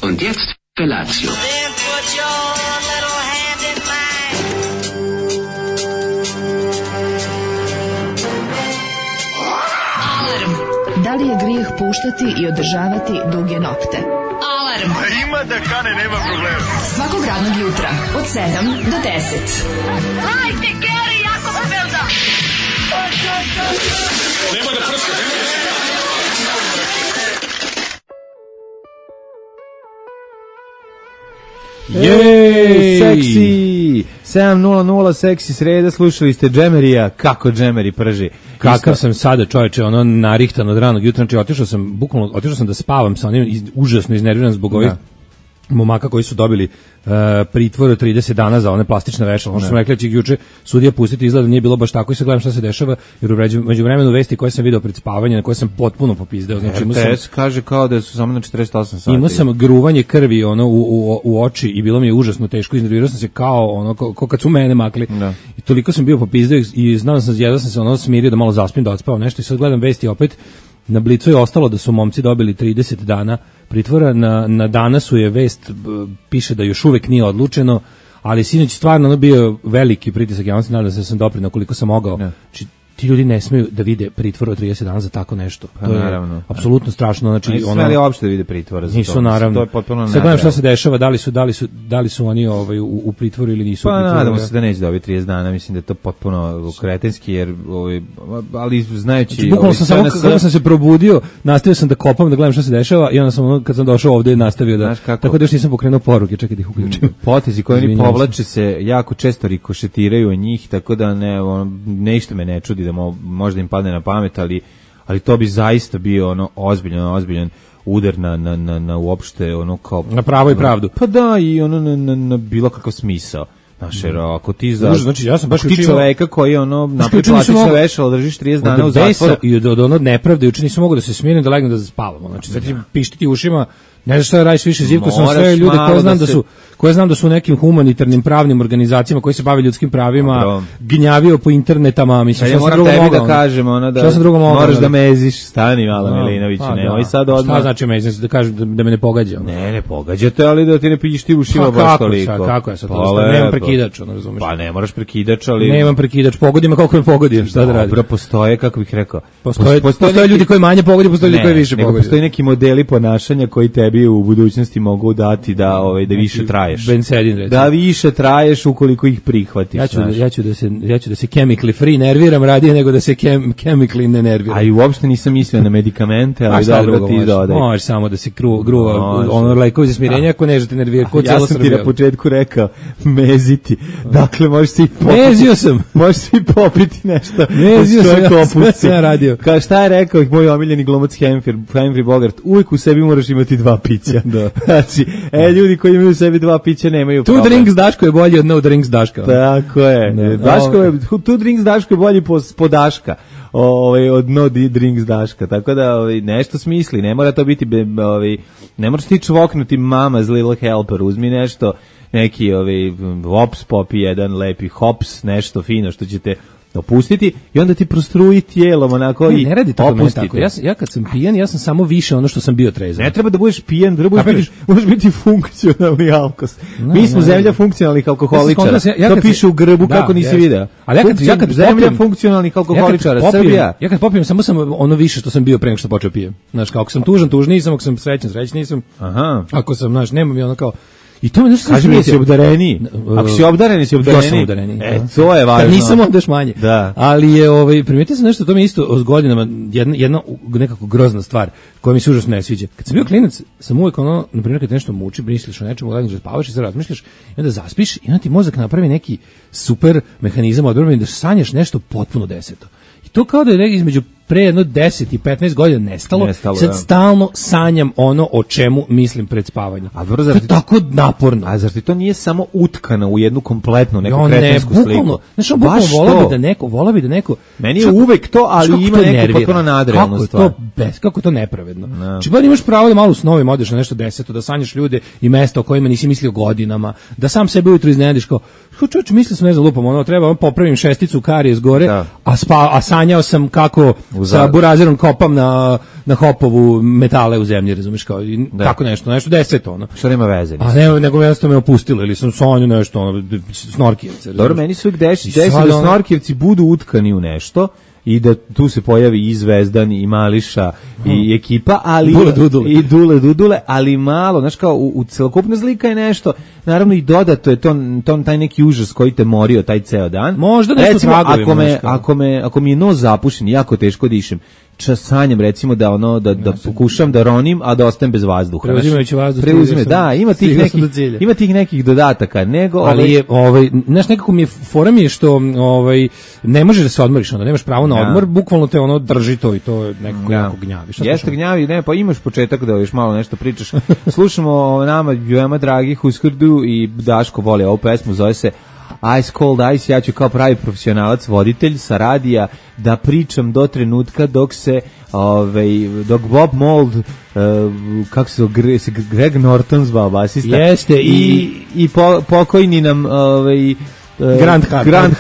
Und jetzt Felatio. Then put your little hand in mine. Alarm. Da li je grijeh puštati i održavati duge nokte? Alarm. Ima da kane, nema problema. Svakog radnog jutra od 7 do 10. Hajde, Geri, jako se velda. Nema da prska, Jej, seksi 7:00 seksi sreda, slušali ste Džemerija, kako Džemeri prži. Kakav sam sada, čoveče, ono narihtan od ranog jutra, znači otišao sam da spavam sa onim užasno iznerviran zbog ovih momaka koji su dobili pritvor od 30 dana za one plastične vešala. Ono što smo rekli, će juče sudija pustiti, izgleda nije bilo baš tako i sad gledam šta se dešava, jer među vremenu vesti koje sam video pred spavanje, na koje sam potpuno popizdeo. Znači, RTS kaže kao da su samo na 48 sati. Imao sam gruvanje krvi ono u oči i bilo mi je užasno teško, iznervirao sam se kao kad su mene makli. Da. I toliko sam bio popizdeo i znao sam, jedva sam se ono smirio da malo zaspim, da odspavam nešto i sad gledam vesti opet. Na Blicu je ostalo da su momci dobili 30 dana pritvora, na Danasu je vest, piše da još uvek nije odlučeno, ali sinoć stvarno ono bio veliki pritisak, ja vam se nadam da sam doprinao koliko sam mogao. Znači, ti ljudi ne smeju da vide pritvor od 30 dana za tako nešto. To je apsolutno strašno. Znači, nisu smeli uopšte da vide pritvora za to. Nisu, naravno. To je potpuno sad gledam šta se dešava, da li su oni u pritvoru ili nisu u pritvoru. Pa nadamo se da neće dobiti 30 dana, mislim da je to potpuno kretenski, jer ali znajući... Bukvalno kako sam se probudio, nastavio sam da kopam, da gledam šta se dešava i onda sam, kad sam došao ovde, nastavio da... Tako da još nisam pokrenuo poruke, čekaj da ih uključim. Potezi koji oni povlače se jako često rikošetiraju od njih, tako da nešto me ne čudi da možda im padne na pamet, ali to bi zaista bio ono ozbiljan udar na uopšte ono kao na pravo i pravdu. Pa da, i ono na bilo kakav smisao. Znaš, ako ti znači ja sam baš ti čoveka koji napred plastične vešala držiš 30 dana u zatvoru i od ono nepravde juče nisam mogao da se smirim da legnem da spavam. Znači sad ti pištiti ušima, ne znaš šta da radiš više, zivko sam sve ljude koje znam da su u nekim humanitarnim pravnim organizacijama koji se bave ljudskim pravima gnjavio po internetama, mislim šta sam drugo mogao da kažem, moraš da meziš, stani malo Milinoviću, nemoj sad odmah. Šta znači mezim, da kažem da me ne pogađa? Ne pogađate, ali da ti ne pišti ušima baš toliko. Kako je sad to? Nemam prekidač, razumeš? Pa ne moraš prekidač, ali nemam prekidač, pogodi me kako me pogodi, šta da radim? Dobro, postoje, kako bih rekao, postoje ljudi koji manje pogodi, postoje ljudi koji više pogodi. Postoje neki modeli ponašanja koji tebi u budućnosti mogu dati da više traješ. Da više traješ ukoliko ih prihvatiš. Ja ću da se chemically free nerviram radije nego da se chemically ne nerviram. A i uopšte nisam mislio na medikamente, ali dobro ti dodaj. Možeš samo da se gruva ono lekovi za smirenje ako ne žete nervirati. Ja sam ti na početku rekao meziti. Dakle, možeš si mezio sam. Možeš si popiti nešto. Mezio sam, sve ja radio. Kao šta je rekao moj omiljeni glumac Humphrey Bogart, uvijek u sebi moraš imati 2 pića. Znači, ljudi koji imaju u sebi 2 pića nemaju problem. Two drinks Daško je bolji od no drinks Daška. Tako je. Two drinks Daško je bolji po Daška. Od no drinks Daška. Tako da nešto smisli. Ne mora to biti ne moraš ti čvoknuti mama's little helper. Uzmi nešto, neki hops popi jedan lepi hops, nešto fino što ćete opustiti i onda ti prostruji tijelom onako i ne radi to tako. Ja kad sam pijan, ja sam samo više ono što sam bio trezan. Ne treba da budeš pijan, možeš biti funkcionalni alkos. Mi smo zemlja funkcionalnih alkoholičara. To piše u grbu kako nisi video. Ali ja kad zemlja funkcionalnih alkoholičara, Srbija. Ja kad popijem samo sam ono više što sam bio pre nego što počeo pijem. Znaš, ako sam tužniji sam, ako sam srećan nisam. Aha. Ako sam, znaš, nemam je ono kao. I to me nešto kaže mi si obdareni. Ako si obdareni, si obdareni. Ja sam obdareni. To je važno. Kad nisam onda još manje. Da. Ali je primetio sam nešto, to mi isto s godinama jedna nekako grozna stvar koja mi se užasno ne sviđa. Kad sam bio klinac, sam uvijek na primjer kad te nešto muči, misliš o nečemu, legneš da spavaš i sad razmišljaš i onda zaspiš i onda ti mozak napravi neki super mehanizam odbrane da sanjaš nešto potpuno deseto. I to kao da je između pre jedno 10 i 15 godina nestalo sad stalno sanjam ono o čemu mislim pred spavanjem. To je tako naporno. A zar ti to nije samo utkano u jednu kompletnu neku kretensku sliku? Znaš, volao bi da neko... Meni je uvek to, ali ima neku potpuno nadrealnu stvar. Kako je to nepravedno? Či bar imaš pravo da malo u snovima odeš na nešto deseto, da sanjaš ljude i mesta o kojima nisi mislio godinama, da sam sebe ujutro iznenadiš kao, čovječ, mislio sam ne znam lupam, treba popravim šesticu karije s gore, a sanjao sam kako sa burazerom kopam na hopovu metale u zemlji, razumiješ, kao tako nešto 10 ono. Što nema veze. A ne, nego jednostavno me opustilo ili sam sonju nešto, ono, snorkijevce. Dobro, meni se uvijek desi da snorkijevci budu utkani u nešto i da tu se pojavi i Zvezdan i Mališa i ekipa, ali i Dule Dudule, ali malo, znaš, kao u celokupna zlika je nešto, naravno i dodato je to taj neki užas koji te morio taj ceo dan. Možda nešto tragovima. Ako mi je nos zapušen, jako teško dišem, sanjam recimo da pokušam da ronim, a da ostanem bez vazduha. Preuzimajući vazduh. Da, ima tih nekih dodataka, nego ali je znaš, nekako mi je fora mi je što ne možeš da se odmoriš, onda nemaš pravo na odmor, bukvalno te ono drži to i to nekako jako gnjavi. Jeste gnjavi, ne, pa imaš početak da još malo nešto pričaš. Slušamo nama veoma dragi Huskardu i Daško voli ovu pesmu, zove se Ice Cold Ice. Ja ću kao pravi profesionalac, voditelj sa radija, da pričam do trenutka dok Bob Mould, kako se Greg Norton zvao basista, jeste i pokojni nam Grand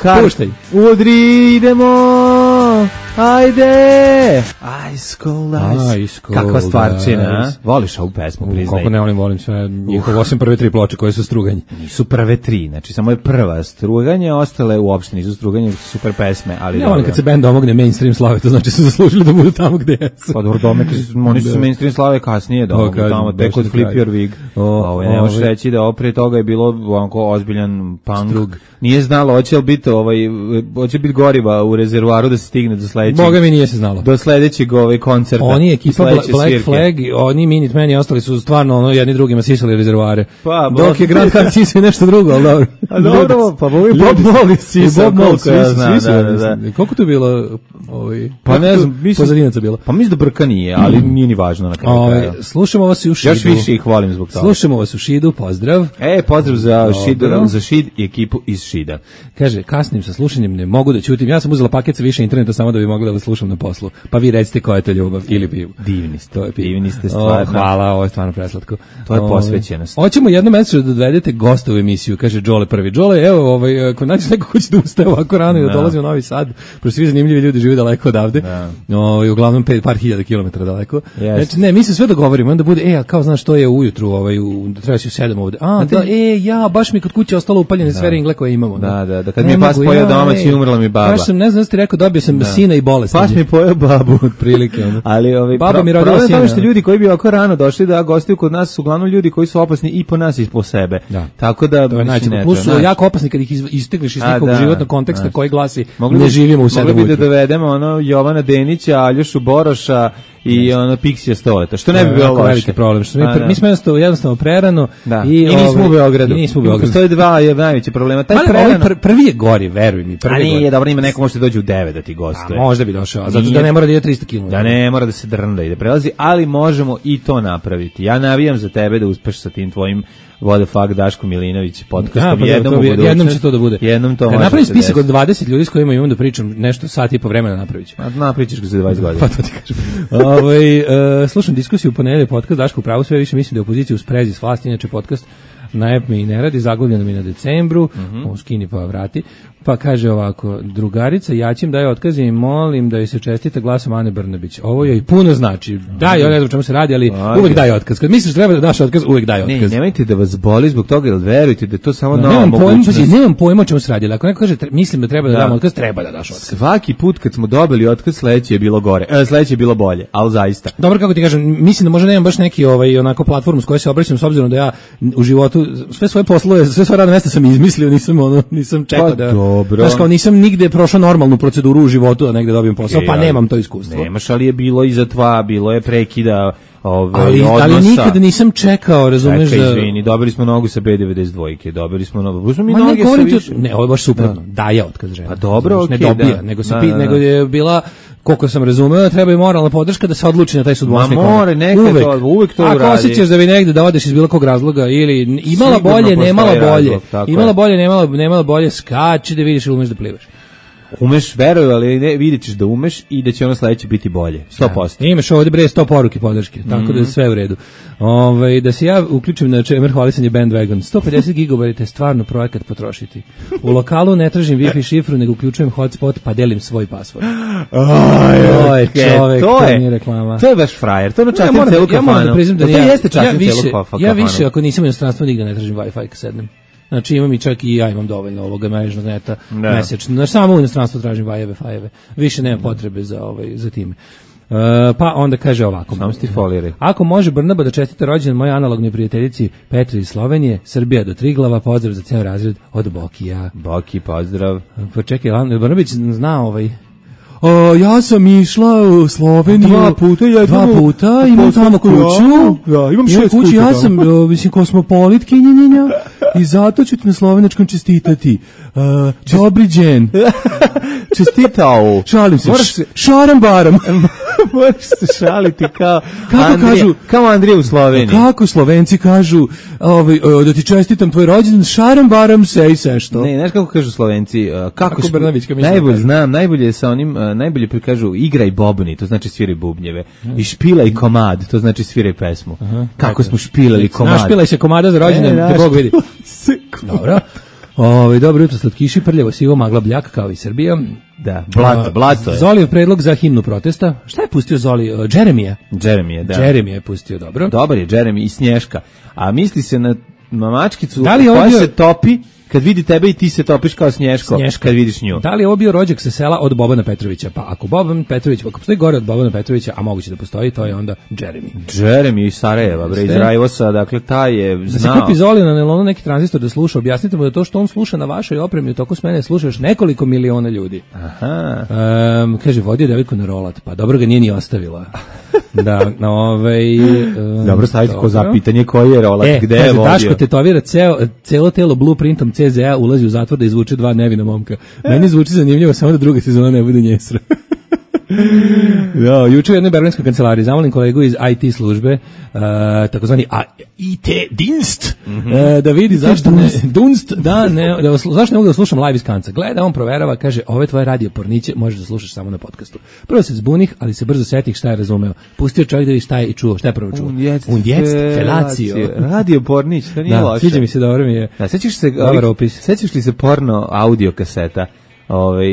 Hart. Puštaj. Udri, idemo, ajde. Ice Cold Ice. Kakva stvarčina. Voliš ovu pesmu, priznaj? Kako ne volim sve, njihov osim prve 3 ploče koje su Struganje. Nisu prve 3, znači samo je prva Struganje, ostale uopšte nisu Struganje, su super pesme, ali ne volim kad se bend domogne mainstream slave, to znači su zaslužili da budu tamo gde jesu. Pa dobro, oni su mainstream slave kasnije domogli tamo, tek od Flip Your Wig. Ne možeš reći da prije toga je bilo onako ozbiljan punk. Nije znalo, hoće biti goriva u rezervoaru da se stigne do sledećeg. Boga mi nije se znalo. Do sledećeg koncerta. Oni ekipa Black Flag, oni Minutemani ostali su stvarno jedni drugima sisali rezervoare. Dok je Grand Hart sisao nešto drugo, ali dobro. A dobro, pa Bob Mould sisao. Koliko to je bilo? Pa ne znam, pozadinaca bilo. Pa mislim da brka nije, ali nije ni važno na kraju. Slušamo vas u Šidu. Još više ih volim zbog toga. Slušamo vas u Šidu, pozdrav. Pozdrav za Šid i ekipu iz Šida. Kaže, kasnim sa slušanjem, ne mogu da ćutim. Ja sam uzela paket sa više interneta samo da bi mogla da vas slušam na poslu. Pa vi recite koja je to ljubav ili pivo. Divni ste stvarno. Hvala, ovo je stvarno preslatko. To je posvećenost. Hoćemo jednom mesečno da dovedete gosta u emisiju, kaže Đole prvi. Đole, evo, ako nađeš neko ko će da ustaje ovako rano i da dolazi u Novi Sad, pošto svi zanimljivi ljudi žive daleko odavde, uglavnom par hiljada kilometara daleko. Znači, ne, mi se sve dogovorimo, onda bude, kao znaš što je ujutru, treba si u 7 ovde. Baš mi kod kuće ostalo upaljene sve ringle koje imamo. Da, kad mi je pas pojeo domaći i umrla mi baba. Kažem, ne znam da ste rekao, dobio sam sina i bolest. Pas mi pojeo babu. Otprilike. Ali baba mi rodila sina. Što ljudi koji bi ovako rano došli da gostuju kod nas su uglavnom ljudi koji su opasni i po nas i po sebe. Tako da to je najčešće. Plus su jako opasni kad ih istegliš iz nekog životnog konteksta koji glasi ne živimo u 7 ujutru. Mogli bi da dovedemo Jovana Denića, Aljošu Boroša i Pixija Stoleta, što ne bi bilo loše. Veliki problem. Mi smo jednostavno prerano i nismo u Beogradu. Postoje dva najveće problema. Taj prvi je gori, veruj mi. A nije, dobro, ima neko može doći u 9 da ti gostuje. Možda bi došao, zato da ne mora da ide 300 km. Da ne mora da se drnda i da prelazi, ali možemo i to napraviti. Ja navijam za tebe da uspeš sa tim tvojim What the fuck Daško Milinović podcastom. Jednom će to da bude. Jednom to može. Napravim spisak od 20 ljudi s kojima imam da pričam nešto sat i po vremena napraviću. Napričaš ga za 20 godina. Pa to ti kažem. Slušam diskusiju u ponedeljak, podcast Daško u pravu, sve više mislim da je opozicija u sprezi s vlasti, inače podcast na EP mi i ne radi, zaglavljeno mi na decembru, skini pa vrati. Pa kaže ovako, drugarica Jaćim daje otkaze i molim da joj se čestita glasom Ane Brnabić. Ovo joj puno znači. Da, ja ne znam o čemu se radi, ali uvek daje otkaz. Kad misliš treba da daš otkaz, uvek daje otkaz. Ne, nemojte da vas boli zbog toga, jer verujte da je to samo nova mogućnost. Nemam pojma o čemu se radi, ali ako neko kaže mislim da treba da dam otkaz, treba da daš otkaz. Svaki put kad smo dobili otkaz, sledeće je bilo gore. Sledeće je bilo bolje, ali zaista. Dobro, kako ti kažem, mislim da možda nemam baš neki onako platformu s kojoj se obraćam, s obzirom da ja u životu sve svoje poslove, sve svoje radne mesta sam izmislio, nisam čekao da znaš, kao nisam nigde prošao normalnu proceduru u životu da negde dobijem posao, pa nemam to iskustvo. Nemaš, ali je bilo i zatva, bilo je prekida odnosa. Ali nikada nisam čekao, razumeš da... Izvini, dobili smo nogu sa B92, dobili smo nogu... Ne, ovo je baš suprotno, daje otkaz žena. Pa dobro, ne dobija, nego je bila... Koliko sam razumeo, treba i moralna podrška da se odluči na taj sudbonosni korak. Uvek to uradi. Ako osjećaš da bi negde da odeš iz bilo kog razloga ili imala bolje, nemala bolje, imala bolje, nemala bolje, skači da vidiš ili umeš da plivaš. Umeš, veruj, ali ne, vidjet ćeš da umeš i da će ono sledeće biti bolje. 100%. Imaš ovdje bre 100 poruke podrške, tako da je sve u redu. Da se ja uključim na čemer hvalisanje Bandwagon. 150 GB je stvarno projekat potrošiti. U lokalu ne tražim Wi-Fi šifru, nego uključujem hotspot pa delim svoj password. To je čovek, to nije reklama. To je baš frajer, to je častim celu kafanu. Ja moram da priznam da to jeste častim celu kafanu. Ja više, ako nisam u inostranstvu, nigde ne tražim Wi-Fi kad sednem. Znači imam i čak i ja imam dovoljno ovoga mrežnog neta mesečno. Znači samo u inostranstvu tražim Wi-Fi. Više nema potrebe za time. Pa onda kaže ovako. Samo sti folire. Ako može Brnaba da čestita rođendan moje analognoj prijateljici Petri iz Slovenije, Srbija do Triglava, pozdrav za ceo razred od Bokija. Boki, pozdrav. Pa čekaj, Brnabić zna ja sam išla u Sloveniju 2 puta, imam tamo kuću. Ja, imam 6 kuća. Ja sam, kosmopolitkinjenja i zato ću ti na slovenačkom čestitati. Dobri džen. Čestitao. Šalim se. Šaram baram. Moraš se šaliti kao Andrija u Sloveniji. Kako Slovenci kažu, da ti čestitam tvoj rođendan, šaram baram se i sve što. Ne, znaš kako kažu Slovenci? Kako Brnabićka misli? Najbolje znam, najbolje sa onim, najbolje prikažu igraj bobni, to znači sviraj bubnjeve. I špilaj komad, to znači sviraj pesmu. Kako smo špilali komad. Našpilaj se komada za rođendan, te Bog vidi. Dobro. Dobro jutro, slatkiši, prljavo sivo, magla bljak kao i Srbija. Da, blato je. Zolijev predlog za himnu protesta. Šta je pustio Zoli? Jeremija, da. Jeremija je pustio, dobro. Dobar je Jeremy i Snješka. A misli se na mamačkicu koja se topi kad vidi tebe i ti se topiš kao Snješko kad vidiš nju. Da li je ovo bio rođak sa sela od Bobana Petrovića? Pa ako Boban Petrović, ako postoji gore od Bobana Petrovića, a moguće da postoji, to je onda Jeremy iz Sarajeva, bre, iz Rajvosa, dakle taj je znao. Da se kupi Zoli na nelonu neki tranzistor da sluša, objasnite mu da to što on sluša na vašoj opremi u toku smene slušaš nekoliko miliona ljudi. Aha. Kaže, vodio devojku na rolat, pa dobro ga nije ni ostavila. Dobro staviti ko za pitanje koji je rolat, gde je vodio. Daško tetovira celo telo blueprintom CZA, ulazi u zatvor da izvuče 2 nevina momka. Meni zvuči zanimljivo, samo da druga sezona ne bude njesra. Juče u jednoj berlinskoj kancelariji zamolim kolegu iz IT službe, takozvani IT Dienst, da vidi zašto ne zašto ne mogu da slušam live iz kanca. Gleda, on proverava, kaže, ove tvoje radio porniće možeš da slušaš samo na podcastu. Prvo se zbunih, ali se brzo setih šta je razumeo. Pustio čovjek da vidi šta je i čuo, šta je prvo čuo. Un jest felatio. Radio pornić, to nije loše. Sviđa mi se, dobro mi je. Sećaš li se porno audio kaseta?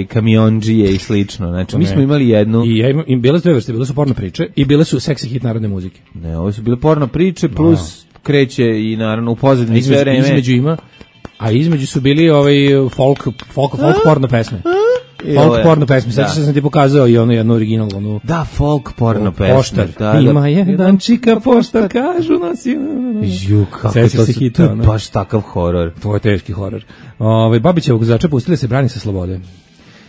Kamionđije i slično. Znači, mi smo imali jednu... I bile su 2 vrste, bile su porno priče i bile su seksi hit narodne muzike. Ne, ovo su bile porno priče, plus kreće i naravno u pozadini sve vreme. Između su bili folk porno pesme. Folk porno pesme, sad sam ti pokazao i jednu originalnu. Da, folk porno pesme. Poštar. Ima jedan čika poštar, kažu nas je... Kako to je baš takav horor. To je teški horor. Babićevog vozača pustili se brani sa slobode.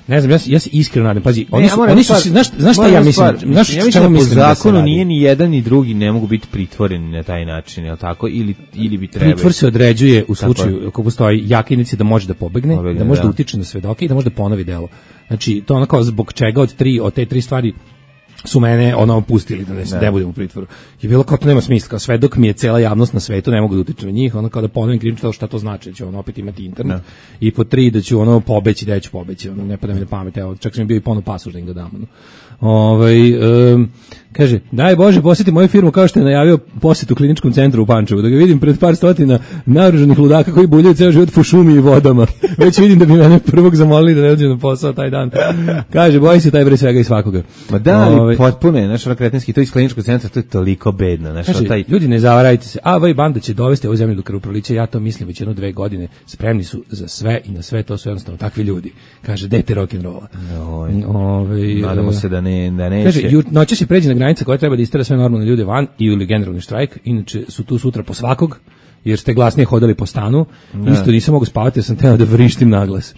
Ne znam, ja se iskreno nadam. Pazi, oni su, znaš šta ja mislim? Ja mislim da po zakonu nije ni jedan ni drugi ne mogu biti pritvoreni na taj način, je li tako? Ili bi trebali. Pritvor se određuje u slučaju ako postoji jaka indicija da može da pobegne, da može da utiče na svedoke i da može da ponovi delo. Znači, to onako zbog čega od te 3 stvari su mene pustili da ne budem u pritvoru. Je bilo kao to nema smisla, kao svedok mi je cela javnost na svetu, ne mogu da utičem na njih, kao da ponovim krivično šta to znači, da ću opet imati internet. I po 3 da ću pobeći, da ću pobeći, ne pada mi na pamet, evo, čak sam bio i ponovno pasoš da im ga dam. Kaže, daj Bože, posjeti moju firmu kao što je najavio posjet u kliničkom centru u Pančevu, da ga vidim pred par stotina naoružanih ludaka koji buljaju ceo život po šumi i vodama. Već vidim da bi mene prvog zamolili da ne dođem na posao taj dan. Kaže, boji se taj bre svega i svakoga. Ma da, ali potpuno je, znaš, kretenski, to iz kliničkog centra, to je toliko bedno. Znaš, kaže, ljudi, ne zavarajte se, banda će dovesti ovu zemlju do krvoprolića, ja to mislim već 1-2 godine, spremni su za sve i na sve, to su jednostavno takvi ljudi. Kaže, dete rock'n'rolla. Nadamo se da neće. Kaže, noće se pređe na granica koja treba da istera sve normalne ljude van ili generalni štrajk, inače su tu sutra po svakog, jer ste glasnije hodali po stanu, isto nisam mogu spavati jer sam teo da vrištim naglas.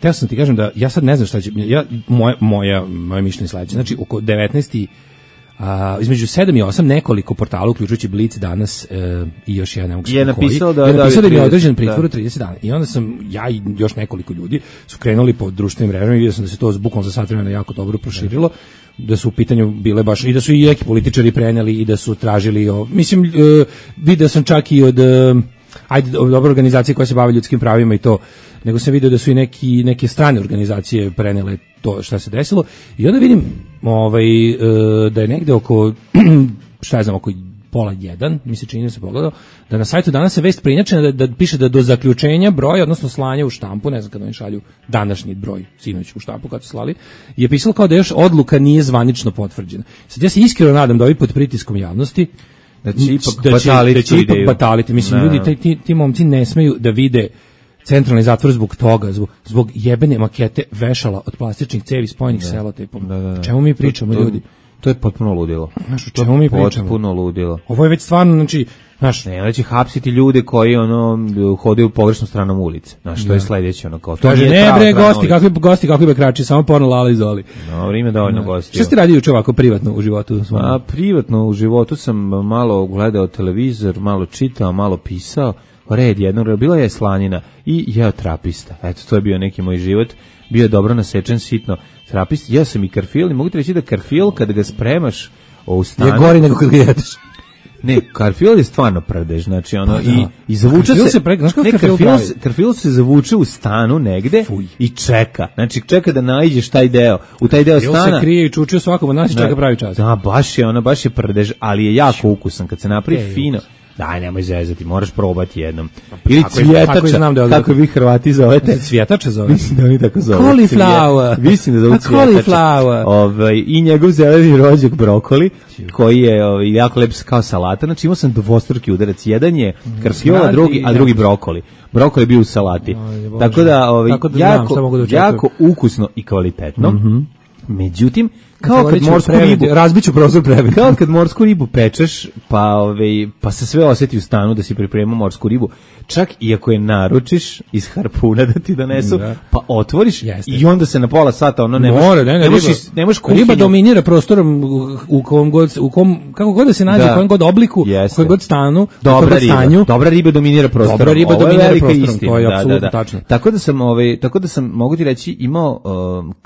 Teo sam ti kažem da ja sad ne znam šta će, moje mišljenje sledeće, znači oko 19. Između 7 i 8 nekoliko portala, uključujući Blic danas i još jedan, ne mogu je napisao da je određen pritvor 30 dana. I onda sam ja i još nekoliko ljudi su krenuli po društvenim mrežama i vidio sam da se to bukvalno za sat vremena jako dobro proširilo, da su u pitanju bile baš i da su i neki političari preneli i da su tražili, mislim, video sam čak i od ajde, dobra organizacija koja se bavi ljudskim pravima i to, nego sam vidio da su i neke strane organizacije prenele to šta se desilo i onda vidim da je negde oko šta ja znam, oko pola 1, mi se čini da se pogledao, da na sajtu danas je vest preinačena da piše da do zaključenja broja, odnosno slanja u štampu, ne znam kada oni šalju današnji broj, sinoć u štampu kad su slali, je pisalo kao da još odluka nije zvanično potvrđena. Sad ja se iskreno nadam da ovi pod pritiskom javnosti da će ipak bataliti. Mislim, ljudi, ti momci ne smeju da vide centralni zatvor zbog toga, zbog jebene makete vešala od plastičnih cevi spojenih selotejpom. O čemu mi pričamo, ljudi? To je potpuno ludilo. Znaš, o čemu mi pričamo? Potpuno ludilo. Ovo je već stvarno, znači, znaš... Ne, će hapsiti ljude koji, hodaju u pogrešnom stranom ulici. Znaš, to je sledeće, kao... Kaže, ne bre, gosti, kakvi bekrači, samo porno Lala i Zoli. Dobro, ima dovoljno gosti. Šta ste radio juče ovako privatno u životu? Privatno u životu sam malo gledao televizor, malo čitao, malo pisao. Red jednog, bila je slanina i jeo trapista. Eto, to je bio neki moj život. Bio je dobro nasečen, sitno trapist. Ja sam i karfil i mogu ti reći da karfil kada ga spremaš u stanu... Je gori nego kad ga jedeš. Ne, karfil je stvarno prdež, znači i zavuče se... Karfil se zavuče u stanu negde i čeka. Znači čeka da naiđeš taj deo. U taj deo stana... Karfil se krije i čuče svakom od nas i čeka pravi čas. Da, baš je prdež, ali je jako ukusan. Kad se napravi fino... Daj, nemoj zezati, moraš probati jednom. Ili cvjetača, kako vi Hrvati zovete. Cvjetača zove. Mislim da oni tako zove. Cauliflower. Mislim da zovu cvjetača. I njegov zeleni rođak brokoli, koji je jako lep kao salata. Znači imao sam dvostruki udarac. Jedan je karfiola, a drugi brokoli. Brokoli je bio u salati. Tako da, jako ukusno i kvalitetno. Međutim, kao kad morsku ribu razbiću prozor prebi. Kao kad morsku ribu pečeš, pa se sve osjeti u stanu da si pripremao morsku ribu. Čak i ako je naručiš iz harpuna da ti donesu, pa otvoriš i onda se na pola sata ne možeš kuhinju. Riba dominira prostorom u kom kako god da se nađe, u kojem god obliku, u kojem god stanu, dobra riba dominira prostorom. Dobra riba dominira prostorom, to je apsolutno tačno. Tako da sam mogu ti reći imao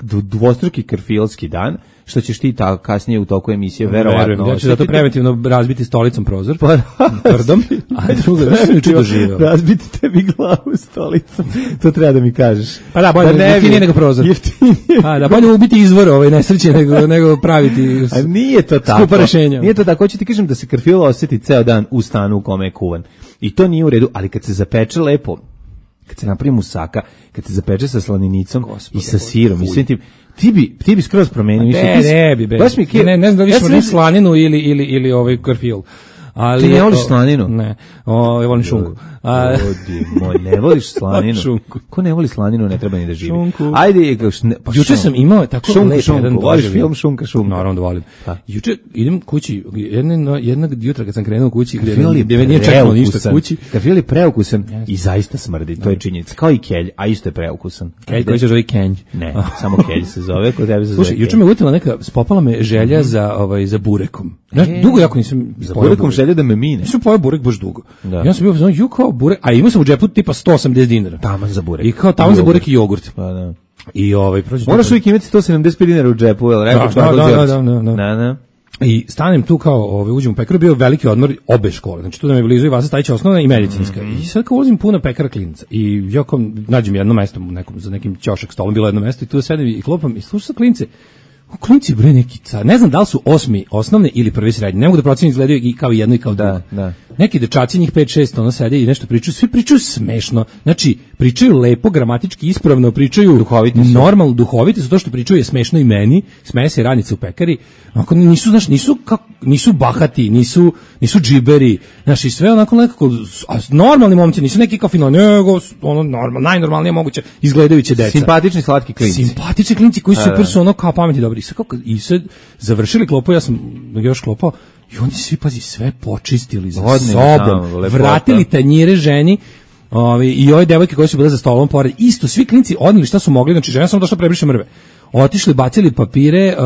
dvostruki karfilski dan, što ćeš ti kasnije u toku emisije verovatno. Ja ću zato preventivno razbiti stolicom prozor, tvrdom, a drugo, čudo živeo. Razbiti tebi glavu stolicom, to treba da mi kažeš. Pa da, bolje jeftinije nego prozor. Pa da, bolje ubiti izvor nesreće nego praviti nije to tako. Skupa rešenja. Nije to tako, hoću ti kažem da se karfil osjeti ceo dan u stanu u kome je kuvan. I to nije u redu, ali kad se zapeče lepo, kad se napravi musaka, kad se zapeče sa slaninicom i sa sirom i svim tim, ti bi skroz promenio. Ne znam da više slaninu ili karfil. Ti ne voliš slaninu? Ne, volim šunku. Moj, ne voliš slaninu? Ko ne voli slaninu, ne treba ni da živi. Ajde, juče sam imao tako lep jedan voliš film Šunka? Naravno da volim. Juče idem kući, jednog jutra kad sam krenuo kući, gdje me nije čekalo ništa kući. Karfil je preukusan i zaista smrdi, to je činjenica. Kao i kelj, a isto je preukusan. Kelj koji se zove kenj. Ne, samo kelj se zove, kod tebe se zove. Slušaj, juče me utila neka, spopala me želja za burekom. Dugo jako nisam za burekom želja da me mine. Nisam pojao burek baš dugo. Ja sam bio kao burek, a imao sam u džepu tipa 180 dinara. Taman za burek. I kao taman za burek i jogurt. Pa da. I prođe. Moraš uvijek imati 175 dinara u džepu, jel? Da. I stanem tu kao, uđem u pekaru, bio veliki odmor obe škole. Znači tu da me blizu i Vasa Stajića osnovna i medicinska. I sad kao ulazim puno pekara klinaca. I ja kao nađem jedno mesto za nekim ćošak stolom, bilo jedno mesto i tu sedim i klopam i slušam sa klince. Klinci bre neki ne znam da li su 8. osnovne ili prvi srednje. Ne mogu da procenim, izgledaju i kao jedno i kao drugo. Neki dečaci, njih 5-6, sede i nešto pričaju, svi pričaju smešno. Znači, pričaju lepo, gramatički ispravno, pričaju normalno, duhoviti su, to što pričaju je smešno i meni, smeje se radnice u pekari. Onako nisu bahati, nisu džiberi, znači sve onako nekako normalni momci, nisu neki kao fino, nego najnormalnije moguće izgledajuće deca. Simpatični slatki klinci. Simpatični klinci koji super su ono kao pametni dobri. I sad završili klopu, ja sam još klopao i oni svi, pazi, sve počistili za sobom, vratili tanjire ženi i ove devojke koje su bile za stolom pored, isto svi klinci odneli šta su mogli, znači žena samo došla prebriše mrve. Otišli, bacili papire,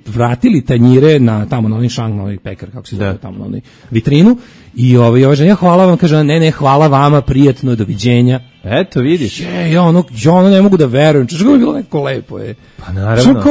vratili tanjire na tamo na onaj šank, na onaj pekar, kako se zove, tamo na onaj vitrinu I ova žena, hvala vam, kaže, ne, hvala vama, prijatno, doviđenja. Eto, vidiš. Ja ono ne mogu da verujem. Što je bilo neko lepo je. Pa naravno.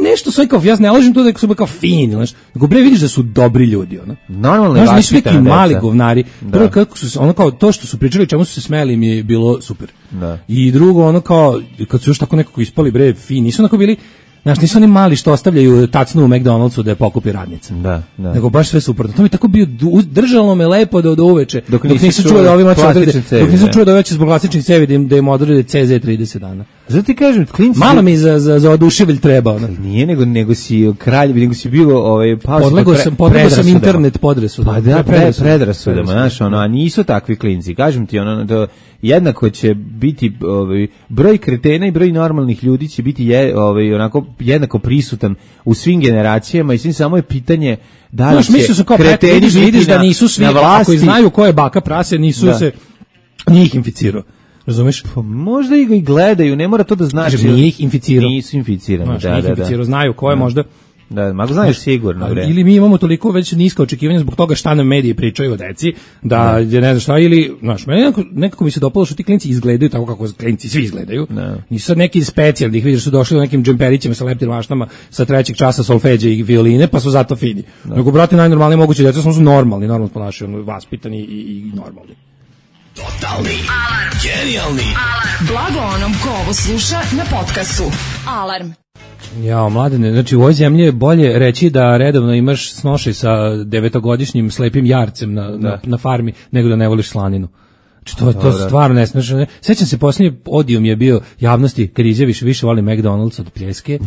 Nešto sve kao, ja ne lažem to da su kao fini, znaš. Nego bre vidiš da su dobri ljudi, ono. Normalno je. Znaš, nisu neki mali govnari. Prvo kako su ono kao to što su pričali, čemu su se smejali, mi je bilo super. Da. I drugo ono kao kad su još tako nekako ispali bre fini, nisu onako bili. Znaš, nisu oni mali što ostavljaju tacnu u McDonald'su da je pokupi radnica. Da. Nego baš sve suprotno. To mi tako bio, držalo me lepo do uveče. Dok nisam čuo da ovima dok nisam čuo da već zbog klasičnih cevi da im odrede CZ 30 dana. Zato ti kažem, klinci... Malo mi za oduševilj treba. Ono. Nije, nego si kralj, nego si bilo... Podlegao sam internet podresudama. Pa da, predrasudama, znaš, a nisu takvi klinci. Kažem ti, jednako će biti broj kretena i broj normalnih ljudi će biti onako jednako prisutan u svim generacijama i svim, samo je pitanje da li će kreteni vidiš da nisu svi, ako znaju ko je baka prase, nisu se njih inficirao. Razumeš? Pa možda i gledaju, ne mora to da znači. Nije ih inficirao. Nisu inficirani, da. Znaju ko je možda. Da, mogu znaš sigurno. Ili mi imamo toliko već niska očekivanja zbog toga šta nam mediji pričaju o deci, da je ne znam šta, ili, znaš, meni nekako mi se dopalo što ti klinci izgledaju tako kako klinci svi izgledaju. Nisu sad neki specijalni, da ih vidiš su došli u nekim džemperićima sa leptim maštama sa 3. časa solfeđe i violine, pa su zato fini. Nego, brate, najnormalnije moguće deca su normalni, normalno ponašaju, vaspitani i normalni. Totalni alarm. Genijalni alarm. Blago onom ko ovo sluša na podcastu. Alarm. Jao, mladene, znači u ovoj zemlji je bolje reći da redovno imaš snošaj sa 9-godišnjim slepim jarcem na farmi, nego da ne voliš slaninu. Znači, to stvarno ne smiješ. Sećam se, posljednji odijum je bio javnosti kad izjaviš više volim McDonald's od pljeske.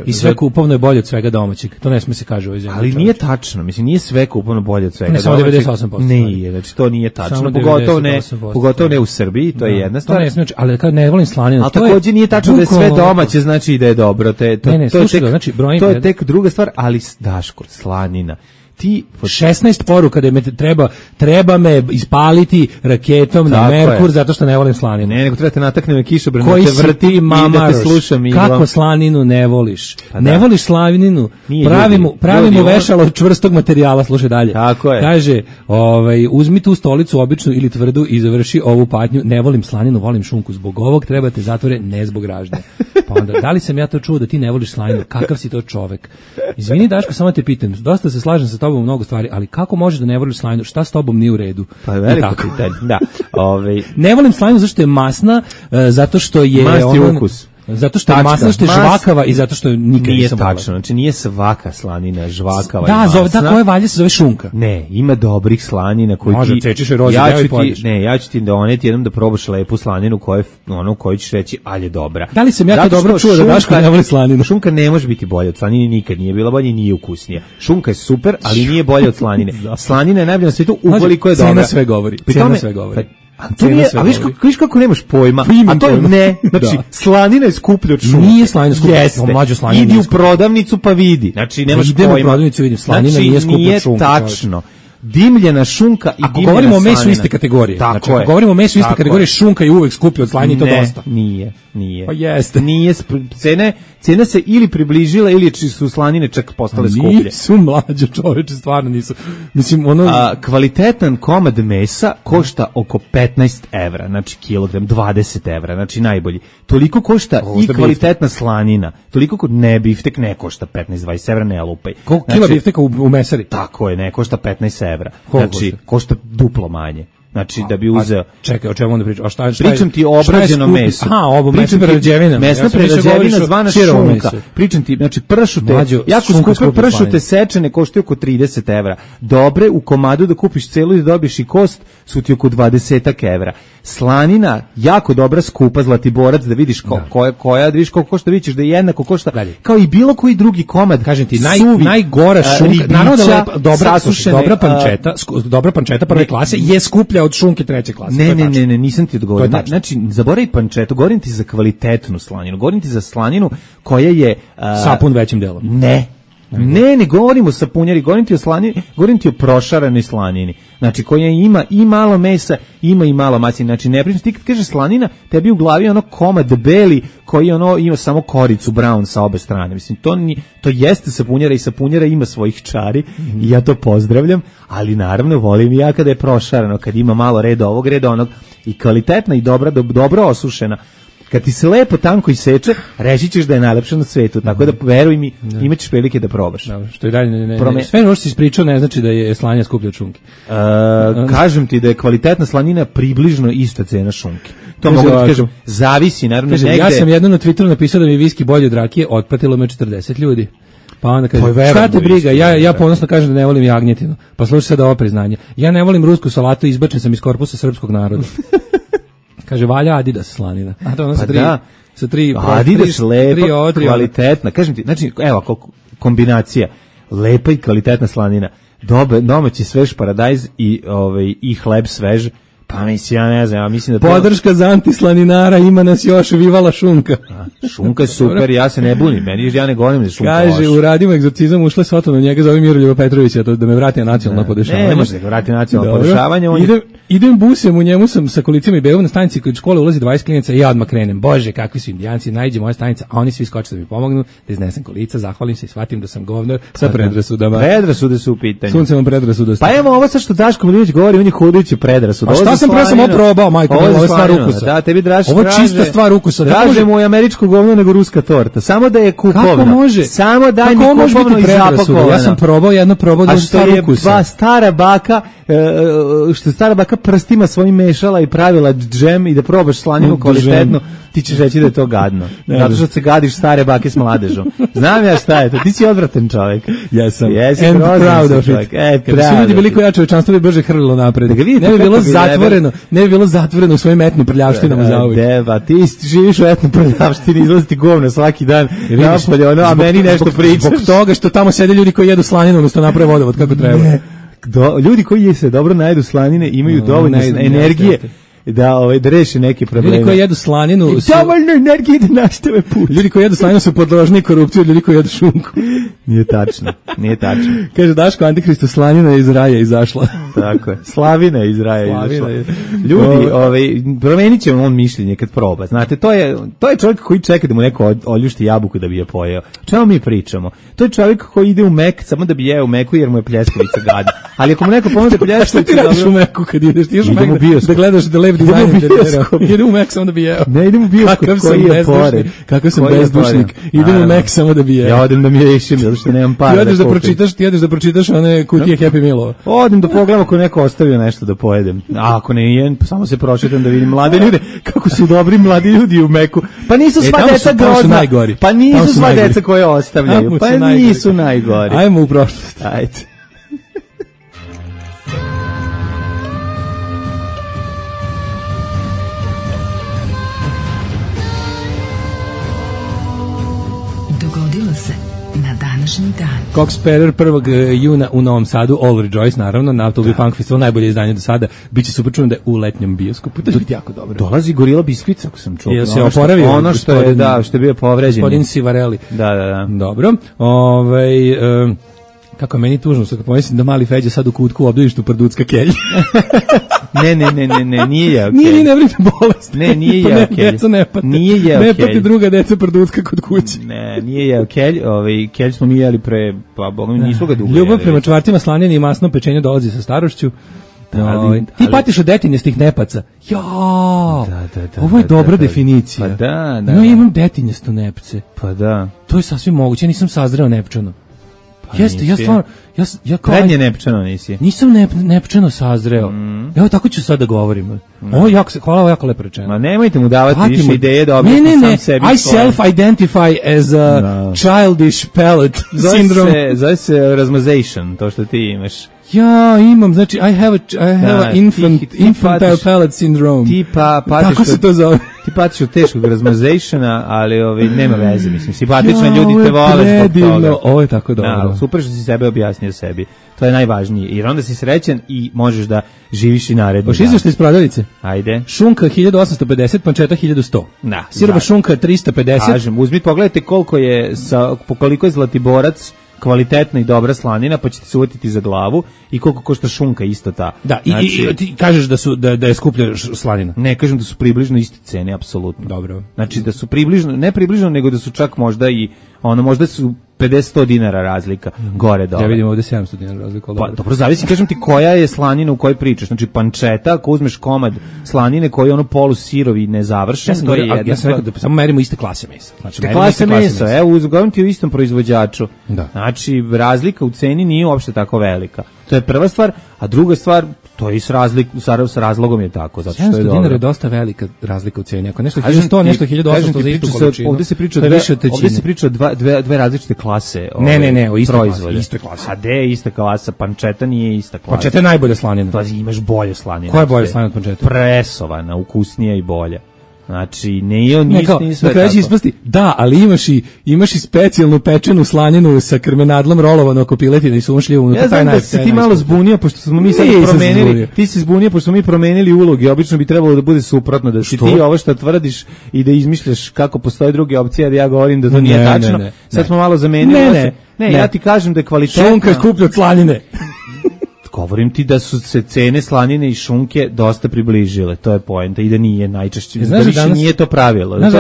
I sve kupovno je bolje od svega domaćeg. To ne smije se kaže u ovoj zemlji. Ali nije tačno, mislim, nije sve kupovno bolje od svega domaćeg. Ne, samo 98%. Nije, znači to nije tačno. Pogotovo ne u Srbiji, to je jedna stvar. To ne smije, ali kad ne volim slaninu. Ali također nije tačno da je sve domaće, znači i da je dobro. To je tek druga stvar, ali Daško, slanina. 16 poruka da me treba me ispaliti raketom na Merkur zato što ne volim slaninu. Ne, nego treba te natakne kišobran da te vrti i da te slušam. Kako slaninu ne voliš? Ne voliš slaninu? Pravimo vešalo od čvrstog materijala, slušaj dalje. Tako je. Kaže, uzmi tu stolicu običnu ili tvrdu i završi ovu patnju. Ne volim slaninu, volim šunku. Zbog ovog treba te zatvore, ne zbog ražnje. Pa onda, da li sam ja to čuo da ti ne voliš slaninu? Kakav si to čovek? Izvini Daško, samo te pitam. Dosta se slažem sa tobom u mnogo stvari, ali kako možeš da ne voliš slaninu? Šta s tobom nije u redu? Pa veliko pitanje, da. Ne volim slaninu zato što je masna, zato što je... Mast je ukus. Zato što je masna, što je žvakava i zato što nikad nisam volao. Nije tačno, znači nije svaka slanina žvakava i masna. Da, koje valje se zove šunka. Ne, ima dobrih slanina koji može, ti... Cečeš i rozi, ja ću ti doneti jednom da probaš lepu slaninu koju ćeš reći, ali je dobra. Da li sam ja to dobro čuo da Daško ne voli slaninu? Šunka ne može biti bolja od slanine, nikad nije bila bolja i nije ukusnija. Šunka je super, ali nije bolja od slanine. Slanina je najbolja na svijetu ukoliko je dobra. Cena sve govori. A viš kako nemaš pojma, a to je ne, znači slanina je skuplja od šunke. Nije slanina skuplja, mlađo slanina. Idi u prodavnicu pa vidi, znači nemaš pojma. Idem u prodavnicu vidim, slanina nije skuplja od šunke. Nije tačno. Dimljena šunka i dimljena slanina. Ako govorimo o mesu iste kategorije, znači ako govorimo o mesu iste kategorije, šunka je uvek skuplja od slanine, to dosta. Nije. Pa jeste. Nije, cena se ili približila ili su slanine čak postale skuplje. Nisu mlađe čoveče, stvarno nisu. Mislim, kvalitetan komad mesa košta oko 15 evra, znači kilogram, 20 evra, znači najbolji. Toliko košta i kvalitetna slanina, toliko ne biftek ne košta 15-20 evra, ne lupaj. Koliko kila bifteka u mesari? Tako je, ne košta 15 evra. Znači, košta duplo manje. Znači da bi uzeo. Čekaj, o čemu onda pričam? Pričam ti o obrađenom mesu. Mesna prerađevina. Mesna prerađevina zvana šunka. Pričam ti, znači pršute, jako skupe pršute sečene koštaju oko 30 evra. Dobre u komadu da kupiš celu i da dobiješ i kost su ti oko 20 evra. Slanina, jako dobra, skupa, Zlatiborac, da vidiš koja, da vidiš koliko košta, vidiš da je jednako košta, kao i bilo koji drugi komad. Kažem ti, najgora šunka, naravno da dobra pančeta prve klase je skuplja od šunke treće klase. Ne, nisam ti odgovorio. Znači, zaboravi pančetu, govorim ti za kvalitetnu slaninu, govorim ti za slaninu koja je... sapun većim delom. Ne. Ne govorimo o sapunjari, govorim ti o slanini, govorim ti o prošaranoj slanini. Znači, koja ima i malo mesa, ima i malo masine. Znači, ne pričam, ti kad kažeš slanina, tebi u glavi ono komad beli koji ono ima samo koricu brown sa obe strane. Mislim, to jeste sapunjara i sapunjara ima svojih čari i ja to pozdravljam, ali naravno volim ja kada je prošarano, kad ima malo reda ovog, reda onog i kvalitetna i dobro osušena. Kad ti se lepo tanko iseče, reći ćeš da je najlepša na svetu, tako da veruj mi, imaćeš prilike da probaš. Dobro, što je dalje ne. Sve ono što si ispričao ne znači da je slanina skuplja od šunke. Kažem ti da je kvalitetna slanina približno ista cena šunke. To mogu da kažem, zavisi naravno negde. Ja sam jednom na Twitteru napisao da mi viski bolji od rakije, otpatilo me 40 ljudi. Pa onda kaže, šta te briga, ja ponosno kažem da ne volim jagnjetinu. Pa slušaj sad ovo priznanje. Ja ne volim rusku salatu, izbačen sam iz korpusa srpskog naroda. Kaže, valja Adidas slanina. A to ono sa tri Adidas lepa, kvalitetna. Kažem ti, znači, evo, kombinacija, lepa i kvalitetna slanina, domaći svež paradajz i hleb svež, pa mislim, ja ne znam, ja mislim da... Podrška za antislaninara, ima nas još, vivala šunka. Šunka je super, ja se ne bunim, ja ne govorim da šunka loša. Kaže, uradimo egzorcizam, ušle svoto na njega, zove Miroljuba Petrovića, da me vrati na nacionalno podešavanje. Ne može da ga vrati na nacionalno podešavanje. Idem busem, u njemu sam sa kolicima i bevom na stanici kod škole ulazi 20 klinaca i ja odmah krenem. Bože, kakvi su indijanci, najđe moja stanica, a oni svi skoče da mi pomognu, da iznesem kolica, zahvalim se i shvatim da sam govnar sa predrasudama. Predrasude su u pitanju. Suncevom predrasudosti. Pa evo ovo sad što Daško Milinović govori, on je hodajući predrasud. A šta sam pre samo probao, majko, ovo je stvar ukusa. Da, tebi draži. Ovo je čista stvar ukusa. Draže mu je američko govno nego ruska torta. Samo da je kupovno. Kako može? Samo daj mi kupovno i zapakovano. Ja sam probao da je stvar ukusa. A što je stara baka prstima svojim mešala i pravila džem i da probaš slaninu kvalitetno, ti ćeš reći da je to gadno. Zato što se gadiš stare bake s mladežom. Znam ja šta je to, ti si odvratan čovjek. Jesam. Jesi and proud of it. Kad bi svi ljudi bili koji ja čovečanstvo bi brže hrlilo napred. Ne bi bilo zatvoreno u svojim etnim prljavštinama za uvijek. Deva, ti živiš u etnom prljavštini, izlazi ti govno svaki dan napolje, a meni nešto pričaš. Zbog toga što tamo sede ljudi koji jedu slaninu, odnosno naprave vodovod kako treba. Ljudi koji se dobro najedu slanine imaju dovoljno energije da reše neke probleme. Ljudi koji jedu slaninu dovoljno energije da nastave put. Ljudi koji jedu slaninu su podložni korupciji od ljudi koji jedu šunku. Nije tačno. Kaže Daško, Antihristo, slanina je iz raja izašla. Tako je. Slavina je iz raja izašla. Ljudi, promenit će on mišljenje kad proba. Znate, to je čovjek koji čeka da mu neko oljušti jabuku da bi je pojeo. Čemu mi pričamo? To je čovjek koji ide u Mek samo da bi jeo Meku jer mu je pljeskavica gadna. Ali ako mu neko ponude pljeskavicu... Šta ti radiš u Meku kad ideš? Ti još u Mek da gledaš da lev dizajn interijerao. Idem u Mek samo da bi jeo. Ne, idem u bioskop koji je pored. Kakav sam bezdušnik. Idem u Mek samo da bi jeo. Ja odem da mi ješim, zato što nemam para da kupim. Ti jedeš da pročitaš one kutije Happy Mealova. Odem da pogledam ako neko ostavio nešto da pojedem. A ako ne jen, samo se prošetam da vidim mlade ljude. Kako su dobri mladi ljudi u Meku. Pa nisu sva deca grozna. Pa nisu sva deca koje ostavljaju. Pa nisu najgori. Ajmo u prošlost. Ajde. Dogodilo se na današnji dan. Cox Sparrer 1. juna u Novom Sadu, All Rejoice, naravno, na Autobi Punk Festival, najbolje izdanje do sada. Biće super čujem da je u letnjem bioskopu. To je jako dobro. Dolazi Gorila Biskvic, ako sam čuo. Jel se oporavio? Ono što je bio povređen. Gospodin Sivarelli. Da. Dobro. Kako je meni tužno, sad pomislim da mali Feđa sad u kutku u obdaništu prducka kelj. Ne, nije jeo kelj. Nije, ne vrite bolest. Ne, nije jeo kelj. Deca ne pate. Nije jeo kelj. Ne pate druga deca prducka kod kuće. Ne, nije jeo kelj. Kelj smo mi jeli pre, pa boga mi nisu ga dugo jeli. Ljubav prema čvarcima slanjeni i masnom pečenju dolazi sa starošću. Ti patiš od detinjastih nepaca. Da, ovo je dobra definicija. Pa da. Ja imam detinjasto nepce. Pa da. To je sasvim moguće, ja nisam sazreo nepčano. Jeste, ja stvarno, ja kao... Prednje nepčano nisi. Nisam nepčano sazreo. Evo tako ću sad da govorim. Hvala, ovo jako lepo rečeno. Ma nemojte mu davati više ideje da objasni sam sebi. I self-identify as a childish palate syndrome. Zove se rasmazation, to što ti imaš. Ja imam, znači I have a infantile palate syndrome. Tako se to zove. Ti patiš od teškog rasmazationa, ali nema veze, mislim, simpatični ljudi te vole zbog toga. Ovo je tako dobro. Super što si sebe objasnio sebi. To je najvažnije, jer onda si srećan i možeš da živiš i naredno. Hoš izveštaj iz prodavnice? Ajde. Šunka 1850, pančeta 1100. Da. Sirova šunka 350. Kažem, uzmite, pogledajte koliko je zlatiborac kvalitetna i dobra slanina, pa ćete se uvatiti za glavu i koliko košta šunka isto ta. Da, i ti kažeš da je skuplja slanina. Ne kažem da su približno iste cene, apsolutno. Dobro. Znači da su približno, ne približno, nego da su čak možda i možda su 50-100 dinara razlika gore dole. Ja vidim ovde 700 dinara razlika. Pa dobro, zavisi, kažem ti koja je slanina u kojoj pričaš. Znači panceta, ako uzmeš komad slanine koji je ono polusirovi nezavršen, to je jedna. Ja sam rekao da samo merimo iste klase mesa. Znači klase mesa, evo uzgovorim ti u istom proizvođaču. Da. Znači razlika u ceni nije uopšte tako velika. To je prva stvar, a druga stvar, to je i s razlogom je tako, zato što je dobro. 700 dinara je dosta velika razlika u ceni. Ako nešto 1100, nešto 1800 za istu količinu. Ovde se priča dve različite klase. Ne, o istoj klasi. A gde je ista klasa? Panceta nije ista klasa. Panceta je najbolja slanina. Pa imaš bolje slanine. Koja je bolja slanina od pancete? Presovana, ukusnija i bolja. Znači, nije sve tako. Ispasti, da, ali imaš i specijalnu pečenu slaninu sa krmenadlom rolovano oko piletine i sumšljivo unutra. Ja znam da si ti malo zbunio, pošto smo mi sad promenili, ti si zbunio, pošto smo mi promenili uloge, obično bi trebalo da bude suprotno, da si ti ovo što tvrdiš i da izmišljaš kako postoje druge opcije, da ja govorim da to nije tačno. Sad smo malo zamenili. Ne, ja ti kažem da je kvalitetna. Šunka je skuplja od slanine. Govorim ti da su se cene slanine i šunke dosta približile, to je poenta i da nije najčešće, da više danas, nije to pravilo.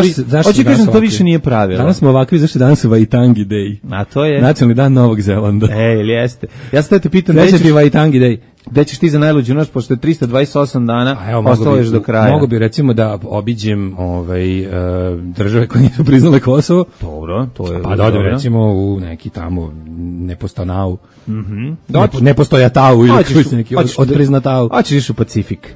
Hoće kažem, to više nije pravilo. Danas smo ovakvi, zašto danas je Waitangi Day. A to je? Nacionalni dan Novog Zelanda. Ili jeste. Ja sad te pitam, gde ćeš ti Waitangi Day? Gde ćeš ti za najluđu noć, pošto je 328 dana, ostalo još do kraja. Mogu bi recimo da obiđem države koje nisu priznale Kosovo. Dobro, to je. Pa da odem recimo u neki tamo Nepostanau. Nepostojatau ili neki od priznatau. Hoćeš u Pacifik.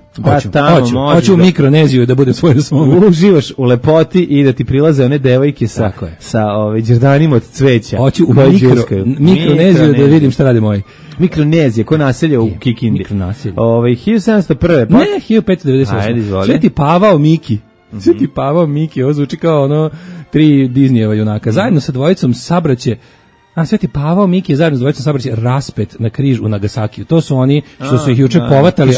Hoću u Mikroneziju da budem svoj na svom. Uživaš u lepoti i da ti prilaze one devojke sa đerdanima od cveća. Hoću u Mikroneziju da vidim šta rade moji. Mikronezija, ko naselja u Kikindi. Mikronaselje. 1701. Ne, 1598. Ajde, izvoli. Sveti Pavao Miki, ovo zvuči kao 3 Disneyjeva junaka. Zajedno sa dvojicom sabraće Sveti Pavao Miki je zajedno s dvojicom sabraće raspet na križ u Nagasakiju. To su oni što su ih juče povatali,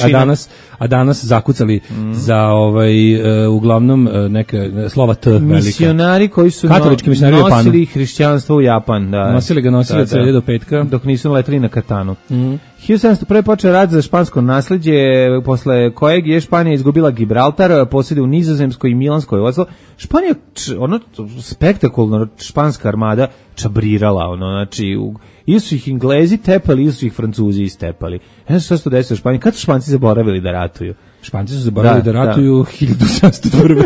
a danas zakucali za uglavnom neka slova T velika. Misionari koji su nosili hrišćanstvo u Japan. Nosili od srede do petka. Dok nisu leteli na katanu. 1701. počeo rat za špansko nasleđe, posle kojeg je Španija izgubila Gibraltar, posjede u Nizozemskoj i Milanskoj ozlo. Španija, spektakularno španska armada čabrirala, znači, ili su ih Englezi tepali, ili su ih Francuzi istepali. Ne znam što se to desilo u Španiji. Kad su Španci zaboravili da ratuju? Španci su zaboravili da ratuju 1701.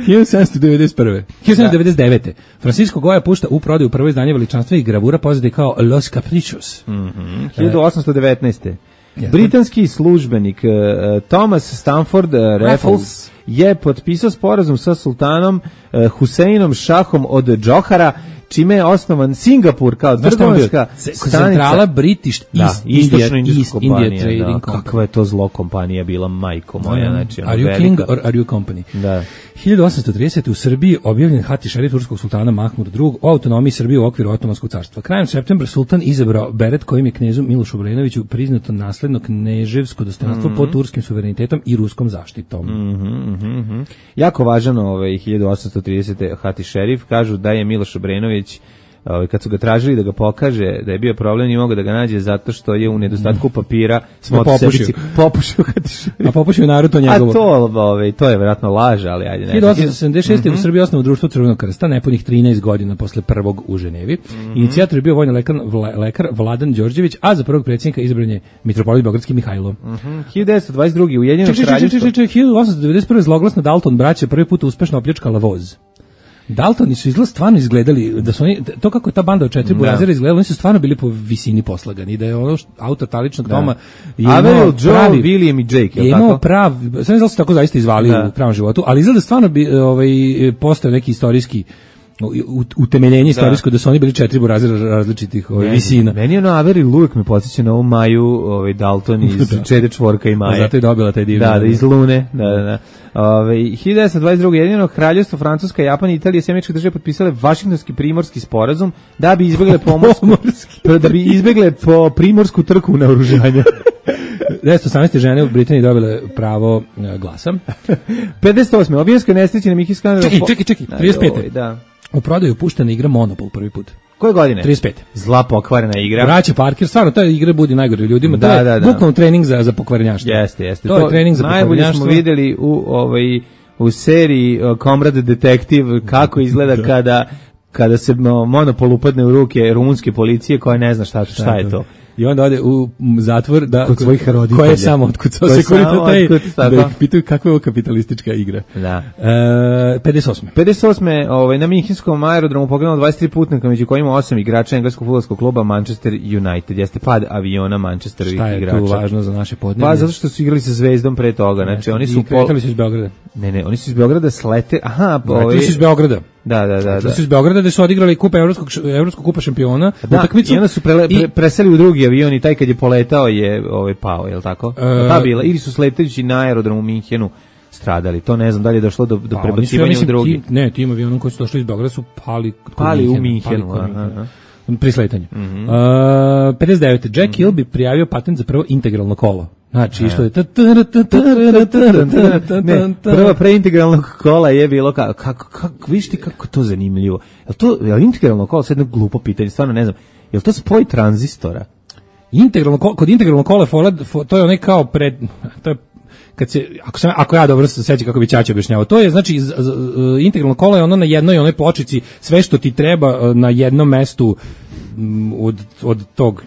1799. Francisco Goya pušta u prodaju prvo izdanje veličanstvenih gravura poznatih kao Los Caprichos. 1819. Britanski službenik Thomas Stamford Raffles je potpisao sporazum sa sultanom Huseinom Šahom od Džohara, čime je osnovan Singapur kao trgovinska stanica. Centrala British East India Trading Company. Kakva je to zlo kompanija bila, majko moja. Znači, are you king or are you company? Da. 1830. u Srbiji objavljen hati šerif turskog sultana Mahmud II o autonomiji Srbije u okviru Otomanskog carstva. Krajem septembra sultan izabrao beret kojim je knezu Milošu Obrenoviću priznato nasledno kneževsko dostojanstvo pod turskim suverenitetom i ruskom zaštitom. Jako važan 1830. hati šerif, kažu da je Miloš Obrenović kad su ga tražili da ga pokaže da je bio problem, nije mogao da ga nađe zato što je u nedostatku papira popušio hati šerif. A popušio Naruto njegovo. A to je vjerojatno laž, ali ajde. 1876. u Srbiji osnovno društvo Crvenog krsta, nepunih 13 godina posle prvog u Ženevi. Inicijator je bio vojni lekar Vladan Đorđević, a za prvog predsjednika izabran je mitropolit beogradski Mihajlo. 1922. Ujedinjeno kraljevstvo. 1891. zloglasna Dalton braća prvi put uspešno opljačkala voz. Daltoni su stvarno izgledali, da su oni, to kako je ta banda od 4 burazera izgledala, oni su stvarno bili po visini poslagani, da je ono autor taličnog doma Averill, Joe, William i Jake, je imao prav, sve ne znam da su tako zaista izvali u pravom životu, ali izgleda stvarno bi postao neki istorijski utemeljenje istorijsko da su oni bili 4 burazera različitih visina. Meni je Averill uvijek me podsjeća na ovu Maju Dalton iz Čede čvorka i Maje. Zato je dobila taj divno. Da, iz Lune. 1922. Jedino kraljevstvo Francuska, Japan i Italija i Američke države potpisale Vašingtonski primorski sporazum da bi izbegle primorsku trku naoružanja. 1918. žene u Britaniji dobile pravo glasa. 58. Obijenskoj nesreći na Miki Skandal. Čekaj, 35. Da. U prodaju puštena igra Monopol prvi put. Koje godine? 35. Zla pokvarena igra. Braća Parker, stvarno, ta igra budi najgore ljudima. Da. Bukvalno trening za pokvarenjaštvo. Jeste. To je trening za pokvarenjaštvo. Najbolje smo videli u seriji Comrade Detective kako izgleda kada se monopol upadne u ruke rumunske policije koja ne zna šta je to. I onda ode u zatvor kod svojih roditelja. Koja je samo otkucao Securitate, da ih pitaju kakva je ovo kapitalistička igra. Da. 58. Na Minhenskom aerodromu pogledano 23 putnika, među kojima 8 igrača engleskog fudbalskog kluba Manchester United. Jeste pad aviona Manchesterovih igrača. Šta je tu važno za naše podneblje? Pa zato što su igrali sa Zvezdom pre toga. Znači, oni su kretali su iz Beograda. Ne, oni su iz Beograda slete. Aha, kretali su iz Beograda. Da. Su iz Beograda gde su odigrali kup evropskog kupa šampiona, utakmicu. I onda su preseli u drugi avion i taj kad je poletao je pao, je l' tako? Ta bila, ili su sletajući na aerodromu u Minhenu stradali. To ne znam da li je došlo do prebacivanja u drugi. Tim avionom koji su došli iz Beograda su pali u Minhenu. Pri sletanju. 59. Jack Hill bi prijavio patent za prvo integralno kolo. Znači, što je prva preintegralnog kola je bilo kako vidiš ti kako to zanimljivo. Je integralno kola, sad jedno glupo pitanje, stvarno ne znam. Je li to spoj tranzistora? Kod integralnog kola to je onaj kao to je kad se ako ja dobro se sećam kako bi Ćaća objašnjavao, to je znači integralno kolo je ono na jednoj onoj pločici, sve što ti treba na jednom mestu od tog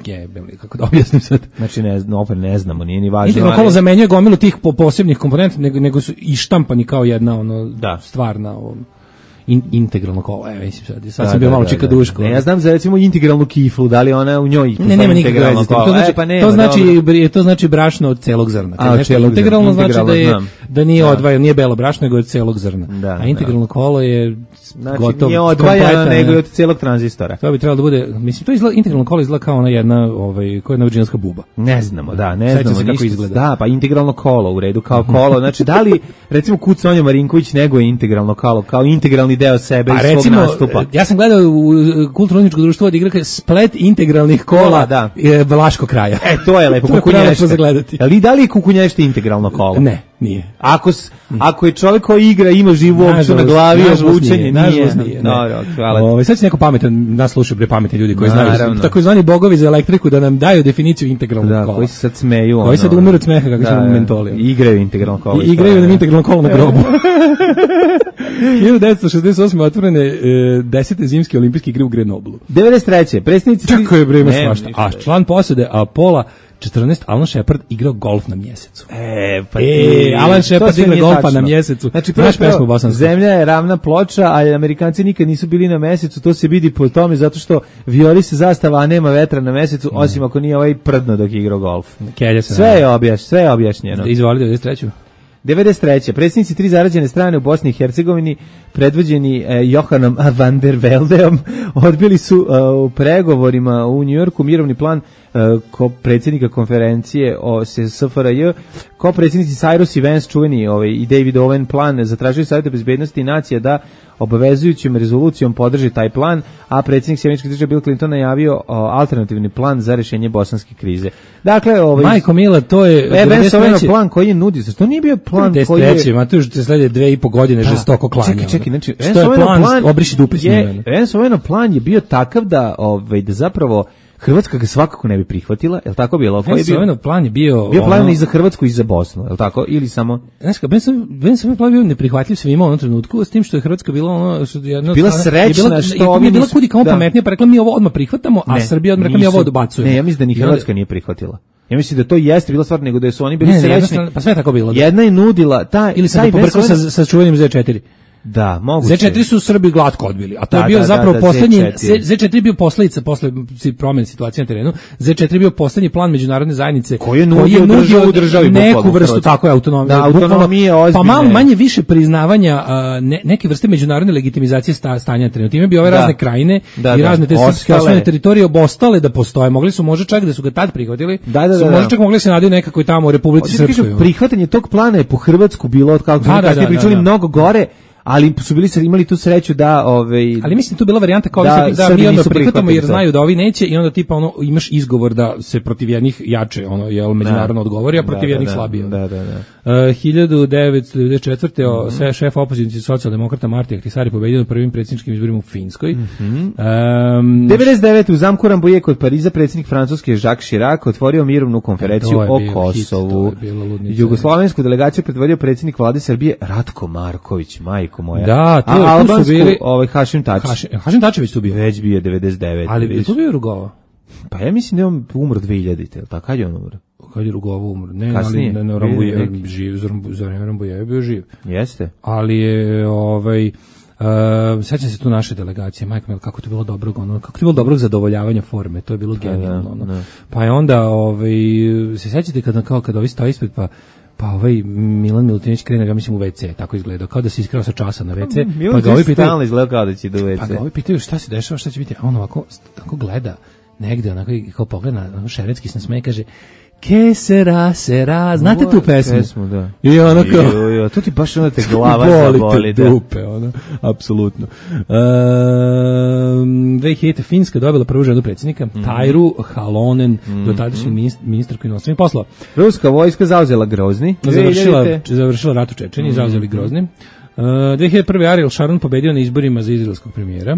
kako da objasnim sad. Znači ne znamo, nije ni važno. Integralno kolo zamenjuje gomilu tih posebnih komponenta, nego su i štampani kao jedna stvarna integralno kolo. Mislim sad sam bio malo čikaduško. Ne, ja znam za recimo integralnu kiflu, da li ona u njoj nema integralno kolo. To znači brašno od celog zrna. Integralno znači da nije odvajano, nije belo brašno, nego od celog zrna. A integralno kolo je gotovo. Nije odvajano, nego od celog tranzistora. To bi trebalo da bude, mislim, to izgleda, integralno kolo izgleda kao ona jedna, koja je novođinska buba. Ne znamo kako izgleda. Da, pa integralno kolo u redu, kao kolo. Znači, da li, recimo, Kuc Sonja Marinković nego je integralno kolo, kao integralni deo sebe i svog nastupa. Ja sam gledao u kulturno-umjetničko društvo od igra splet integralnih kola Vlaškog kraja. To je lepo, kukunješte. Ali da li je kukunješte integralno kolo? Ne, nije. Ako je čovjek koji igra, ima živu opciju na glavi, obučenje, nije. Hvala. Sad će neko pametan, nas slušaju pametni ljudi koji znaju, takozvani bogovi za elektriku, da nam daju definiciju integralnog kola. Koji se sad smeju. Koji sad umiru od smeha kako smo mentoli. Igraju integralno kolo. Igraju nam integralno kolo na grobu. 1968. otvorene 10. zimske olimpijske igre u Grenoblu. 93. Predsjednici... Čako je vreme svašta. A član posade Apola 14, Alan Shepard igrao golf na mjesecu. Alan Shepard igra golfa na mjesecu. Znači, zemlja je ravna ploča, a Amerikanci nikad nisu bili na mjesecu, to se vidi po tome, zato što vijori se zastava, a nema vetra na mjesecu, osim ako nije ovaj prdno dok igrao golf. Sve je objašnjeno. Izvoli 93. 93. Predsjednici 3 zarađene strane u Bosni i Hercegovini, predvođeni Johanom van der Veldeom, odbili su u pregovorima u Njujorku mirovni plan predsjednika konferencije o SFRJ, ko predsjednici Cyrus i Vance, čuveni i David Owen plan, zatražili Savjeta bezbednosti i nacija da obavezujućom rezolucijom podrži taj plan, a predsjednik Sjemeničke države Bill Clinton najavio alternativni plan za rješenje bosanske krize. Dakle, Majko Mila, to je Vance Owenov plan koji je nudio, to nije bio plan koji je... 93. Matuš, te slede 2,5 godine žestoko klanja. Čekaj, znači, što je plan, obriši dupe s njime. Vance Owenov plan je bio takav da zapravo Hrvatska ga svakako ne bi prihvatila, je li tako bilo? Plan je bio plan i za Hrvatsku i za Bosnu, je li tako? Ili samo... Znaš ka, Ben plan bio neprihvatljiv svima u onom trenutku, s tim što je Hrvatska bila bila srećna što je bila kudi kao pametnija, pa rekla mi ovo odmah prihvatamo, a Srbija odmah rekla mi ovo odbacujemo. Ne, ja mislim da ni Hrvatska nije prihvatila. Ja mislim da to jeste bila stvar, nego da su oni bili srećni. Pa sve tako bilo. Jedna je nudila ili sam pobrkao sa čuvenim Z4. Da, moguće. Z4 su Srbi glatko odbili, a to je bio zapravo poslednji Z4 je bio posledica posle promene situacije na terenu. Z4 je bio poslednji plan međunarodne zajednice koji je nudio državi neku vrstu tako je autonomije, pa malo manje više priznavanja neke vrste međunarodne legitimizacije stanja na terenu. Time bi ove razne krajine i razne te srpske osnovne teritorije obostale da postoje. Mogli su možda čak da su ga tad prihvatili. Su možda čak mogli se nadaju nekako tamo u Republici Srpskoj. Prihvatanje tog plana je po Hrvatsku bilo kako smo pričali mnogo gore. ali su imali tu sreću da ali mislim tu bila varijanta kao da mi onda nisu prihvatamo jer to. znaju da ovi neće i onda tipa ono imaš izgovor da se protiv jednih jače međunarodno odgovori, a protiv jednih slabije. Da. 1994. Šef opozicije socijaldemokrata Marti Ahtisaari pobedio na prvim predsjedničkim izborima u Finskoj. 99. u zamku Rambouillet kod Pariza predsjednik Francuske Jacques Chirac otvorio mirovnu konferenciju o Kosovu. Jugoslovensku delegaciju predvodio predsjednik vlade Srbije Ratko Marković, majko moja. Da, tu su bili Hašim Tači. Hašim Tačević tu bio. Već bio 99. Ali tu bio Rugova. Pa ja mislim da je on umro 2000-te, tako kad je on umro? Kad je Rugova umro. Ne, kasnije, ali na Rambouillet živ, za vreme Rambouillet je bio živ. Jeste. Ali je sećam se tu naše delegacije, majko mil, kako to bilo dobrog, kako to bilo dobrog zadovoljavanja forme, to je bilo genijalno. Pa je onda, se sećate kad ovi stoji ispred, pa Milan Milutinović krene, ja mislim u WC, tako izgleda, kao da se iskrao sa časa na WC. Pa ga ovi pitaju, izgleda kao da će do WC. Pa ga ovi pitaju šta se dešava, šta će biti, a on ovako gleda negde, onako kao pogleda, šeretski se nasmeje, kaže, ke sera, znate tu pesmu? Da. I ono kao... To ti baš onda te glava zaboli. Bolite dupe, apsolutno. 2000. Finska dobila prvu ženu predsjednika, Tajru Halonen, dotadašnji ministarku inostranih poslova. Ruska vojska zauzela Grozni. Završila rat u Čečeniji, zauzeli Grozni. 2001. Ariel Sharon pobedio na izborima za izraelskog premijera.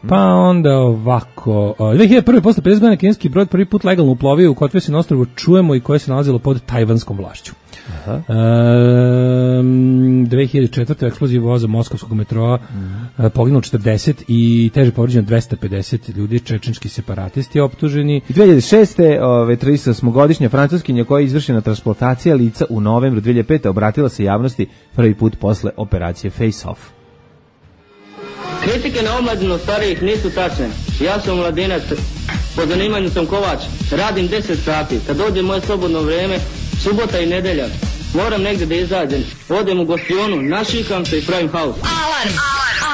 Pa onda ovako, 2001. posle 50 godina kineski brod prvi put legalno uplovio u Kotvesi na ostrvu Čujemo i koje se nalazilo pod tajvanskom vlašću. 2004. eksplozija voza moskovskog metroa, poginulo 40 i teže povređeno 250 ljudi, čečenski separatisti optuženi. I 2006. 38-godišnja francuskinja koja je izvršena transplantacija lica u novembru 2005. obratila se javnosti prvi put posle operacije Face Off. Kritike na omladinu starijih nisu tačne. Ja sam mladinac, po zanimanju sam kovač, radim 10 sati. Kad dođe moje slobodno vrijeme, subota i nedelja, moram negdje da izađem. Odem u gostionu, našikam se i pravim haos.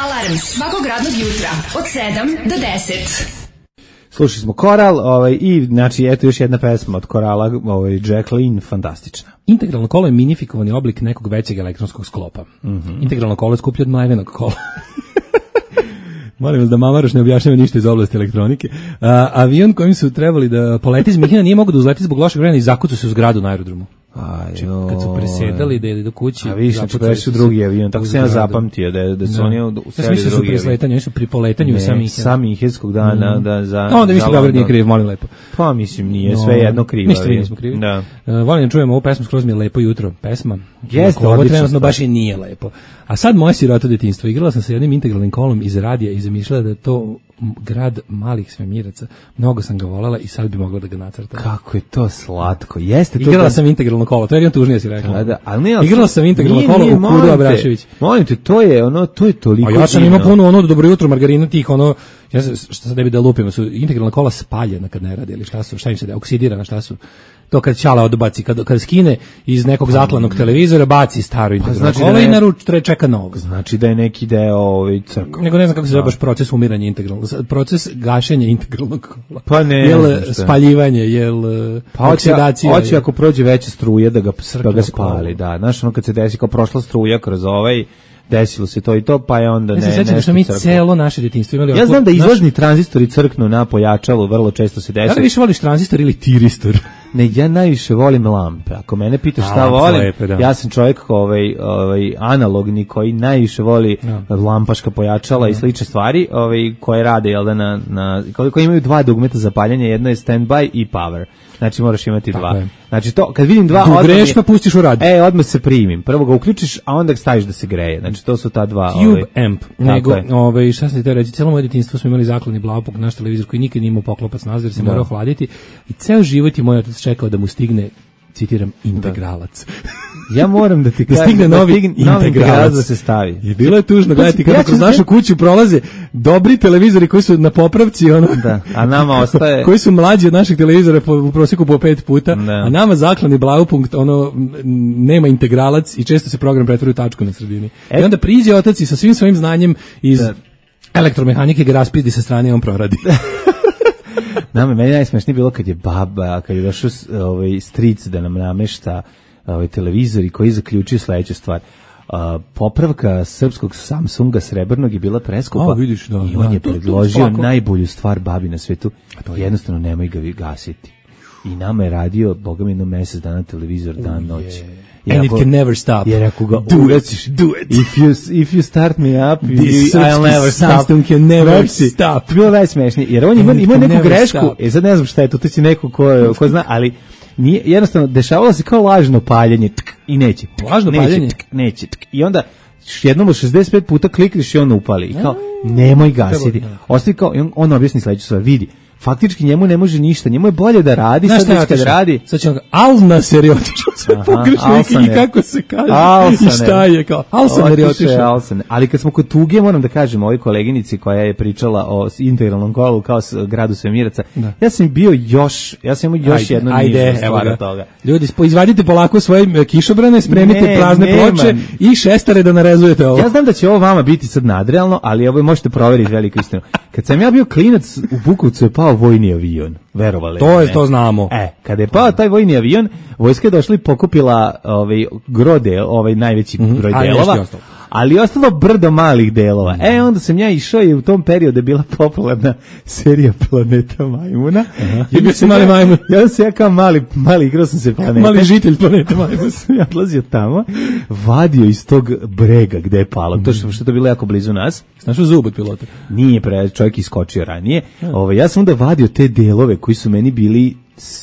Alarm svakog radnog jutra od 7 do 10. Slušali smo Koral i znači eto još jedna pesma od Korala, Jacqueline, fantastična. Integralno kolo je minifikovani oblik nekog većeg elektronskog sklopa. Integralno kolo je skuplje od mlevenog kola. Molim vas da Mamaroš ne objašnjava ništa iz oblasti elektronike. Avion kojim su trebali da poleti iz Mihina nije mogao da uzleti zbog lošeg vremena i zakucao se u zgradu na aerodromu. Kad su presedali da ili do kući, a više su drugi avion, tako se ja zapamtio da su oni u seli drugi avion. Oni su pri poletanju sa Minhenskog dana onda više Beograd nije kriv, molim lepo. Pa mislim nije sve jedno krivo. Ništa nismo krivi. Volim da čujemo ovu pesmu, skroz mi je Lepo jutro pesma. Jeste, ovo trenutno baš i nije lepo. A sad moje siroto detinjstvo. Igrala sam sa jednim integralnim kolom iz radija i zamišljala da je to grad malih svemiraca. Mnogo sam ga volela i sad bi mogla da ga nacrtam. Kako je to slatko. Jeste to. Igrala sam integralno kolo, to je tužnije si rekla. Igrala sam integralno kolo u Kuru Abrašević. Molim te, to je toliko. A ja sam imao puno dobro jutro margarina tih ja šta sad ne bi da lupimo, su integralna kola spaljena kad ne radi ili šta im se da oksidirana, šta su? To kad Ćala odbaci, kad skine iz nekog zatlanog televizora, baci staro integralno kolo i naruči čeka novo. Znači da je neki deo crkva. Nego ne znam kako se zove baš proces umiranja integralnog, proces gašenja integralnog kola. Pa ne. Jel spaljivanje, oksidacija. Hoće ako prođe veća struja da ga spali, da. Znaš, kad se desi kao prošla struja kroz desilo se to i to, pa je onda ne. Ja se sećam da smo mi celo naše detinjstvo imali. Ja znam da izlazni tranzistori crknu na pojačalu, vrlo često se desi. Da li više voliš tranzistor ili tiristor? Ne, ja najviše volim lampe. Ako mene pitaš šta volim, ja sam čovjek analogni koji najviše voli lampaška pojačala i slične stvari, koje rade koji imaju dva dugmeta za paljenje, jedno je standby i power. Znači moraš imati dva. Znači to kad vidim dva, greš pa pustiš u rad. Odmah se primim. Prvo ga uključiš, a onda staviš da se greje. Znači to su ta dva. Cube amp. Nego, šta sam ti te reći, cijelo moje detinjstvo smo imali zakladni Blaupunkt, naš televizor koji nikad nije imao poklopac nazad jer se morao hladiti i ceo život je moj otac čekao da mu stigne, citiram, integralac. Ja moram da ti kažem, stigne novi integralac da se stavi. I bilo je tužno gledati kako kroz našu kuću prolaze dobri televizori koji su na popravci, a nama ostaje koji su mlađi od naših televizora u prosjeku po 5 puta, a nama zakladni Blaupunkt nema integralac i često se program pretvori u tačku na sredini. I onda priđe otac i sa svim svojim znanjem iz elektromehanike ga raspizdi sa strane i on proradi. Meni najsmešnije bilo kad je došao stric da nam namešta televizori koji zaključio sledeću stvar. popravka srpskog Samsunga srebrnog je bila preskupa. Vidiš, da, i on je predložio tako. najbolju stvar babi na svetu, jednostavno nemoj ga gasiti. I nama je radio, boga mi, jedno mesec dana televizor, dan, noć. And it can never stop. Jer ako ga do it. If you start me up, I'll never stop. Samsung can never stop. Bilo najsmešnije. Jer on ima neku grešku, sad ne znam šta je to će neko ko zna, ali nije, jednostavno, dešavalo se kao lažno paljenje, i neće. Lažno paljenje? Neće. I onda jednom od 65 puta klikneš i on upali. I kao, nemoj gasiti. Ostavi kao, on objasni sledeću stvar, vidi. Faktički njemu ne može ništa, njemu je bolje da radi, sad već kad radi. Sad će on Alnaser je otišao, sve pogrešno i kako se kaže, i šta je kao, Alsaner je otišao. Ali kad smo kod tuge, moram da kažem ovoj koleginici koja je pričala o integralnom kolu kao gradu svemiraca, ja sam imao još jedno nižu stvar od toga. Ljudi, izvadite polako svoje kišobrane, spremite prazne ploče i šestare da narezujete ovo. Ja znam da će ovo vama biti sad nadrealno, ali ovo možete proveriti veliku istinu. Kad sam ja bio klinac, u Bukovcu je pao vojni avion, verovali. To znamo. Kada je pao taj vojni avion, vojska je došla i pokupila grode, najveći broj delova, ali ostalo brdo malih delova. Onda sam ja išao i u tom periodu je bila popularna serija Planeta Majmuna. Bio si mali majmun. Ja sam kao mali igrao sam se planeta. Mali žitelj Planeta Majmuna. Ja odlazio tamo, vadio iz tog brega gde je palo. To što je to bilo jako blizu nas. Našao zub od pilota. Nije čovjek iskočio ranije. Ja sam onda vadio te delove koji su meni bili,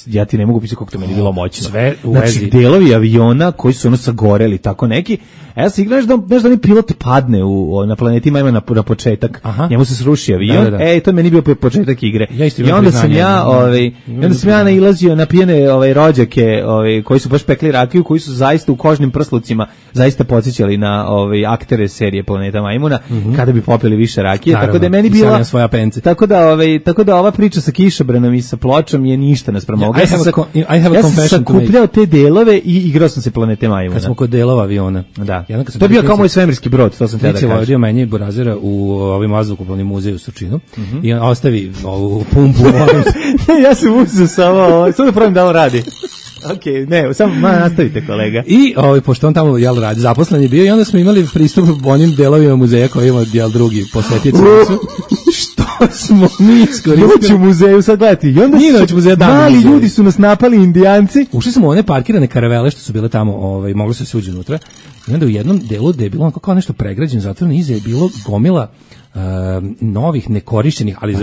ja ti ne mogu pisati kako to meni bilo moćno. Sve u vezi. Znači, delovi aviona koji su sagoreli, tako neki. Ja sam igraš da mi pilot padne na planeti Majma na početak. Njemu se sruši avion. To je meni bio početak igre. I onda sam ja nailazio na pijene rođake koji su baš pekli rakiju, koji su zaista u kožnim prslucima zaista podsjećali na aktere serije Planeta Majmuna, kada bi popili više rakije. Naravno, tako da je meni bila svoja pence. Tako da ova priča sa kišobranom i sa pločom je ništa naspram ovoga. I have a confession to make. Ja sam sakupljao te delove i igrao sam se Planete Majmuna. Kad smo kod delova aviona. Da. To je bio kao moj svemirski brod, to sam te da kažem. Vodio meni Burazera u ovim vazduhoplovnim muzeju u Surčinu i on ostavi ovu pumpu. Ja sam uzeo samo da pravim da on radi. Ok, ne, samo nastavite, kolega. I pošto on tamo radi, zaposlen je bio i onda smo imali pristup onim delovima muzeja koji ima drugi posetioci. Što smo mi iskoristili? Noć u muzeju, sad gledati. I onda mali ljudi su nas napali, Indijanci. Ušli smo u one parkirane karavele što su bile tamo, moglo se uđe unutra. I onda u jednom delu gde je bilo kao nešto pregrađeno, zatvoreno, iza je bilo gomila novih nekorišćenih, ali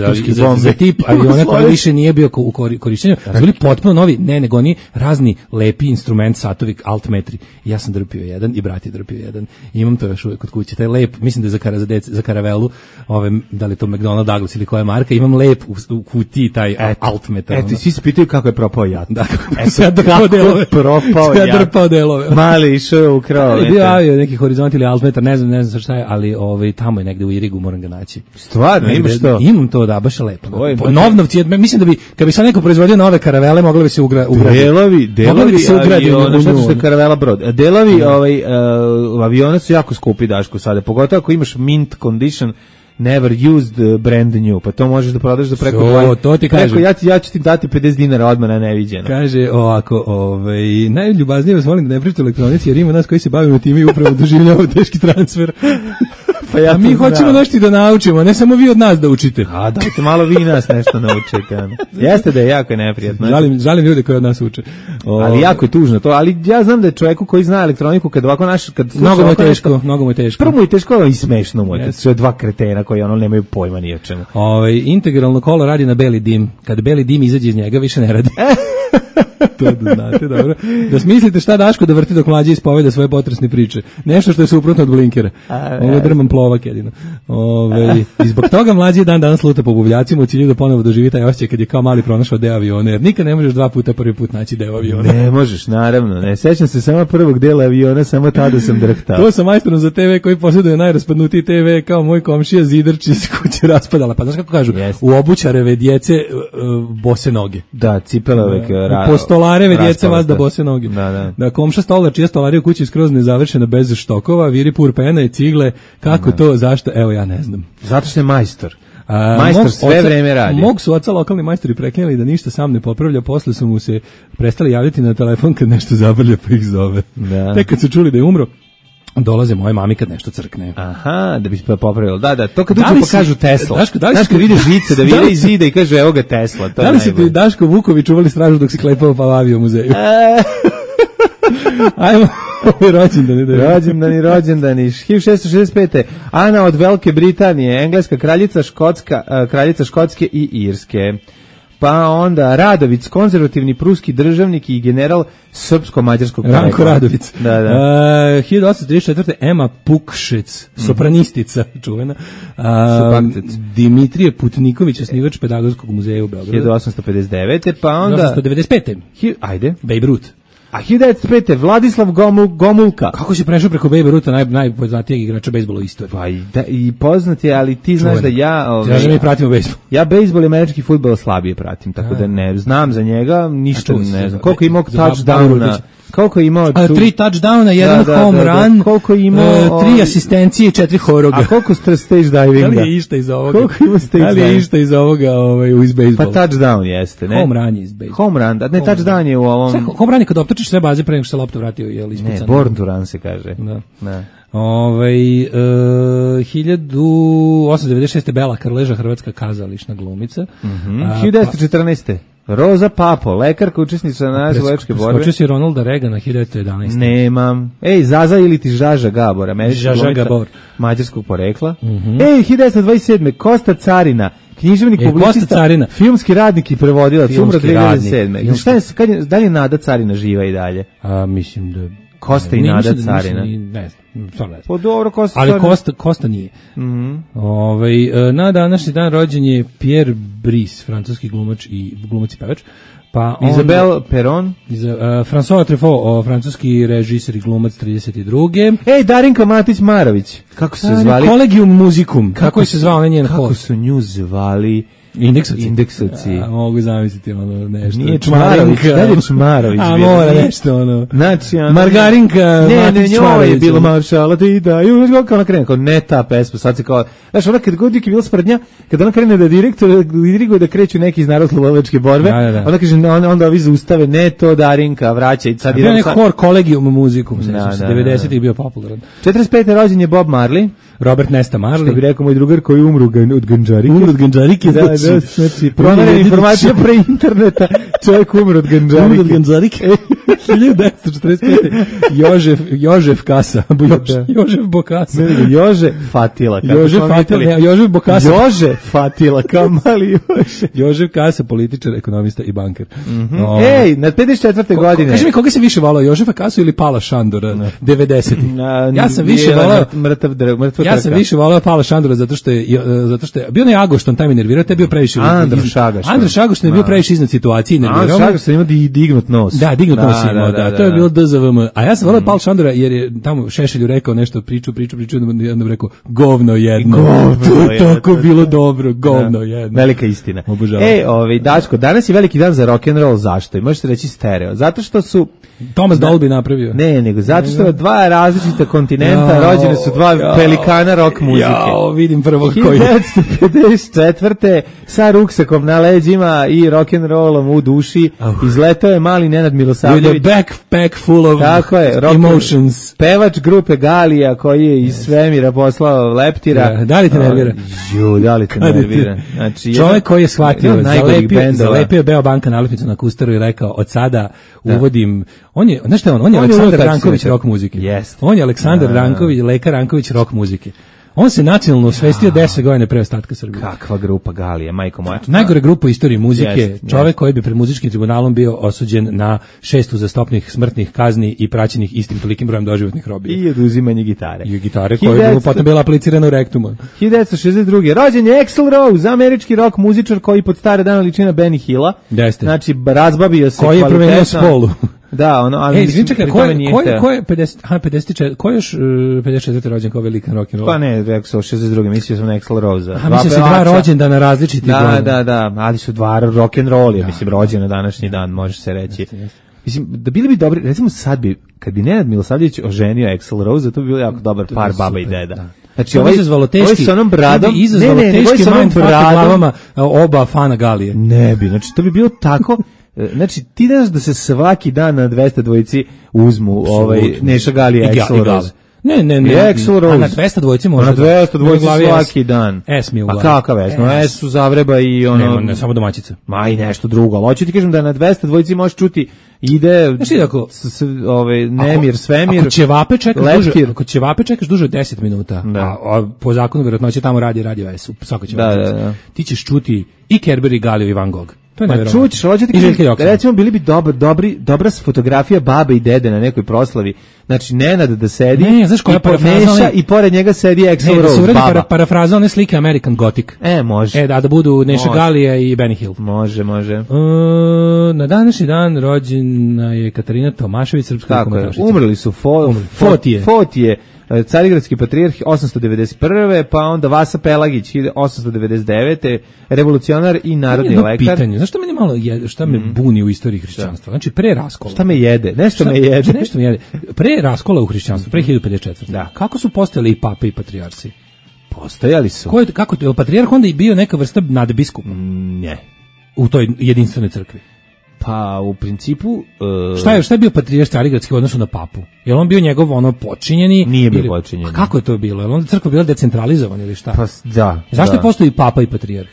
za tip aviona koji više nije bio u korišćenju, bili potpuno novi, nego oni razni lepi instrument, satovi, altmetri. I ja sam drpio jedan i brat je drpio jedan. I imam to još uvijek kod kuće. Taj lep, mislim da je za karavelu, da li je to McDonnell Douglas ili koja marka, imam lep u kutiji taj altmetar. Eto, svi se pitaju kako je propao jat. Da, kako je drpao delove. Mali išao u krao. Bio neki horizont ili altmetar, ne znam šta je, ali tamo je negde u Irigu, moram ga naći. Stvarno, imaš to? Imam to, da, baš je lepo. Novnovci, mislim da bi, kad bi sad neko proizvodio nove karavele, mogli bi se ugraditi. Delovi aviona, šta što je karavela brod? Delovi aviona su jako skupi, Daško, sada. Pogotovo ako imaš mint condition, never used, brand new, pa to možeš da prodaš za preko to ti kaže. Ja ću ti dati 50 dinara odmah na neviđeno. Kaže ovako, najljubaznije vas molim da ne pričate o elektronici, jer ima nas koji se bavimo time i upravo doživljavamo teški transfer. Pa mi hoćemo nešto da naučimo, ne samo vi od nas da učite. A dajte malo vi nas nešto naučite. Jeste da je jako neprijatno. Žalim ljude koji od nas uče. Ali jako je tužno to, ali ja znam da je čovjeku koji zna elektroniku kad ovako mnogo mu je teško. Prvo mu je teško i smešno mu je. Kad su dva kretena koji nemaju pojma ni o čemu. Integralno kolo radi na beli dim. Kad beli dim izađe iz njega, više ne radi. To da znate, dobro. Da smislite šta Daško da vrti dok mlađe ispoveda svoje potresne priče. Nešto što je suprotno od blinkera. Ovo je drman plovak jedino. I zbog toga mlađi dan danas luta po buvljacima u cilju da ponovo doživi taj osjećaj kad je kao mali pronašao deo aviona. Jer nikad ne možeš dva puta prvi put naći deo aviona. Ne možeš, naravno. Ne sećam se samo prvog dela aviona, samo tada sam drhtao. To sam majstorom za TV koji posjeduje najraspadnutiji TV kao moj komšija Zidarči iz kuće raspadala. Pa znaš kako kažu? U obućareve djece bose noge. Da, cipele uvek stolareve djeca vas da bose noge. Da komša stolar, čija stolarija u kući skroz nezavršena bez štokova, viri pur pena i cigle, kako to, zašto, evo ja ne znam. Zato što je majstor. Majstor sve vreme radi. Mog su oca lokalni majstori preklinjali da ništa sam ne popravlja, posle su mu se prestali javljati na telefon kad nešto zabrlja pa ih zove. Tek kad su čuli da je umro, dolaze moje mami kad nešto crkne. Aha, da bi se popravilo. Da, to kad Da uđu li pa si- kažu Tesla. Daško, da li Znaš si- kad vide žice, da Da vide li iz si- zida i kaže evo ga Tesla. To Da je li si ti najbolje. Daško Vuković čuvali stražu dok si klepao Palavio u muzeju? Ajmo, rođendani. 1665. Ana od Velike Britanije, engleska kraljica, kraljica Škotske i Irske. Pa onda Radović, konzervativni pruski državnik i general srpsko-mađarskog porekla. Ranko Radović. Da. 1834. Ema Pukšec, sopranistica čuvena. Supakcec. Dimitrije Putniković, osnivač Pedagogskog muzeja u Beogradu. 1859. Pa onda 1895. Ajde. Babe Ruth. A 1905. Vladislav Gomulka. Kako si prešao preko Babe Rutha, najpoznatijeg igrača bejsbola u istoriji? Pa i poznat je, ali ti znaš da ja... Znaš da mi pratimo bejsbol. Ja bejsbol i američki fudbal slabije pratim, tako da ne znam za njega, ništa ne znam. Koliko je imao touchdowna? Koliko je imao... 3 touchdowna, 1 home run, koliko je imao... 3 asistencije i 4 horoga. A koliko stage divinga? Da li je išta iz ovoga? Koliko ima stage divinga? Da li je išta iz ovoga iz bejsbola? Pa touchdown jeste, ne? Home run je iz bejsbola. Home run, ne touchdown je u ovom... Sve, home run je kad optočiš sve baze pre nego što se lopta vratio, je li ispucano? Ne, born to run se kaže. Da. Ne. 1896. Bela Karleža, hrvatska kazališna glumica. 1914. Roza Papo, lekarka, učesnica na oslobodačke borbe. Skočio si Ronalda Reagana 1911. Nemam. Ej, Zaza ili ti Žaža Gabor, američka Žaža glumica Gabor. mađarskog porekla. Ej, 1927. Kosta Carina, književnik, publicista, Kosta Carina. filmski radnik i prevodilac, umro Filmski radnik. 2007. Šta je, da li je Nada Carina živa i dalje? Mislim da... Kosta i Nada Carina. Ne znam, stvarno ne znam. Pa dobro, Kosta Ali Carina. Kosta nije. Na današnji dan rođen je Pierre Brice, francuski glumac i pevač. Pa Isabelle Perron. François Truffaut, francuski režiser i glumac 32. Ej, Darinka Matić-Marović. Kako su se zvali? Collegium Musicum. Kako se zvao njen hod? Kako su nju zvali? Indeksovci. Mogu zamisliti ono nešto. Nije Čmarović, da je Čmarović. A mora nešto ono. Znači, Margarinka ne, njoj je bilo maršala ti da, i kako ona krene, kao ne ta pesma, sad se kao, znaš, ona kad god je bila sprednja, kad ona krene da diriguje da kreću neki iz narodno-slobodačke borbe, ona kaže, onda ovi zaustave, ne to Darinka, vraća i sad... Bio je hor Collegium Musicum, 90-ih bio popularan. 45. rođen je Bob Marley. Robert Nesta Marley. Što bi rekao moj drugar koji umru od ganđarike. Umru od ganđarike, znači, pronađena informacija pre interneta, čovjek umru od ganđarike. Umru od ganđarike. 1945. Jožef Kasa. Jožef Bokasa. Jože Fatila. Jožef Bokasa. Jože Fatila, kao mali Jože. Jožef Kasa, političar, ekonomista i banker. Ej, na 54. godine. Kaži mi, koga si više volao, Jožefa Kasu ili Pala Šandora 90-ih? Ja sam više volao... Ja sam više volao Pala Šandora zato što je bio onaj Agošton, taj mi nervirao, te je bio previše... Androš Agošton je bio previše iznad situacije i nervirao. Androš Agošton ima dignut nos. Da, dignut nos imao, da. To je bilo DZVM. A ja sam volao Pala Šandora jer je tamo Šešelju rekao nešto, priču, onda bi rekao, govno jedno. To je tako bilo dobro, govno jedno. Velika istina. Obožavam. Daško, danas je veliki dan za rock'n'roll, zašto? I možete reći stereo. Zato što su... Thomas Dolby napravio. Ne, nego zato što dva različita kontinenta rođene su dva pelikana rock muzike. Vidim prvo koji. 1954. sa ruksakom na leđima i rock'n'rollom u duši izletao je mali Nenad Milosavljević. With a backpack full of emotions. Pevač grupe Galija koji je iz svemira poslao leptira. Da li te nervira? Da li te nervira? Znači, čovjek koji je shvatio, zalepio Beobanka nalepnicu na kustaru i rekao, od sada uvodim... On je, znaš šta on je Aleksandar Ranković rock muzike. On je Aleksandar Ranković, Lekar Ranković rock muzike. On se nacionalno osvestio 10 godina pre ostatka Srbije. Kakva grupa Galija, majko moja. Najgore grupa u istoriji muzike, čovjek koji bi pred muzičkim tribunalom bio osuđen na 6 uzastopnih smrtnih kazni i praćenih istim tolikim brojem doživotnih robija. I oduzimanje gitare. I gitare koja je potom bila aplicirana u rektumu. 1962. Rođen je Axl Rose, američki rock muzičar koji pod stare dana liči na Benny Hilla. Znači, razbavio se koji je promenio spolu. Da, ali čekaj, ko je 54, ko je još 54. rođen kao velika rock'n'roll? Pa ne, rekao 62. mislio sam na Axl Rose. Mislim se dva rođendana različitih godina. Da, ali su dva rock'n'roll, mislim, rođen na današnji dan, može se reći. Mislim, da bili bi dobri, recimo sad bi, kad bi Nenad Milosavljević oženio Axl Rose, to bi bilo jako dobar par baba i deda. Znači, ovo izazvalo teški, s onom bradom, izazvalo teški mindfuck u glavama oba fana Galije. Ne bi, znači to bi bilo tako. Znači, ti znaš da se svaki dan na 200 dvojici uzmu Neša Galija i Axl Rose. Ne. Axl Rose. A na 200 dvojci može. Na 200 dvojci U glavi svaki dan. S mi u A glavi. kakav S? No S su Zavreba i ono... Ne, samo domaćica. Ma i nešto drugo. Ali hoću ti kažem da na 200 dvojci možeš čuti ide nemir, svemir. Ako ćevape čekaš duže od 10 minuta, a po zakonu verovatnoće tamo radio S u svakoj ćevapi. Ti ćeš čuti i Kerber i Galio i Van Gogh. Ma čućeš, hoću ti kažem, recimo bili bi dobra fotografija babe i dede na nekoj proslavi. Znači, Nenad da sedi i pored njega sedi Axl Rose, baba. Da se uradi parafraza one slike American Gothic. Može. Da budu Neša Galija i Benny Hill. Može. Na današnji dan rođena je Katarina Tomašević, srpska komentašica. Umrli su Fotije, Carigradski patrijarh 891. pa onda Vasa Pelagić 899. revolucionar i narodni lekar. Pitanje, znaš šta me buni u istoriji hrišćanstva? Znači, pre raskola. Šta me jede? Nešto me jede. Pre raskola u hrišćanstvu, pre 1054. Da. Kako su postojali i pape i patrijarsi? Postojali su. Kako je patrijarh onda i bio neka vrsta nadbiskupa? Ne. U toj jedinstvenoj crkvi. Pa u principu šta je bio patrijarh Carigradski u odnosu na papu? Je on bio njegov počinjeni? Nije bio počinjeni. A kako je to bilo? Je on crkva bila decentralizovana ili šta? Pa da. Zašto postoji papa i patrijarh?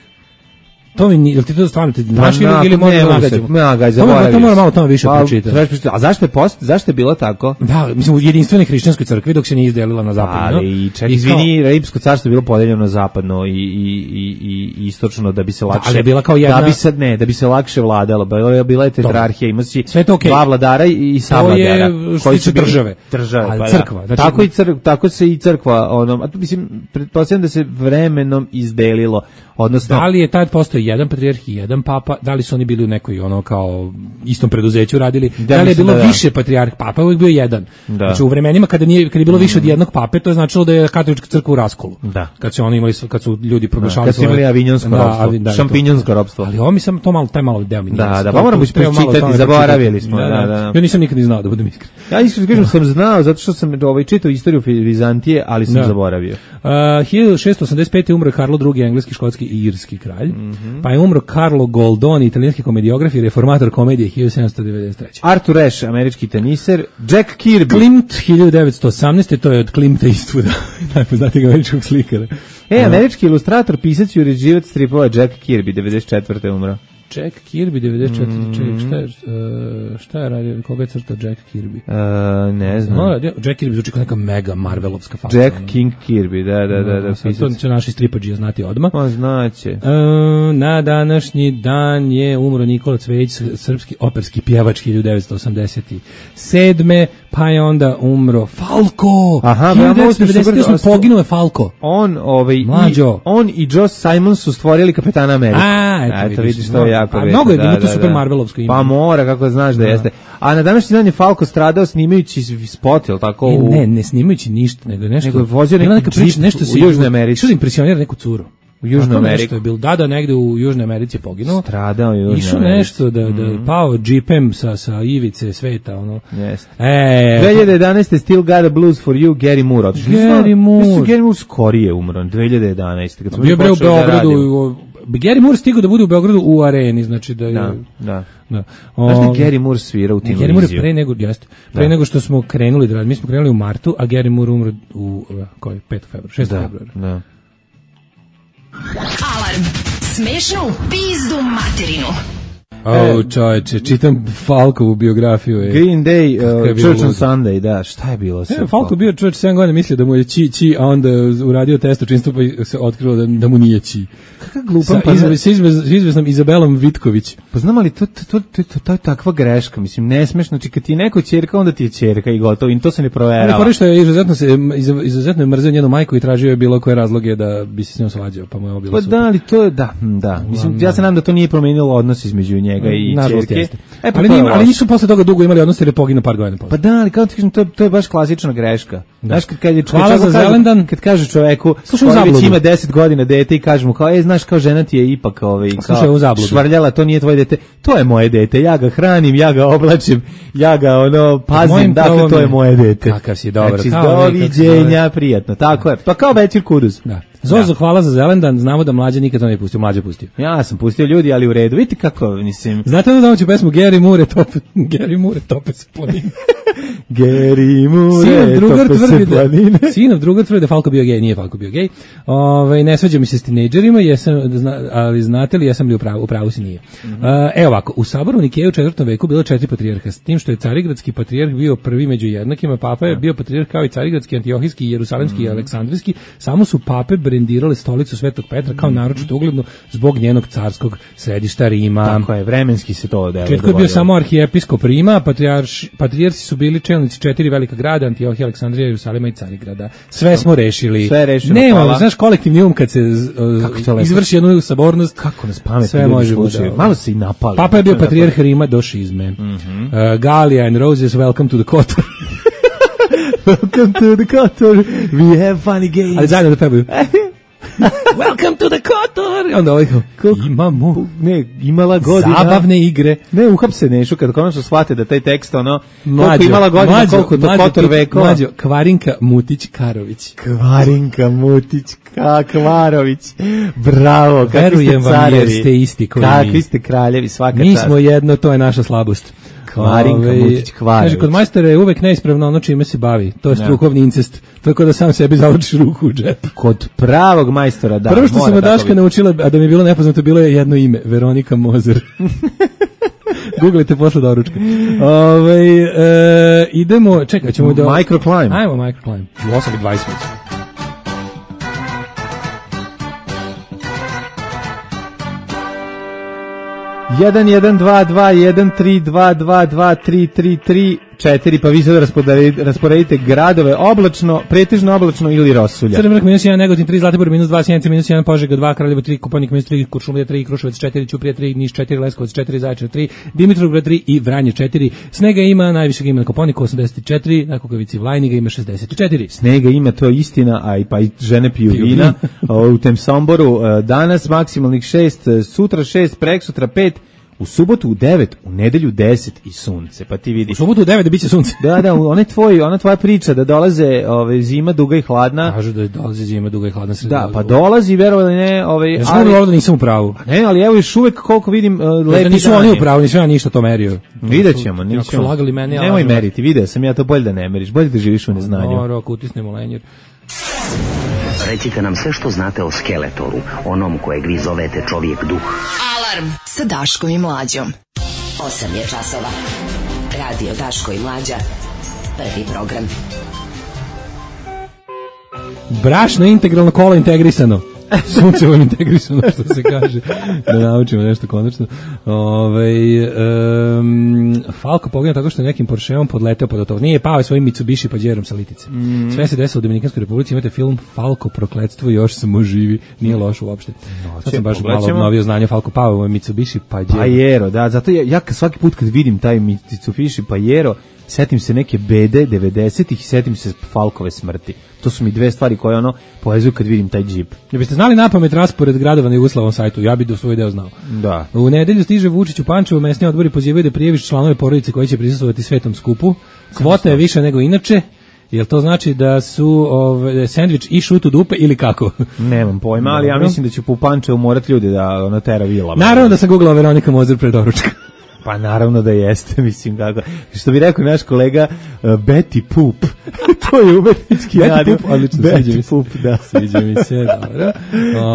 To mi jel ti to stvarno znaš ili možda nagađamo? To mora malo tamo više pročitati. A zašto je bilo tako? Da, mislim u jedinstvenoj hrišćanskoj crkvi dok se nije izdelila na zapadno. Ali izvini, Rimsko carstvo je bilo podeljeno na zapadno i istočno da bi se lakše. Ali je bila kao jedna da bi se lakše vladalo. Bila je tetrarhija, ima si dva vladara i savladara koji su države. Pa crkva. Tako se i crkva, mislim pretpostavljam da se vremenom izdelilo. Odnosno, da li je tad postoji jedan patrijarh i jedan papa, da li su oni bili u nekoj kao istom preduzeću radili, da li je bilo više patrijarh, papa je uvijek bio jedan. Znači u vremenima kada je bilo više od jednog pape, to je značilo da je katolička crkva u raskolu. Kad su ljudi proglašavali kad su imali avinjonsko ropstvo, šampinjonsko ropstvo. Ali ovo mi sam taj malo deo mi. Da, pa moramo pročitati, zaboravili smo. Ja nisam nikad ni znao, da budem iskren. Ja iskreno kažem sam znao zato što sam čitao istoriju Vizantije, ali sam zaboravio. 1685. umro Karlo II, engleski, škotski i irski kralj. Pa je umro Carlo Goldoni, italijanski komediograf i reformator komedije 1793. Arthur Ashe, američki teniser. Jack Kirby. Klimt 1918. To je od Klimta Eastwooda, najpoznatijeg američkog slikara. Američki ilustrator, pisac i uređivac stripova Jack Kirby, 94. umro. Jack Kirby 94. Šta je radio? Koga je crtao Jack Kirby? Ne znam. Jack Kirby zvuči kao neka mega Marvelovska faca. Jack King Kirby, da. To će naši stripađi znati odmah. Znaće. Na današnji dan je umro Nikola Cvejić, srpski operski pjevač 1987. Pa je onda umro Falko. 1998. poginuo je Falko. On i Joe Simon su stvorili Kapetana Amerika. Eto vidiš, to je jako već. Mnogo je bilo to super Marvelovsko ime. Pa mora, kako znaš da jeste. A na današnji dan je Falko stradao snimajući spot, jel tako? Ne snimajući ništa, nego nešto. Nego je vozio neki džip u Južnoj Americi. Što impresionira neku curu. U Južnoj Americi. Da, negde u Južnoj Americi je poginuo. Stradao u Južnoj Americi. Išao nešto da pao džipem sa ivice sveta, ono. Jeste. 2011. Still Got a Blues for You, Gary Moore. Gary Moore skorije umro, 2011. Bio bre u Beogradu. Gary Moore stigao da bude u Beogradu u areni, znači da je... Da. Znaš da Gary Moore svira u Televiziju? Gary Moore pre nego što smo krenuli da radimo. Mi smo krenuli u martu, a Gary Moore umro u 5. februara, 6. februara. Da. Alarm. Smešno u pizdu materinu. Čovječe, čitam Falkovu biografiju. Green Day, Church on Sunday, da, šta je bilo? Falko bio čovječ 7 godina, mislio da mu je či, a onda uradio test učinstva pa se otkrilo da mu nije či. Kakav glupan. S izveznom Izabelom Vitković. Pa znam ali to je takva greška, mislim, nesmešno, znači kad ti je neko ćerka, onda ti je ćerka i gotovo, i to se ne proverava. Ali korišto je izuzetno je mrzeo njenu majku i tražio je bilo koje razloge da bi se s njom svađao, pa mu je ovo bilo super. Pa da, ali to je, da. Mislim, ja se nadam da to nije promenilo odnos između njega i ćerke. Ali nisu posle toga dugo imali odnos jer je poginuo par godina posle. Pa da, ali kao ti kažem, to je baš klasična greška. Znaš, kad kaže čoveku, koji već ima 10 godina dete i kaže mu kao, znaš, kao žena ti je ipak kao švrljala, to nije tvoje dete, to je moje dete, ja ga hranim, ja ga oblačim, ja ga pazim, dakle to je moje dete. Kakav si dobro. Znači, doviđenja, prijatno, tako je. Pa kao Bećir Kuduz. Da. Zozo, hvala za Zelendan, znamo da Mlađa nikad to ne pustio, Mlađa pustio. Ja sam pustio ljudi, ali u redu, vidite kako, mislim. Znate da domaću pesmu Gary Moore tope se po njim. Geri mure, tope se planine. Sinov drugar tvrdi da Falko bio gej, nije Falko bio gej. Ne svađa mi se s tinejdžerima, ali znate li, jesam li u pravu si nije. Evo ovako, u saboru Nikeje u 4. veku bilo 4 patrijarha, s tim što je carigradski patrijarh bio prvi među jednakima, papa je bio patrijarh kao i carigradski, antiohijski, jerusalemski i aleksandrijski, samo su pape brendirale stolicu Svetog Petra kao naročito ugledno zbog njenog carskog središta Rima. Tako je, vremenski se to dogodilo. Četko je bio samo arhijepiskop Rima, patrijarsi su bili čelnici 4 velika grada, Antiohija, Aleksandrija, Jerusalima i Carigrada. Sve smo rešili. Sve je rešeno. Nema, znaš, kolektivni kad se izvrši jednu sabornost. Kako nas pametni sve ljudi može slušaju. Malo se i napali. Papa je bio patrijarh Rima do šizme. Gallia and Roses, welcome to the Kotor. Welcome to the Kotor, we have funny games. Ali zajedno da pevaju. Welcome to the Kotor. Onda ovaj imamo imala godina zabavne igre. Ne, uhapse Nešu kad konačno shvate da taj tekst koliko imala godina, koliko to Kotor vekova. Mlađo, Kvarinka Mutić-Karović. Kvarinka Mutić-Karović. Bravo, kakvi ste carevi. Jer ste isti koji kakvi ste kraljevi, svaka čast. Mi smo jedno, to je naša slabost. Kvarinka Mutić-Karović. Kaže, kod majstora je uvek neispravno ono čime se bavi. To je strukovni incest. Tako da sam sebi završi ruku u džep. Kod pravog majstora, da. Prvo što sam od Daška naučila, a da mi je bilo nepoznato, bilo je jedno ime. Veronika Mozer. Googlite posle doručka. Idemo, čekaj, ćemo do... Microclimb. Ajmo, Microclimb. U 8:20. 1-1-2-2-1-3-2-2-2-3-3-3-4, pa vi sad rasporedite gradove oblačno, pretežno oblačno ili rosulja. Crni vrh -1, Negotin 3, Zlatibor -2, Sjenica -1, Požega 2, Kraljevo 3, Kopaonik -3, Kuršumlija 3, Kruševac 4, Ćuprija 3, Niš 4, Leskovac 4, Zaječar 3, Dimitrovgrad 3 i Vranje 4. Snega ima, najvišeg ima na Kopaoniku 84, na Kukavici Vlajniga ima 64. Snega ima, to je istina, a i žene piju vina u tem Somboru. Danas maksimalnih 6, sutra 6, preksutra 5, u subotu u 9, u nedelju 10 i sunce, pa ti vidiš. U subotu u 9 da biće sunce. Da, ona tvoja priča da dolaze zima duga i hladna. Kažu da dolazi zima duga i hladna sredina. Da, pa dolazi, verovali ne, ja znam da nisam u pravu. Ne, ali evo još uvek koliko vidim lepi nisu oni u pravu, nisam ja ništa to merio. Videćemo, nemoj meriti, video sam ja to, bolje da ne meriš, bolje da živiš u neznanju. Moro, ako utisnemo lenjer. Recite nam sve što znate o Skeletoru, onom kojeg vi zovete čovjek duh. Alarm sa Daškom i Mlađom. 8 je časova. Radio Daško i Mlađa. Prvi program. Brašno integralno, kola integrisano. Sunce vam integrisano, što se kaže. Da naučimo nešto konačno. Falko poginuo tako što je nekim Porscheom podleteo pod to. Nije pao svojim Mitsubishi Pajerom sa litice. Sve se desilo u Dominikanskoj Republici. Imate film Falko prokletstvo, još samo živi. Nije loš uopšte. Sad sam baš malo obnovio znanje. Falko pao u Mitsubishi Pajero, da. Zato ja svaki put kad vidim taj Mitsubishi Pajero, setim se neke bede 90-ih i setim se Falkove smrti. To su mi dve stvari koje povezuju kad vidim taj džip. Ja biste znali napamet raspored gradova na Jugoslavom sajtu, ja bih do svoj deo znao. Da. U nedelju stiže Vučić u Pančevo, mesni odbori pozivaju da prijaviš članove porodice koji će prisustvovati svetom skupu. Kvota je više nego inače. Jel to znači da su sendvič i šut u dupe ili kako? Nemam pojma, ali ja mislim da će po Pančevu morati ljudi da tera vilama. Naravno da sam googlao Veronika Mozer pre doručka. Pa naravno da jeste, mislim kako. Što bi rekao naš kolega Betty Poop. To je umetnički radio. Betty Poop, da. Sviđa mi se, dobro.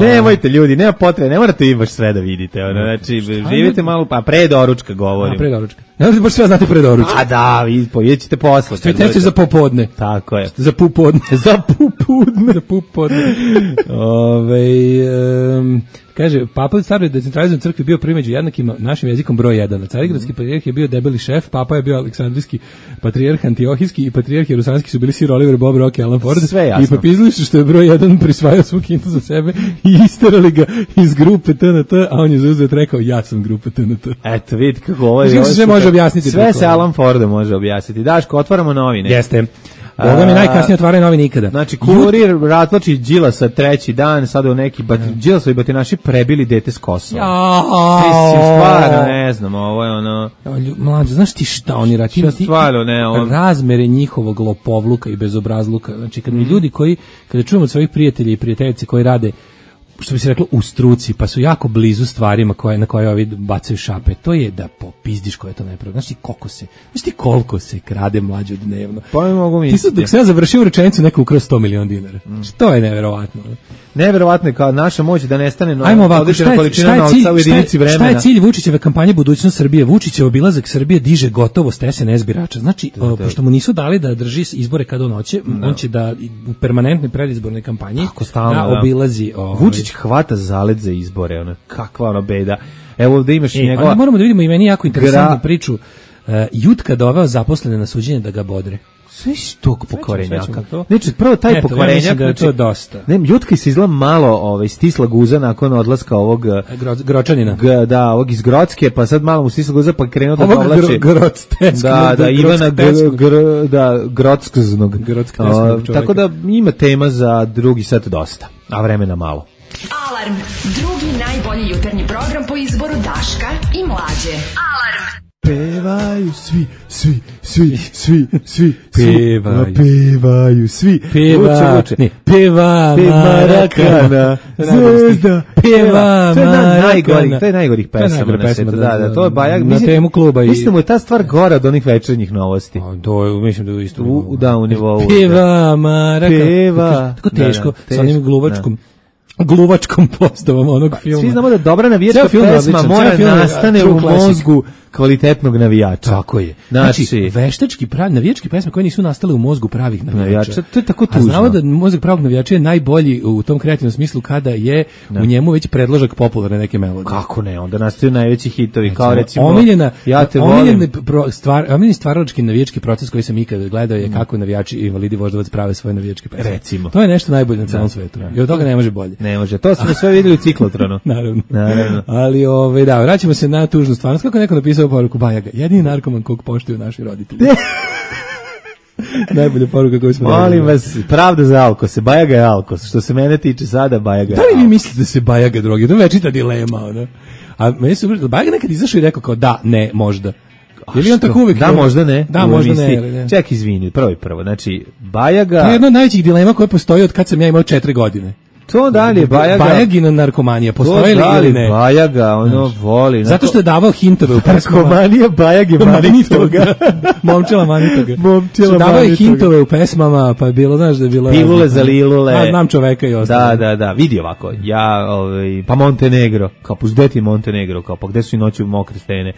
Nemojte ljudi, nema potrebe, ne morate vi baš sve da vidite. Znači, živite malo, pa pre doručka govorim. Pre doručka. Ne možete baš sve znati pre doručka. A da, vi pojedete ćete posle. Ste tešte za popodne. Tako je. Za popodne. Za popodne. Kaže, Papa u staroj decentralizovanoj crkvi bio prvi među jednakima našim jezikom broj 1. Carigradski patrijarh je bio debeli šef, Papa je bio Aleksandrijski patrijarh, Antiohijski i patrijarh Jerusalemski su bili Sir Oliver, Bob Rock i Alan Ford. Sve jasno. I popizili su što je broj 1 prisvajao svu kintu za sebe i isterali ga iz grupe TNT, a on je zauzet rekao, ja sam grupa TNT. Eto, vidite kako ovo je. Sve može objasniti. Sve se Alan Fordom može objasniti. Daško, otvaramo novine. Jeste. Boga mi najkasnije otvaraju novi nikada. Znači, kurir ratlači Đilasa treći dan, sada u neki Đilasovi batinaši prebili dete s Kosova. Mislim, stvarno, ne znam, ovo je Mlađo, znaš ti šta oni radi? Stvarno, ne, razmere njihovog lopovluka i bezobrazluka. Znači, kad mi ljudi kada čujemo od svojih prijatelja i prijateljice koji rade što bi se reklo, u struci, pa su jako blizu stvarima na koje ovi bacaju šape. To je da popizdiš ko je to nepravda. Znaš ti koliko se krade mlađe dnevno? Pa ne mogu misliti. Dok se ja završio rečenicu, neko ukrao 100 miliona dinara. To je neverovatno. Neverovatno je kao naša moć da nestane Ajmo ovako, šta je cilj Vučićeve kampanje Budućnost Srbije? Vučićev obilazak Srbije diže gotovost SNS birača. Znači, pošto mu nisu dali da drži izbore kad on hoće, on će da u permanentnoj predizbornoj kampanji obilazi... Vučić hvata zalet za izbore, kakva ona beda. Evo ovde imaš njegova... Moramo da vidimo i meni jako interesantnu priču. Jutka doveo zaposlene na suđenje da ga bodre. Sve iz tog pokvarenjaka. Znači, prvo taj pokvarenjak... Da je to dosta. Jutka se izgleda malo stisla guza nakon odlaska ovog... Gročanina. Ovog iz Grocke, pa sad malo mu stisla guza, pa krenuo da povlači... Ovog Grocteskog. Ivana Grockznog. Tako da ima tema za drugi set dosta, a vremena malo. Alarm, drugi najbolji jutarnji program po izboru Daška i Mlađe. Alarm. Pevaju svi. Pevaju svi. Peva Marakana. Zvezda. Peva Marakana. To je najgorih pesama na svetu. Da, to je Bajag. Na temu kluba. Mislim, je ta stvar gora od onih večernjih novosti. Mislim da je isto. U nivou. Peva Marakana. Tako teško, sa onim gluvačkom postavom onog filma. Svi znamo da dobra navijačka pesma mora nastane u mozgu kvalitetnog navijača. Tako je. Znači veštački navijačke pesme koje nisu nastale u mozgu pravih navijača. To je tako tužno. A znamo da mozak pravog navijača je najbolji u tom kreativnom smislu kada je u njemu već predložak popularne neke melodije. Kako ne? Onda nastaju najveći hitovi, kao recimo Ja te volim. Omiljeni stvaralački navijački proces koji sam ikada gledao je kako navijači i invalidi Voždovac prave svoje navijačke pesme. Recimo. To je nešto najbolje na celom svetu. I od toga ne može bolje. Ne može. To smo sve videli u ciklotronu. Naravno. Ali vraćamo se na tužnu stvarnost. Kako neko napisao poruku Bajaga, jedini narkoman kog poštuju naši roditelji. Najbolja poruka koju smo Molim vas, pravda za Alkose. Bajaga je Alkos. Što se mene tiče sada, Bajaga je Alkos. Da li vi mislite da se Bajaga drogi? To je večita dilema. A meni se Bajaga nekad izašao i rekao kao da, ne, možda. Je li on tako uvijek? Da, možda ne. Da, možda ne. Ček, izvini, prvo. Znači, Bajaga... To je jedna od najvećih dilema koje postoji od kad sam ja imao 4 godine. To dalje Bajaga. Bajagina narkomanija postoji ili ne? Bajaga, voli. Zato što je davao hintove u pesmama. Narkomanija Bajage Manitoga. Momčela Manitoga. Davao je hintove u pesmama, pa je bilo, znaš da je bilo... Pilule za lilule. Znam čoveka i ostalo. Da. Vidi ovako, pa Montenegro, kao puzdeti Montenegro, kao pa gde su i noći mokre stene.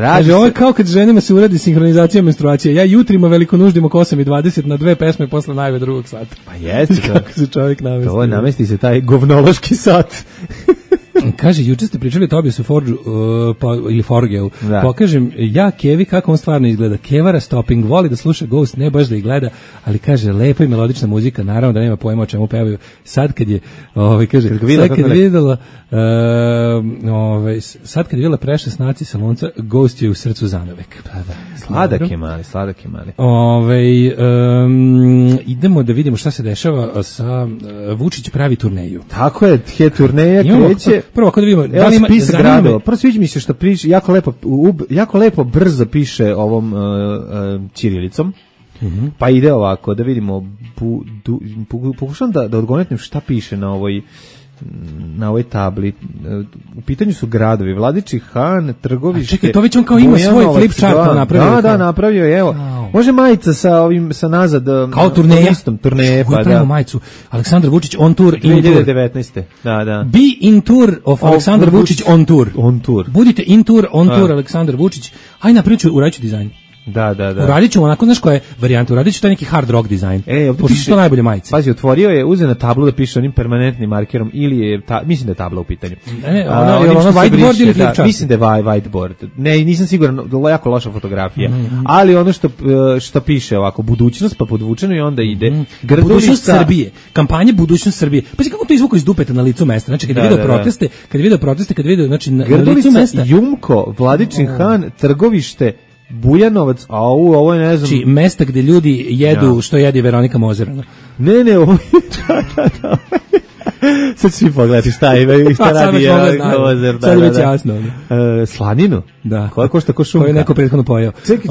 Kaže, ovo je kao kad ženima se uradi sinhronizacija menstruacije. Ja jutrima velikonuždim oko 8:20 na 2 pesme posle najve drugog sata. Pa jeste. Kako se čovjek navesti. Namesti se taj govnološki sat. Kaže, juče ste pričali o Tobiasu Forgeu, ili Forgeu. Pokažem ja Kevi kako on stvarno izgleda. Kevara Stopping, voli da sluša Ghost, ne baš da ih gleda, ali kaže, lepa i melodična muzika, naravno da nema pojma o čemu pevaju. Sad kad je, kaže, sad kad je videla Prešla snaci Salonca, Ghost je u srcu zanavek. Sladak je mali. Idemo da vidimo šta se dešava sa Vučić pravi turneju. Tako je, turneja kreće. Prvo ako da vidimo, da li ima spisak gradova. Prvo sviđa mi se što piše, jako lepo brzo piše ovom ćirilicom. Pa ide ovako, da vidimo, pokušam da odgonetnem šta piše na ovoj tabli. U pitanju su gradovi Vladičin Han, Trgovište. Čekaj, to već on kao ima svoj flip chart napravio. Da, napravio je, evo. Može majica sa nazad. Kao turneja. Turneje, pa da. Majicu. Aleksandar Vučić on tour in 2019. Da. Be in tour of Aleksandar Vučić on tour. Budite in tour, on tour Aleksandar Vučić. Aj napravit ću, uradit ću dizajn. Da. Uradit ću onako, znaš koja je varijanta, uradit ću taj neki hard rock dizajn. Pošto su to najbolje majice. Pazi, otvorio je, uzeo na tablu da piše onim permanentnim markerom ili je, mislim da je tabla u pitanju. Ono whiteboard ili flip chart? Mislim da je whiteboard. Ne, nisam siguran, jako loša fotografija. Ali ono što piše ovako, budućnost pa podvučeno i onda ide. Budućnost Srbije, kampanja Budućnost Srbije. Pazi kako to izvuko iz dupeta na licu mesta. Znači, kad je video proteste, znači na licu mesta. Jumko, Vladičin Han, Trgovište, Bujanovac, ovo je ne znam... Znači, mesta gde ljudi jedu što jedi Veronika Mozer. Ne, ovo je... Sad svi pogledati šta ima i šta radi Novozer. Sad je već jasno. Slaninu? Da. Koja košta ko šunka? Koju je neko prethodno pojao. Čekaj.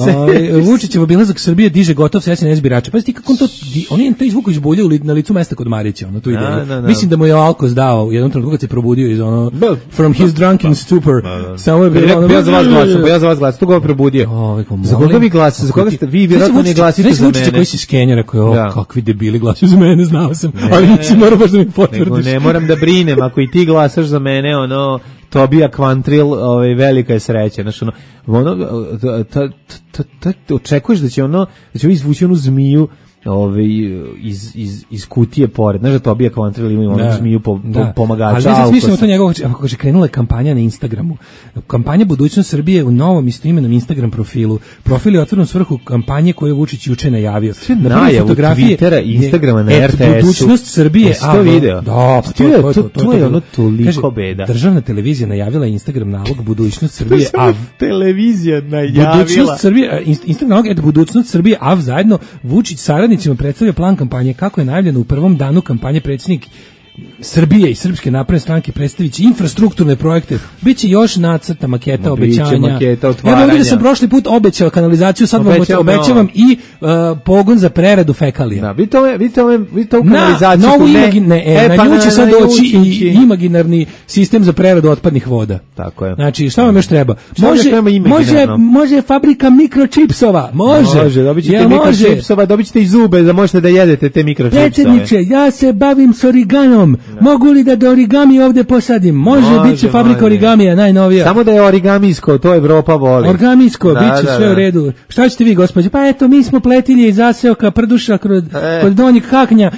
Vučićev obilazak Srbije diže gotov sa SNS birača. Pazite kako on to, on je taj zvuk izbuljio na licu mesta kod Marića, ono tu ide. Mislim da mu je Alkos dao u jednom trenutku kad se probudio iz ono from his drunken stupor. Samo je bilo ja za vas glasam, tu ga probudio. Za koga vi glasate? Za koga ste vi vjerojatno ne glasite za mene? Koji si skenjera koji kakvi debili glasuju za mene, znao sam. Ali nisi morao baš da mi potvrdiš. Ne moram da brinem, ako i ti glasaš za mene, ono Tobija Kvantril, velika je sreća. Znači, očekuješ da će izvući onu zmiju iz kutije pored. Znaš da Tobija Kvantril ima onu zmiju pomagača. Ali smišljamo to njegovo, ako kaže krenula je kampanja na Instagramu. Kampanja Budućnost Srbije u novom istoimenom Instagram profilu. Profil je otvoren u svrhu kampanje koju je Vučić juče najavio. Sve najavu Twittera i Instagrama na RTS-u. Budućnost Srbije. To video? Da, to je ono toliko beda. Državna televizija najavila Instagram nalog Budućnost Srbije. Televizija najavila. Budućnost Srbije, Instagram nalog Budućnost Srbije, a zajedno Vučić saradnicima predstavlja plan kampanje kako je najavljeno u prvom danu kampanje predsjednik Srbije i Srpske napredne stranke predstavići infrastrukturne projekte. Biće još nacrta, maketa, obećanja. Maketa, ja ovdje sam prošli put obećao kanalizaciju, sad vam obećavam i pogon za preradu fekalija. Da, vidite ovu kanalizaciju. Na nju će sad doći i imaginarni sistem za preradu otpadnih voda. Tako je. Znači, šta vam još treba? Može fabrika mikročipsova. Može. Dobit ćete mikročipsova, dobit ćete i zube da možete da jedete te mikročipsove. Predsjedniče, ja se bavim s origanom. Mogu li da origami ovde posadim? Može, bit će fabrika origamija, najnovija. Samo da je origamijsko, to Evropa voli. Origamijsko, bit će sve u redu. Šta ćete vi, gospođe? Pa eto, mi smo pletilje iz zaseoka, prduša kod Donjeg Haknja.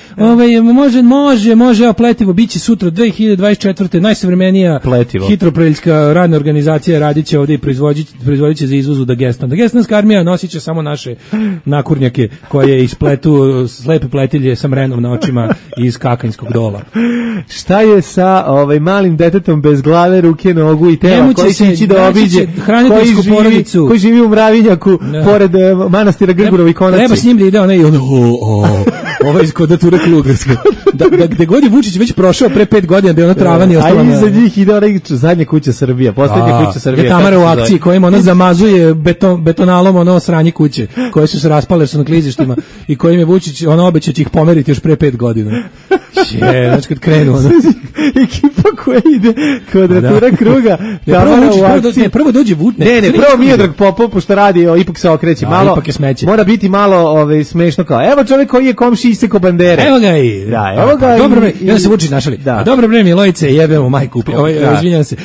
Može, evo pletivo, bit će sutra 2024. najsavremenija hitropreljska radna organizacija radit će ovde i proizvodit će za izvoz u Dagestan. Dagestanska armija nosit će samo naše nakurnjake koje ispletu slepe pletilje sa mrenom na očima iz Kakanjskog dola. Šta je sa malim detetom bez glave, ruke, nogu i tela koji će ići da obiđe hraniteljsku porodicu koji živi u Mravinjaku pored manastira Grgurovi Konaci? Treba s njim da ide onaj ovo iz kvadrature Klugarska. Gde god je Vučić već prošao pre 5 godina da je ona trava nije ostala. A iza njih ide onaj zadnja kuća Srbija, poslednja kuća Srbija. Je Tamara u akciji kojima ona zamazuje betonalom ono sranje kuće koje su se raspale, su na klizištima i kojim je Vučić obećao će ih pomeriti još pre 5 godina. Znači kad krenu ekipa koja ide kvadratura kruga, prvo dođe Vučić. Prvo Miodrag Popov, pošto radi, ipak se okreće malo, ipak je smeće. Mora biti malo smešno kao, evo čovjek koji je komši iseko bandere. Evo ga i. Evo ga i. Dobro bre, ja se Vučić našali. Dobro bre Milojice, jebemo majku. Izvinjavam se.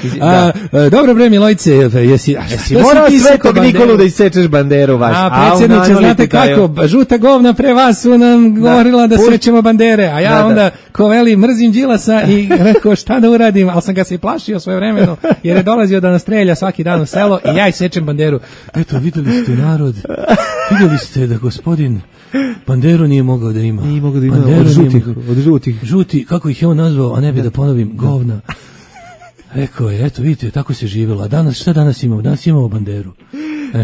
Dobro bre Milojice, jesi morao Svetog Nikolu da isečeš banderu vaš. Predsjedniče, znate kako, žuta govna pre vas su nam govorila da sečemo bandere, a ja onda ko veli mrzim Đilasa i rekao šta da uradim, ali sam ga se i plašio svojevremeno jer je dolazio da nas strelja svaki dan u selo i ja sečem banderu. Eto, videli ste narod, videli ste da gospodin banderu nije mogao da ima. Nije mogao da ima od žutih. Žuti, kako ih je on nazvao, a ne bi da ponovim, govna. Rekao je, eto vidite, tako se živjelo. A danas, šta danas imamo? Danas imamo banderu.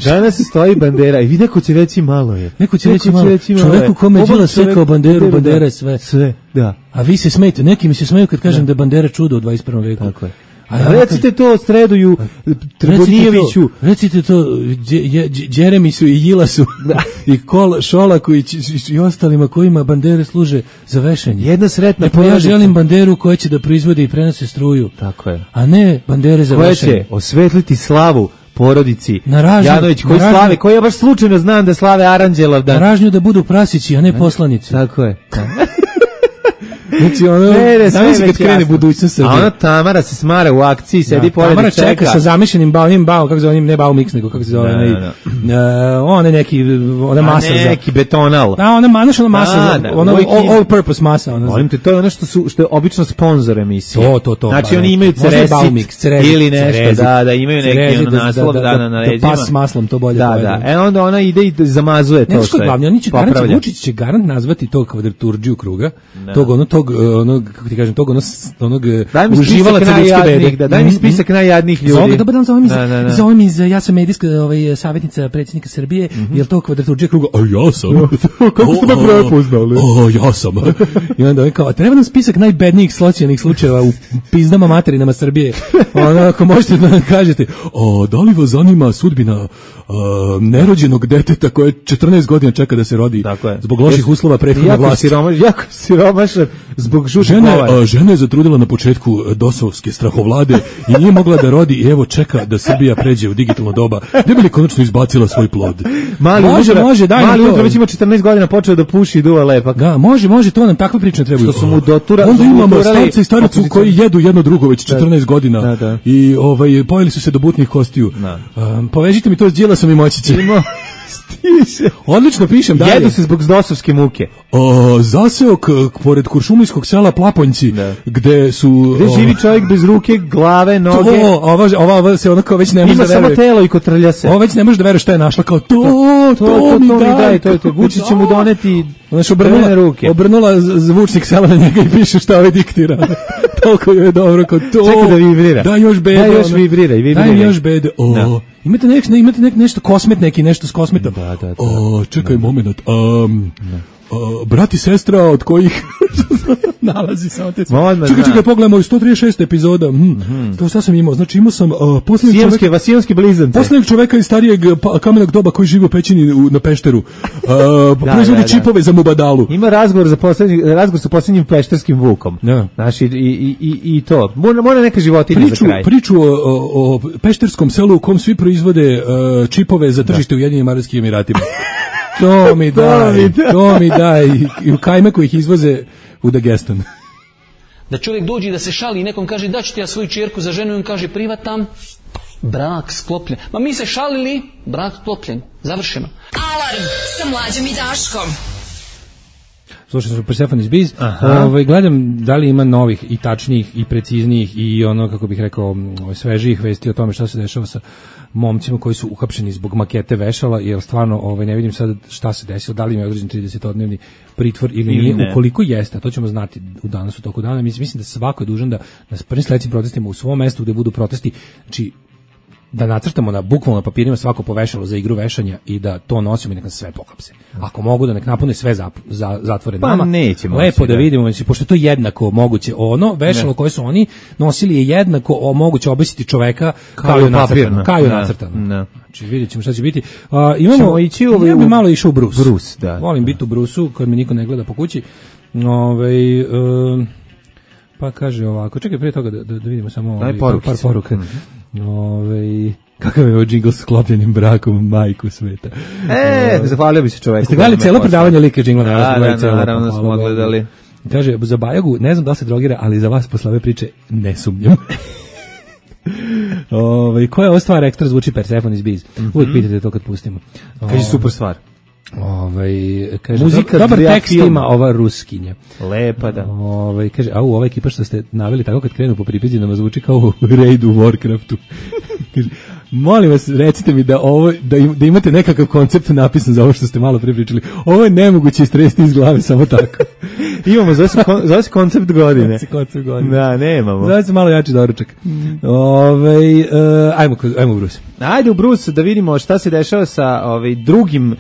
Danas stoji bandera i vi neko će reći malo je. Neko će reći malo. Čoveku kome je Đilas sekao banderu, bandera je sve. Sve, da. A vi se smejete, neki mi se smeju kad kažem da je bandera čudo u 21. veku. Tako je. Recite to Stredoju Trgonijeviću. Recite to Đeremisu i Jilasu i Šolaku i ostalima kojima bandere služe za vešanje. Jedna sretna ja želim banderu koja će da proizvode i prenose struju. Tako je. A ne bandere za vešanje. Koja će osvetliti slavu porodici Janović, koji ja baš slučajno znam da slave Aranđelov dan. Na ražnju da budu prasići, a ne poslanici. Tako je. Znači znam kad krene budućnost Srbije. A ona Tamara se smara u akciji, sedi pored Tamara čeka sa zamišljenim bao, kako se zove, ne bao mix, nego kako se zove, on je ona masa za... neki betonal. Da, ona masa, ona all purpose masa. Volim te, to je ono što je obično sponsor emisije. To. Znači oni imaju ceresit ili nešto, da imaju neki naslov na leđima. Da pas s maslom, to bolje. Da. Onda ona ide i zamazuje to što je. Vučić će garant nazvati tog kvadraturdžiju kruga, tog tog onog, kako ti kažem, tog onog uživala ljudske bede. Daj mi spisak najjadnijih ljudi. Dobar dan, zovem iz ja sam medijska savjetnica predsjednika Srbije, jel to Kvadraturđija kruga? A ja sam. Kako ste me prepoznali? Ja sam. I onda kao, treba nam spisak najbednijih socijalnih slučajeva u pizdama materinama Srbije. Ako možete da nam kažete, da li vas zanima sudbina nerođenog deteta koje 14 godina čeka da se rodi zbog loših uslova prethodne vlasti. Jako siromašan zbog žutih glava. Žena je zatrudila na početku dosovske strahovlade i nije mogla da rodi i evo čeka da Srbija pređe u digitalno doba. Ne bi li konačno izbacila svoj plod? Može, daj mali Udra već ima 14 godina, počeo da puši i duva lepak. Da, može, to nam takve priče ne trebaju. Što su mu doturali. Onda imamo starce i staricu koji jedu jedno drugo već 14 godina i pojeli su se do butnih kostiju. Povežite mi to s Đilasom i Moćićem. Stiže. Odlično pišem dalje. Jedu se zbog dosovske muke. Zaseok pored kuršumlijskog sela Plaponjci, gde su... Gde živi čovjek bez ruke, glave, noge. Ova se onako već ne može da veruje. Ima samo telo i kotrlja se. Ova već ne može da veruje šta je našla. Kao to mi daj. To Vučić će mu doneti obrnula zvučnik sela na njega i piše šta ovaj diktira. Toliko je dobro. Čekaj da vibrira. Da još bede. Da još vibrira. Daj još bede. Imate nešto kosmet neki, nešto s kosmetom. Da. Čekaj moment. Brat i sestra od kojih nalazi samo te... Čekaj, pogledamo 136 epizoda. To šta sam imao? Znači imao sam Vasijanski blizance. Poslednjeg čoveka iz starijeg kamenog doba koji živi u pećini na Pešteru. Proizvodi čipove za Mubadalu. Ima razgovor sa posljednjim pešterskim vukom. Znaš, i to. Mora neka životinja za kraj. Priču o pešterskom selu u kom svi proizvode čipove za tržište u Ujedinjenim Arapskim Emiratima. To mi daj. I u Kajmeku ih izvoze u Dagestan. Da čovjek dođe i da se šali i nekom kaže da ću ti ja svoju čerku za ženu i on kaže privatam, brak sklopljen. Ma mi se šalili, brak sklopljen. Završeno. Alarm sa Mlađom i Daškom. Slušao sam Persephone is Biz. Gledam da li ima novih i tačnijih i preciznijih i ono, kako bih rekao, svežijih vesti o tome šta se dešava sa momcima koji su uhapšeni zbog makete vešala, jer stvarno ne vidim sad šta se desilo, da li ima određen 30-dnevni pritvor ili nije. Ukoliko jeste, a to ćemo znati danas u toku dana. Mislim da svako je dužan da na prvim sledećim protestima u svom mestu gde budu protesti, znači da nacrtamo na bukvalno na papirima svako povešalo za igru vešanja i da to nosimo i nek nas sve pohapse. Ako mogu da nek napune sve zatvore nama, lepo da vidimo, znači, pošto je to jednako moguće. Vešalo koje su oni nosili je jednako moguće obesiti čoveka kao je nacrtano. Znači vidjet ćemo šta će biti. Ja bi malo išao u Brus. Volim biti u Brusu kad mi niko ne gleda po kući. Pa kaže ovako, čekaj prije toga da vidimo samo par poruka. Kakav je ovo džingl s sklopljenim brakom, majku sveta. Zahvalio bi se čoveku. Ste gledali cijelo predavanje like džingla? Naravno smo gledali. Kaže, za Bajagu, ne znam da se drogira, ali za vas posle ove priče ne sumnjam. Koja je ova stvar ekstra zvuči Persephone is Biz? Uvijek pitate to kad pustimo. Kaže, super stvar. Kaže, dobar tekst ima ova ruskinja. Lepa, da. Kaže, ova ekipa što ste naveli tako kad krenu po pripizdinama zvuči kao u raidu u Warcraftu. Kaže, molim vas, recite mi da imate nekakav koncept napisan za ovo što ste malo prepričali. Ovo je nemoguće istresti iz glave samo tako. Imamo, zove se koncept godine. Da, nemamo. Zove se malo jači doručak. Ajmo u Brus. Ajde u Brus da vidimo šta se dešava sa drugim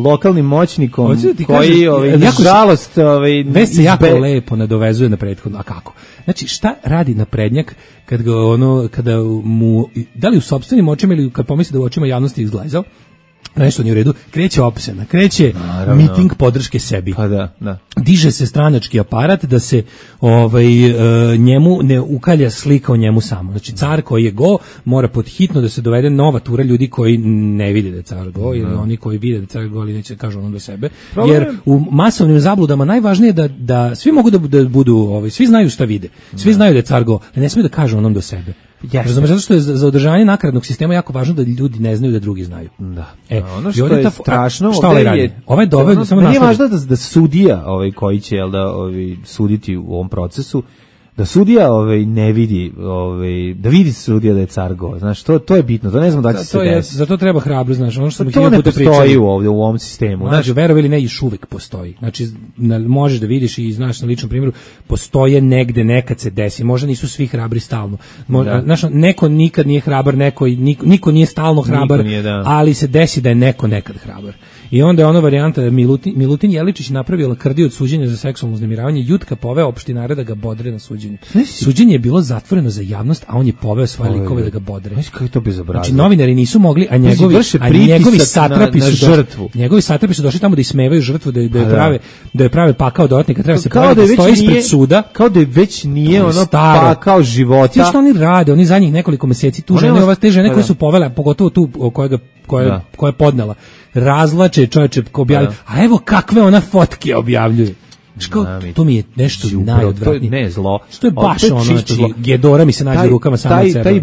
lokalnim moćnikom koji nažalost već se jako lepo nadovezuje na prethodno. A kako? Znači šta radi naprednjak kada mu da li u sopstvenim očima ili kad pomisli da u očima javnosti izglajzao nešto nije u redu, kreće opsena, kreće miting podrške sebi. Pa da. Diže se stranački aparat da se njemu ne ukalja slika o njemu samo. Znači car koji je go mora podhitno da se dovede nova tura ljudi koji ne vide da je car go ili oni koji vide da je car go ali neće kažu ono do sebe. Jer u masovnim zabludama najvažnije je da svi mogu da budu, svi znaju šta vide. Svi znaju da je car go, ali ne smiju da kažu onom do sebe. Razumeš, zato što je za održavanje nakaradnog sistema jako važno da ljudi ne znaju da drugi znaju. Da. Ono što je strašno, samo nije važno da sudija koji će suditi u ovom procesu Da sudija ne vidi, da vidi sudija da je car go. Znaš, to je bitno. To ne znam da će se desiti. Zato treba hrabrost, znaš, ono što smo to ne postoji ovdje u ovom sistemu. Znači, verovi ili ne, još uvek postoji. Znači, možeš da vidiš i znaš na ličnom primjeru, postoje negde, nekad se desi. Možda nisu svi hrabri stalno. Znaš, neko nikad nije hrabar, niko nije stalno hrabar, ali se desi da je neko nekad hrabar. I onda je ona varijanta Milutin Jeličić napravio lakrdiju od suđenja za seksualno uznemiravanje, Jutka poveo opštinare da ga bodre na suđenju. Suđenje je bilo zatvoreno za javnost, a on je poveo svoje likove da ga bodre. Kako je to bezobrazno? Znači novinari nisu mogli, a njegovi satrapi su žrtvu. Njegovi satrapi su došli tamo da ismevaju žrtvu, da je prave pakao dodatnika, treba se pravi da stoji ispred suda. Kao da već nije ono pakao života. Ti što oni rade, oni zadnjih nekoliko meseci tu žene, te žene koje su povele, pogotovo tu koja je podnela, razlače čovječe objavljaju, a evo kakve ona fotke objavljuje. To mi je nešto najodvratnije. Ne zlo. Što je baš ono, znači, Gedora mi se nađe rukama samo od sebe.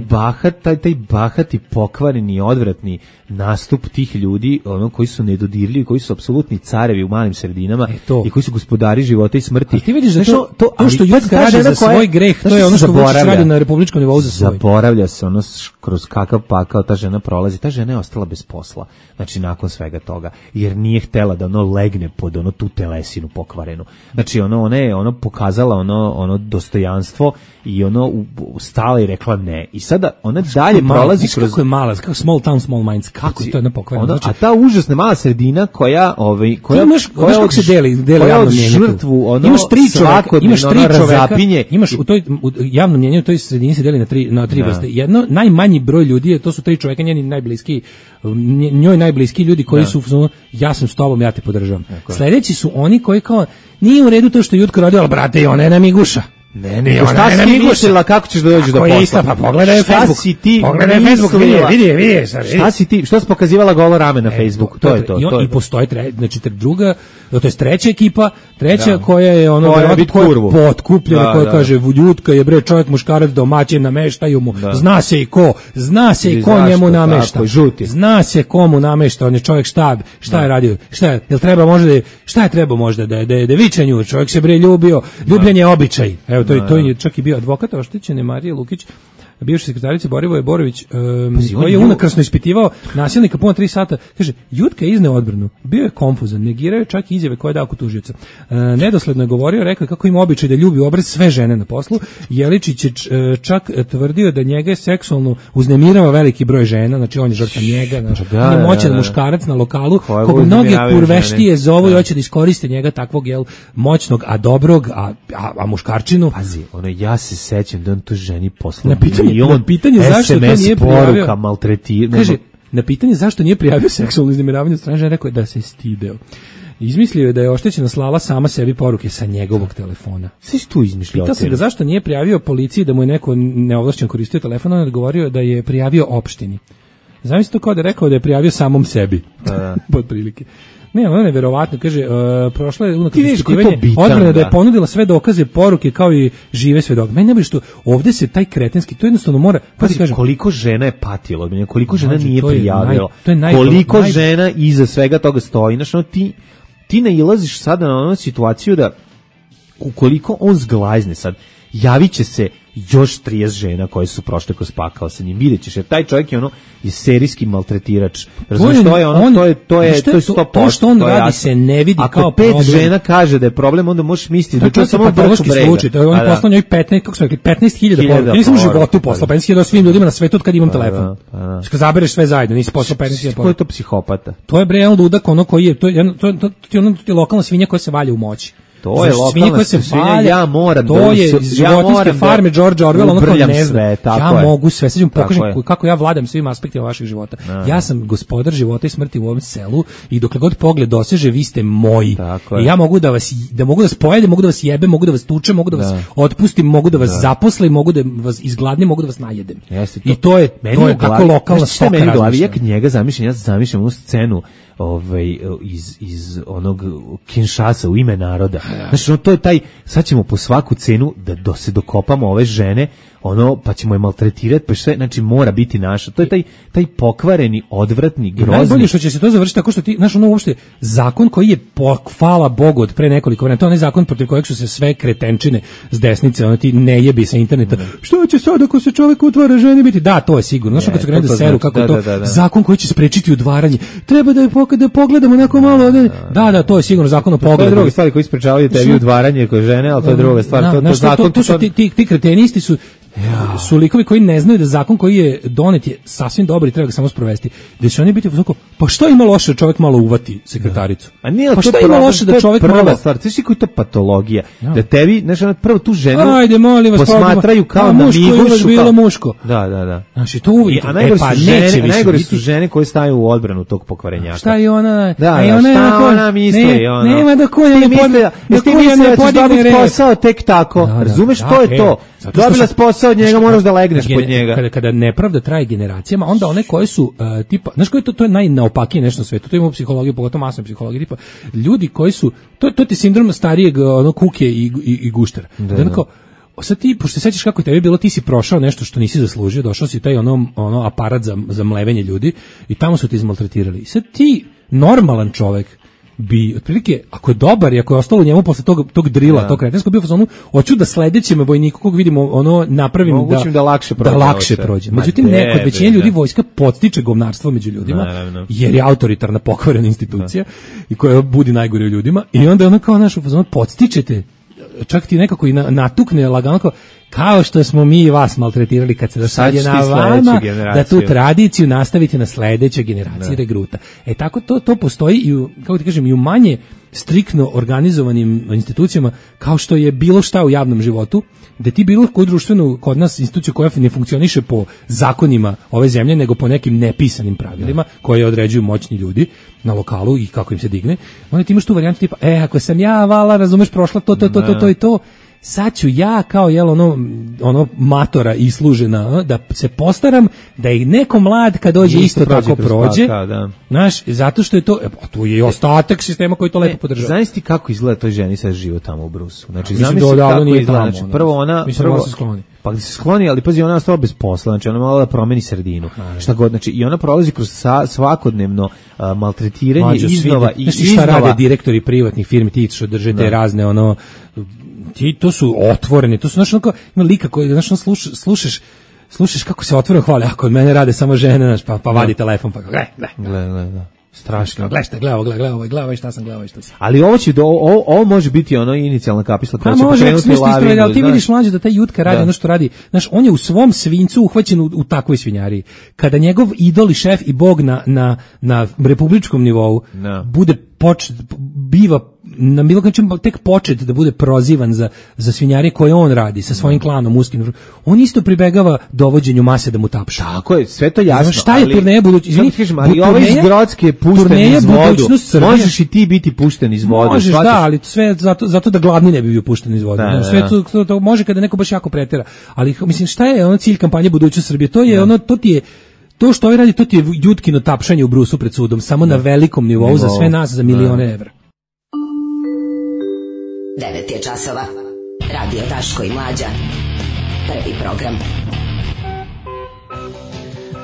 Taj bahati, pokvareni, odvratni nastup tih ljudi, ono koji su nedodirljivi, koji su apsolutni carevi u malim sredinama i koji su gospodari života i smrti. A ti vidiš da to što Jutka radi za svoj greh, to je ono što Vučić radi na republičkom nivou za svoj. Zaboravlja se ono kroz kakav pakao ta žena prolazi. Ta žena je ostala bez posla. Znači nakon svega toga, jer nije htela da ono legne pod ono tu telesinu pokvarenu. Znači ona je pokazala ono dostojanstvo i ono stala i rekla ne. I sada ona dalje prolazi kroz... Kako je mala, kako small town, small minds, kako je to jedna pokvarena. Znači, a ta užasna mala sredina koja kako se deli javno mnjenje tu. Imaš tri čoveka, imaš u javnom mnjenju u toj sredini se deli na tri vrste. Jedno, najmanji broj ljudi, to su tri čoveka, njoj najbliski ljudi koji su, ja sam s tobom, ja te podržavam. Sledeći su oni koji kao, nije u redu to što je Jutka radio, ali brate, i ona je namiguša. Ne, ona je namiguša. Kako ćeš da dođeš do posla? Pa pogledaj Facebook. Vidi. Šta si ti, što si pokazivala golo rame na Facebooku? To je to. I postoji druga, to je treća ekipa, koja je ono potkupljena, koja kaže, Jutka je bre čovjek muškarac domaćin, nameštaju mu, zna se i ko njemu namešta. Zna se komu namešta, on je čovjek šta je radio, šta je trebao možda, da viče nju, čovjek se bre ljubio, ljubljenje je običaj. Evo, to je čak i bio advokat oštećene Marije Lukić, bivša sekretarica Borivoje Borović, koji je unakrasno ispitivao nasilnika puno 3 sata. Kaže, Jutka je izneo odbranu, bio je konfuzan, negirao je čak izjave koje je dao kod tužioca. Nedosledno je govorio, rekao kako ima običaj da ljubi obraz sve žene na poslu. Jeličić je čak tvrdio da njega je seksualno uznemirava veliki broj žena, znači on je žrtva njega, znači, on je moćan muškarac na lokalu, koga mnoge kurveštije zovu i hoće da iskoriste njega takvog moćnog, a dobrog, a muškarčinu. Pazi, ja se sećam da on to ženi poslu. Na pitanje zašto to nije prijavio, kaže, na pitanje zašto nije prijavio seksualno uznemiravanje od strane žene, rekao je da se stideo. Izmislio je da je oštećena slala sama sebi poruke sa njegovog telefona. Sve si tu izmišljao. Pitao se ga zašto nije prijavio policiji da mu je neko neovlašćen koristio telefon, on je odgovorio da je prijavio opštini. Zamisli to kao da je rekao da je prijavio samom sebi. Pod prilike. Ne, ono je neverovatno, kaže, prošla je unakrasno ispitivanje, odbrana da je ponudila sve dokaze, poruke kao i žive svedoke. Meni ne bude što ovdje se taj kretenski, to jednostavno mora... Koliko žena je patilo od mene, koliko žena nije prijavilo, koliko žena iza svega toga stoji. Znači, ti nailaziš sada na onu situaciju da ukoliko on zglajzne sad, javit će se još 30 žena koje su prošle kroz pakao sa njim. Vidjet ćeš, jer taj čovjek je serijski maltretirač. Razumiješ, to je 100%. To što on radi se ne vidi kao problem. Ako 5 žena kaže da je problem, onda možeš misliti da je samo patološki slučaj. On je poslao njoj 15.000 poruka. Nisam u životu poslao 15.000 svim ljudima na svetu od kad imam telefon. Kad zabereš sve zajedno, nisi poslao 15.000 poruka. Ko je to psihopata? To je bre ludak, ono koji je, to je lokalna svinja koja se valja u moći. To je lokalna svinja, ja moram to je životinjske farme George Orwell, ono kao ne zna. Ja mogu sve, sad ću pokažem kako ja vladam svim aspektima vašeg života. Ja sam gospodar života i smrti u ovom selu i dokle god pogled doseže, vi ste moji. I ja mogu da vas pojedem, mogu da vas jebem, mogu da vas tučem, mogu da vas otpustim, mogu da vas zaposlim, mogu da vas izgladnim, mogu da vas najedem. I to je tako lokalna stoka razmišljanja. Ja kad njega zamišljam, onu scenu iz onog Kinshasa u ime naroda. Znači, to je taj, sad ćemo po svaku cenu da se dokopamo ove žene, pa ćemo je maltretirati, pa sve, znači mora biti naša. To je taj pokvareni, odvratni, grozni. Najbolje što će se to završiti tako što ti, znaš, uopšte, zakon koji je, hvala Bogu, od pre nekoliko vremena, to je onaj zakon protiv kojeg su se sve kretenčine s desnice, ti ne jebi sa interneta. Što će sad ako se čovjek utvara ženi biti? Da, to je sigurno. Znaš, kad su krenuli da seru, kako je to zakon koji će sprečiti udvaranje. Treba da pogledamo neko malo. Da, to je sigurno zakon o pogledu. To je druga stvar koji sprečavaju tebi udvaranje kod žene, ali to je druga stvar. To su ti kretenisti su likovi koji ne znaju da zakon koji je donet je sasvim dobar i treba ga samo sprovesti. Da će oni biti uzoko, pa što ima loše da čovjek malo uvati sekretaricu? A nije, pa što ima loše da čovjek malo... Prva stvar, znaš koji je to patologija? Da tebi, znaš, prvo tu ženu posmatraju kao na migušu. Bilo muško. Da. Znači, to uvijek. A najgore su žene koje staju u odbranu tog pokvarenjaka. Šta je ona? Šta ona misli? Nema da koja ne podigne posao tek tako. Razumeš, to je to. Dobila si posao od njega, moraš da legneš pod njega. Kada nepravda traje generacijama, onda one koje su tipa, znaš koje to je najnaopakije nešto na svetu, to ima u psihologiji, pogotovo masnoj psihologiji, tipa ljudi koji su, to ti sindrom starijeg kuke i guštera. Sad ti, pošto se sećaš kako je tebi bilo, ti si prošao nešto što nisi zaslužio, došao si taj ono aparat za mlevenje ljudi i tamo su ti izmaltretirali. I sad ti, normalan čovek, bi otprilike, ako je dobar i ako je ostalo u njemu posle tog drila, tog kretenskog bio fazonu, hoću da sledećem vojniku kog vidimo napravim da lakše prođe. Međutim, kod većine ljudi vojska podstiče govnarstvo među ljudima, jer je autoritarna pokvarena institucija i koja budi najgore u ljudima i onda ono kao našu fazonu podstičete, čak ti nekako i natukne lagano kao što smo mi vas maltretirali kad se dosad je na vama da tu tradiciju nastavite na sledećoj generaciji regruta. Tako to postoji i i u manje striktno organizovanim institucijama kao što je bilo šta u javnom životu, da ti bilo koju društvenu kod nas instituciju koja ne funkcioniše po zakonima ove zemlje, nego po nekim nepisanim pravilima koje određuju moćni ljudi na lokalu i kako im se digne, onda ti imaš tu varijantu tipa, ako sam ja vala, razumeš, prošla to i to, sad ću ja kao ono matora islužena da se postaram da i neko mlad kad dođe isto tako prođe. Znaš, zato što je to, tu je i ostatak sistema koji to lepo podržava. Znaš ti kako izgleda toj ženi sad život tamo u Brusu? Znači, zamisli kako izgleda. Znači, prvo ona... Pa se skloni, ali pazi, ona je ostala bez posla, znači ona mala da promeni sredinu. Šta god, znači i ona prolazi kroz svakodnevno maltretiranje iznova i iznova. Šta rade direktori privatnih firmi, ti što držete razne to su otvoreni, to su znaš onako, ima lika koji, znaš, slušaš kako se otvoreno hvale, ako od mene rade samo žene, znaš, pa vadi telefon, pa gle. Strašno. Gledaj šta sam. Ali ovo može biti inicijalna kapisla koja će pokrenuti lavinu. Ali ti vidiš mlađe da taj Jutka radi ono što radi. Znaš, on je u svom svincu uhvaćen u takvoj svinjariji. Kada njegov idol i šef i bog na republičkom nivou bude biva na bilo način tek počet da bude prozivan za svinjare koje on radi sa svojim klanom uskim. On isto pribegava dovođenju mase da mu tapša. Tako je, sve to jasno. Znaš, šta je turneja budućnosti? Ali ovaj iz Grocke je pušten iz vodu. Možeš i ti biti pušten iz vodu. Možeš, ali sve zato da gladni ne bi bio pušten iz vodu. Sve to može kada neko baš jako pretera. Ali mislim, šta je cilj kampanje budućnosti Srbije? To je to ti je to što ovaj radi, to ti je Jutkino tapšanje u Brusu pred sudom, samo na velikom nivou za sve nas za milione evra. 9 je časova. Radio Daško i Mlađa. Prvi program.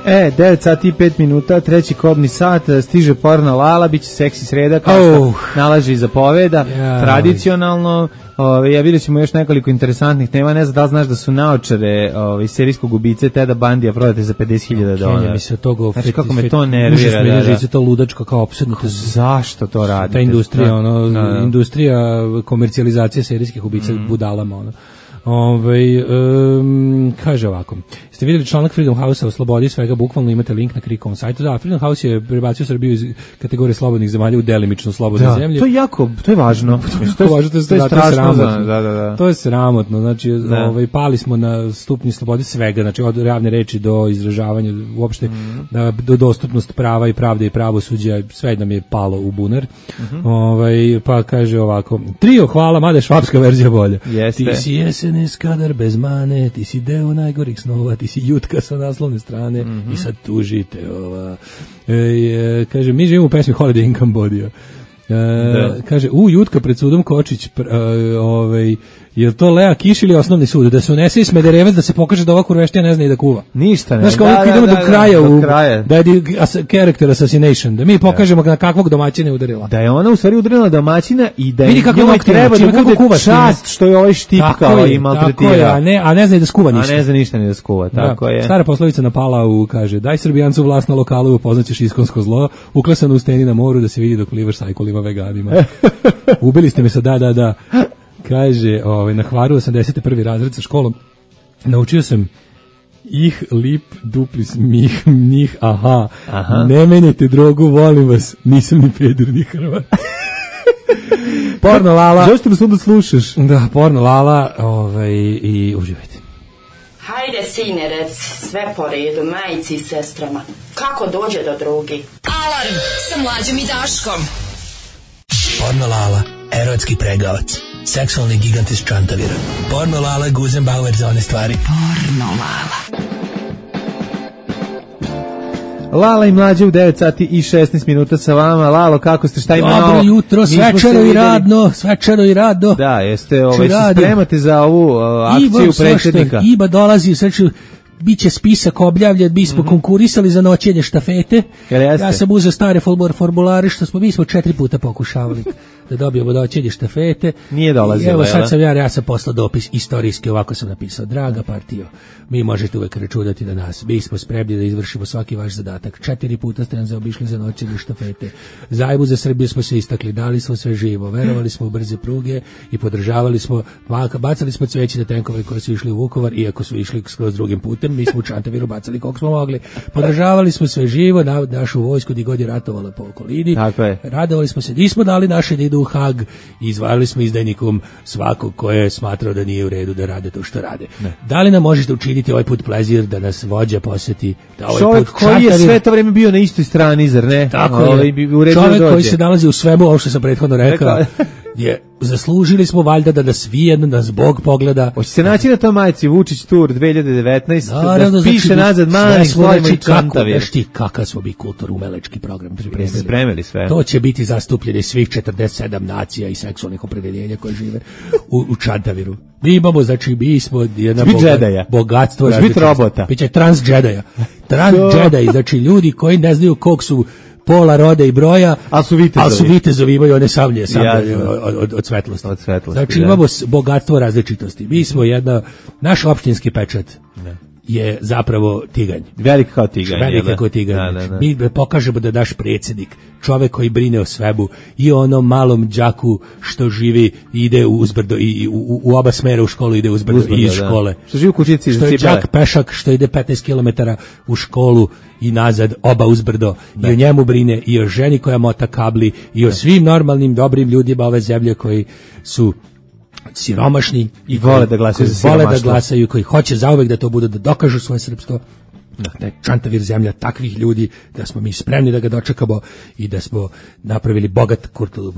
9 sati i 5 minuta, treći kobni sat, stiže porno Lala, bit će seksi sreda, kao što nalaže i zapoveda, tradicionalno. Ja vidjet ćemo još nekoliko interesantnih tema, ne znam da li znaš da su naočare serijskog ubice Teda Bandija prodate za $50,000. Znači kako me to nervira. Žice to ludačko kao opsedno. Zašto to radite? Ta industrija, industrija komercijalizacije serijskih ubica budalama, kaže ovako, ste vidjeli članak Freedom House-a o slobodi svega, bukvalno imate link na Krikovom sajtu. Da, Freedom House je prebacio Srbiju iz kategorije slobodnih zemalja u delimično slobodne zemlje. To je jako, to je važno. To je strašno. To je sramotno. Znači, pali smo na stupnji slobode svega, znači od javne reči do izražavanja, uopšte do dostupnost prava i pravde i pravosuđa, sve nam je palo u bunar. Pa kaže ovako, trio hvala, mada je švapska verzija bolja. Jeste. Ti si SNS kadar bez mane, ti si deo najgorih snova, ti si jutka sa naslovne strane i sad tužite. Kaže, mi živimo u pesmi Holiday in Cambodia. Kaže, jutka pred sudom Kočić, je to Lea Kiš ili osnovni sud? Da se unese i Smederevac da se pokaže da ova kurveštija ne zna i da kuva. Ništa ne. Znaš kao idemo do kraja. Da je character assassination. Da mi pokažemo na kakvog domaćina je udarila. Da je ona u stvari udarila domaćina i da je njoj treba da bude čast što je ovaj štipkao i maltretirao. A ne zna i da skuva ništa. A ne zna ništa ni da skuva, tako je. Stara poslovica na Palau kaže, daj Srbijancu vlast na lokalu, upoznaćeš iskonsko zlo, uklesano u steni na moru da se vidi dok plivaš sajkolima veganima. Ubili ste me sa da. Kaže, na Hvaru 81. razred sa školom naučio sam ih, lip, duplis, njih, aha. Ne menjajte drogu, volim vas, nisam ni peder, ni Hrvat. Porno Lala. Zašto nas onda slušaš? Da, Porno Lala, i uživajte. Hajde, sine, reci, sve po redu, majici i sestrama. Kako dođe do drogi? Alarm sa Mlađom i Daškom. Porno Lala, erotski pregavac. Seksualni gigant iz Čantavira. Porno Lala, Guzenbauer za one stvari. Porno Lala. Lala i Mlađe u 9 sati i 16 minuta sa vama. Lalo, kako ste, šta ima novo? Dobro jutro, svečano i radno. Da, jeste, se spremate za ovu akciju predsjednika. Iba dolazi, biće spisak objavljen, mi smo konkurisali za noćenje štafete. Ja sam uzeo stare formulare što mi smo 4 puta pokušavali da dobijemo noćenje štafete. Nije dolazilo. Evo sad ja sam poslao dopis istorijski, ovako sam napisao: draga partijo, mi možete uvek računati na nas. Mi smo spremni da izvršimo svaki vaš zadatak. 4 puta ste nam zaobišli za noćenje štafete. Zajmu za Srbiju smo se istakli, dali smo sve živo, verovali smo u brze pruge i podržavali smo, bacali smo cveće na tenkove koji su išli u Vukovar, iako su išli skroz drugim putem. Mi smo u Čantaviru bacali koliko smo mogli. Podržavali smo sve živo, našu vojsku gdje god je ratovala po okolini. Radovali smo se, nismo dali naše da idu u Hag i izvarali smo izdajnikom svakog ko je smatrao da nije u redu da rade to što rade. Ne. Da li nam možete učiniti ovaj put plezir da nas vođa posjeti? Da ovaj čovjek put koji je sve to vrijeme bio na istoj strani, zar ne? Tako je. Čovjek koji se nalazi u svemu, ovo što sam prethodno rekao, zaslužili smo valjda da nas vijedno, da nas Bog pogleda. Hoće se naći na tom majici Vučić Tour 2019, da piše nazad mani slovima i Čantavir. Znaš ti kakav smo bi kulturno-umelečki program spremili sve. To će biti zastupljeni svih 47 nacija i seksualnih opredeljenja koje žive u Čantaviru. Mi imamo, mi smo jedna bogatstvo. Biti robota. Biće trans-džedaja. Trans-džedaji, znači ljudi koji ne znaju kog su pola, roda i broja, ali su vitezovi, imaju one sablje od svetlosti. Znači imamo bogatstvo različitosti. Mi smo naš opštinski pečat je zapravo tiganj. Velik kao tiganj. Mi pokažemo da naš predsjednik, čovek koji brine o svebu i onom malom đaku što živi ide uzbrdo i u oba smera u školu ide uzbrdo i iz škole. Što živi u kućici. Što je đak pešak što ide 15 km u školu i nazad oba uzbrdo i o njemu brine i o ženi koja mota kabli i o svim normalnim dobrim ljudima ove zemlje koji su siromašni i vole da glasaju, koji hoće zauvek da to budu, da dokažu svoje srpstvo. Da je Čantavir zemlja takvih ljudi, da smo mi spremni da ga dočekamo i da smo napravili bogat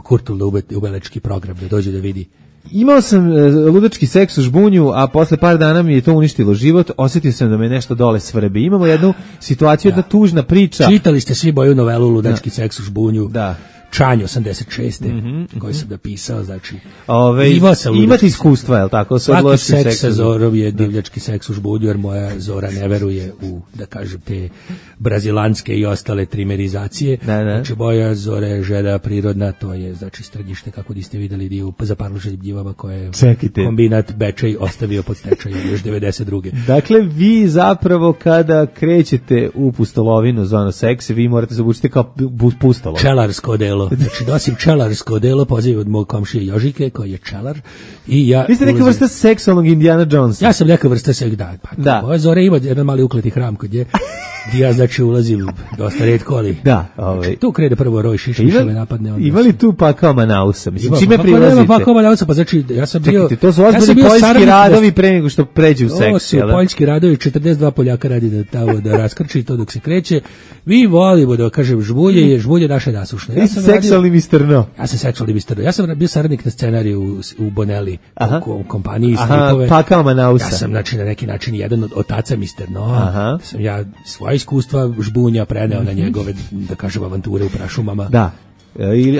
kulturno-umelečki program da dođe da vidi. Imao sam ludački seks u Žbunju, a posle par dana mi je to uništilo život. Osjetio sam da me nešto dole svrbi. Imamo jednu situaciju, jedna tužna priča. Čitali ste svi moju novelu Ludački seks u Žbunju? Da. Čanj 86. koji sam napisao, znači imate iskustva, je li tako? Svaki seks sa Zorom je divljački seks u Žbunju, jer moja Zora ne veruje u, da kažem, te brazilanske i ostale trimerizacije. Znači moja Zora je žena prirodna, to je znači strnjište, kako niste vidjeli dio za parloženim njivama koje je kombinat Bečej ostavio pod stečajem još 92. Dakle, vi zapravo kada krećete u pustolovinu zvano seks, vi morate zabučiti kao pustolo. Čelarsko delo. Znači, nosim čelarsko delo, poziv od mog komšije Jožike, koji je čelar. I ja vi ste neka vrsta seksualnog Indiana Jonesa. Ja sam neka vrsta moja Zora ima jedan mali ukleti hram kod nje, Ja znači ulazim dosta retko, ali da, tu krene prvo roj šiša me napadne. Ima li tu pakao Manausa? Mislim, čime pa prilazite? Pakao Manausa, pa znači ja sam bio... Čekajte, to su ozbiljni poljski radovi pre nego što pređe u seks. Ovo su poljski radovi, 42 Poljaka radi da raskrči to dok se kreće. Mi volimo da kažem žbulje naše nasušne. Ja sam seksualni Mr. No. Ja sam seksualni Mr. No. Ja sam bio saradnik na scenariju u Bonelli, u kompaniji stripove. Pakao Manausa. Ja sam znači na neki način jedan od otaca Mr. No. Sam ja svoje iskustva žbunja preneo na njegove, da kažem, avanture u prašumama. Da.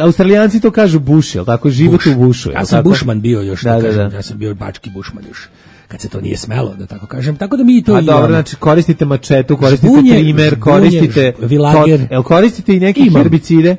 Australijanci to kažu buš, jel tako? Život u bušu. Ja sam bušman bio još, da kažem. Ja sam bio bački bušman još. Kad se to nije smelo, da tako kažem. Tako da mi to imamo. Dobro, znači koristite mačetu, koristite trimer, koristite vilager. Jel koristite i neke herbicide?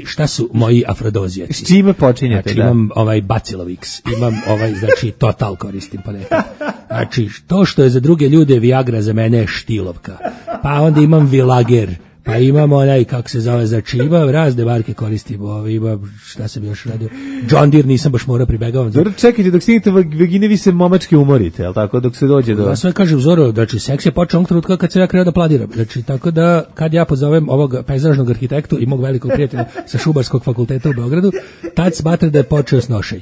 Šta su moji afrodozijaci? S čime počinjete? Znači, imam Bacilovix, imam znači Total koristim ponekad. Znači, to što je za druge ljude Viagra, za mene je štilovka. Pa onda imam vilager. Pa imamo onaj, kako se zove, znači ima razne marke koristim, ima, šta sam još radio, John Deere nisam baš morao pribegavam. Dobro, čekajte, dok stignete vagine vi se momački umorite, jel tako, dok se dođe do... Ja sve kažem, Zoro, znači seks je počeo onog trenutka kad sam ja krenuo da planiram, znači tako da kad ja pozovem ovog pejzažnog arhitektu i mog velikog prijatelja sa Šubarskog fakulteta u Beogradu, tad smatra da je počeo snošaj.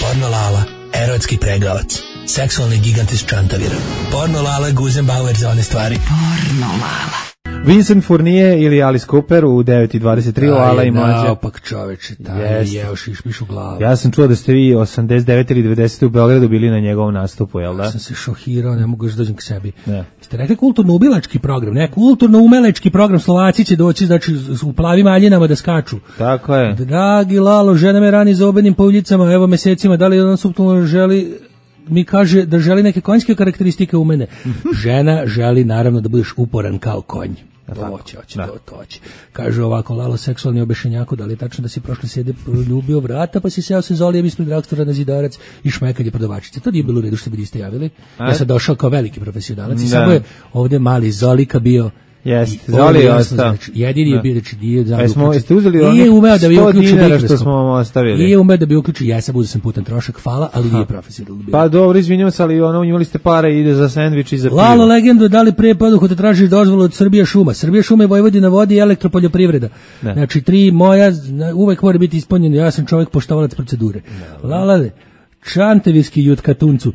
Porno Lala, erotski pregavac, seksualni gigant iz Čantavira. Porno Lala, Guzenbauer za one stvari. Porno Lala. Vincent Fournier ili Alice Cooper u 9:23 Lala i mlađe. Opak čoveče, taj jeo šišmiš u glavu. Ja sam čuo da ste vi 89 ili 90 u Beogradu bili na njegovom nastupu, jel da? Ja sam se šokirao, ne mogu još dođem k sebi. Ste rekli kulturno-ubilački program, ne, kulturno-umelečki program, Slovaci će doći, znači u plavim aljinama da skaču. Tako je. Dragi Lalo, žena me rani za obenim pauljicama, evo mesecima, da li on suptilno želi... mi kaže da želi neke konjske karakteristike u mene. Žena želi naravno da budeš uporan kao konj. To hoće. Kaže ovako, Lalo, seksualni obešenjako, da li je tačno da si prošle sede ljubio vrata, pa si seo se zolijem ispred reaktora na Zidarac i šmekanje prodavačice. To nije bilo u redu što bi niste javili. Ja sam došao kao veliki profesionalac i samo je ovde mali Zolika bio. Jeste, Zoli je ostao. Jedini je bio, znači nije Jeste uzeli onih 100 dinara što smo vam ostavili. Nije umeo da bi uključio, ja sam uzeo sam putan trošak, hvala, ali nije profesionalno bio. Pa dobro, izvinjavam se, ali imali ste pare i ide za sendvič i za pivo. Lalo, legendo, da li pre poduhu tražiš dozvolu od Srbija šuma? Srbija šuma je Vojvodina vodi i elektropoljoprivreda. Znači, 3 moja, uvek mora biti ispunjeno, ja sam čovjek poštovalac procedure. Lala, Čantavijski Jutkatuncu.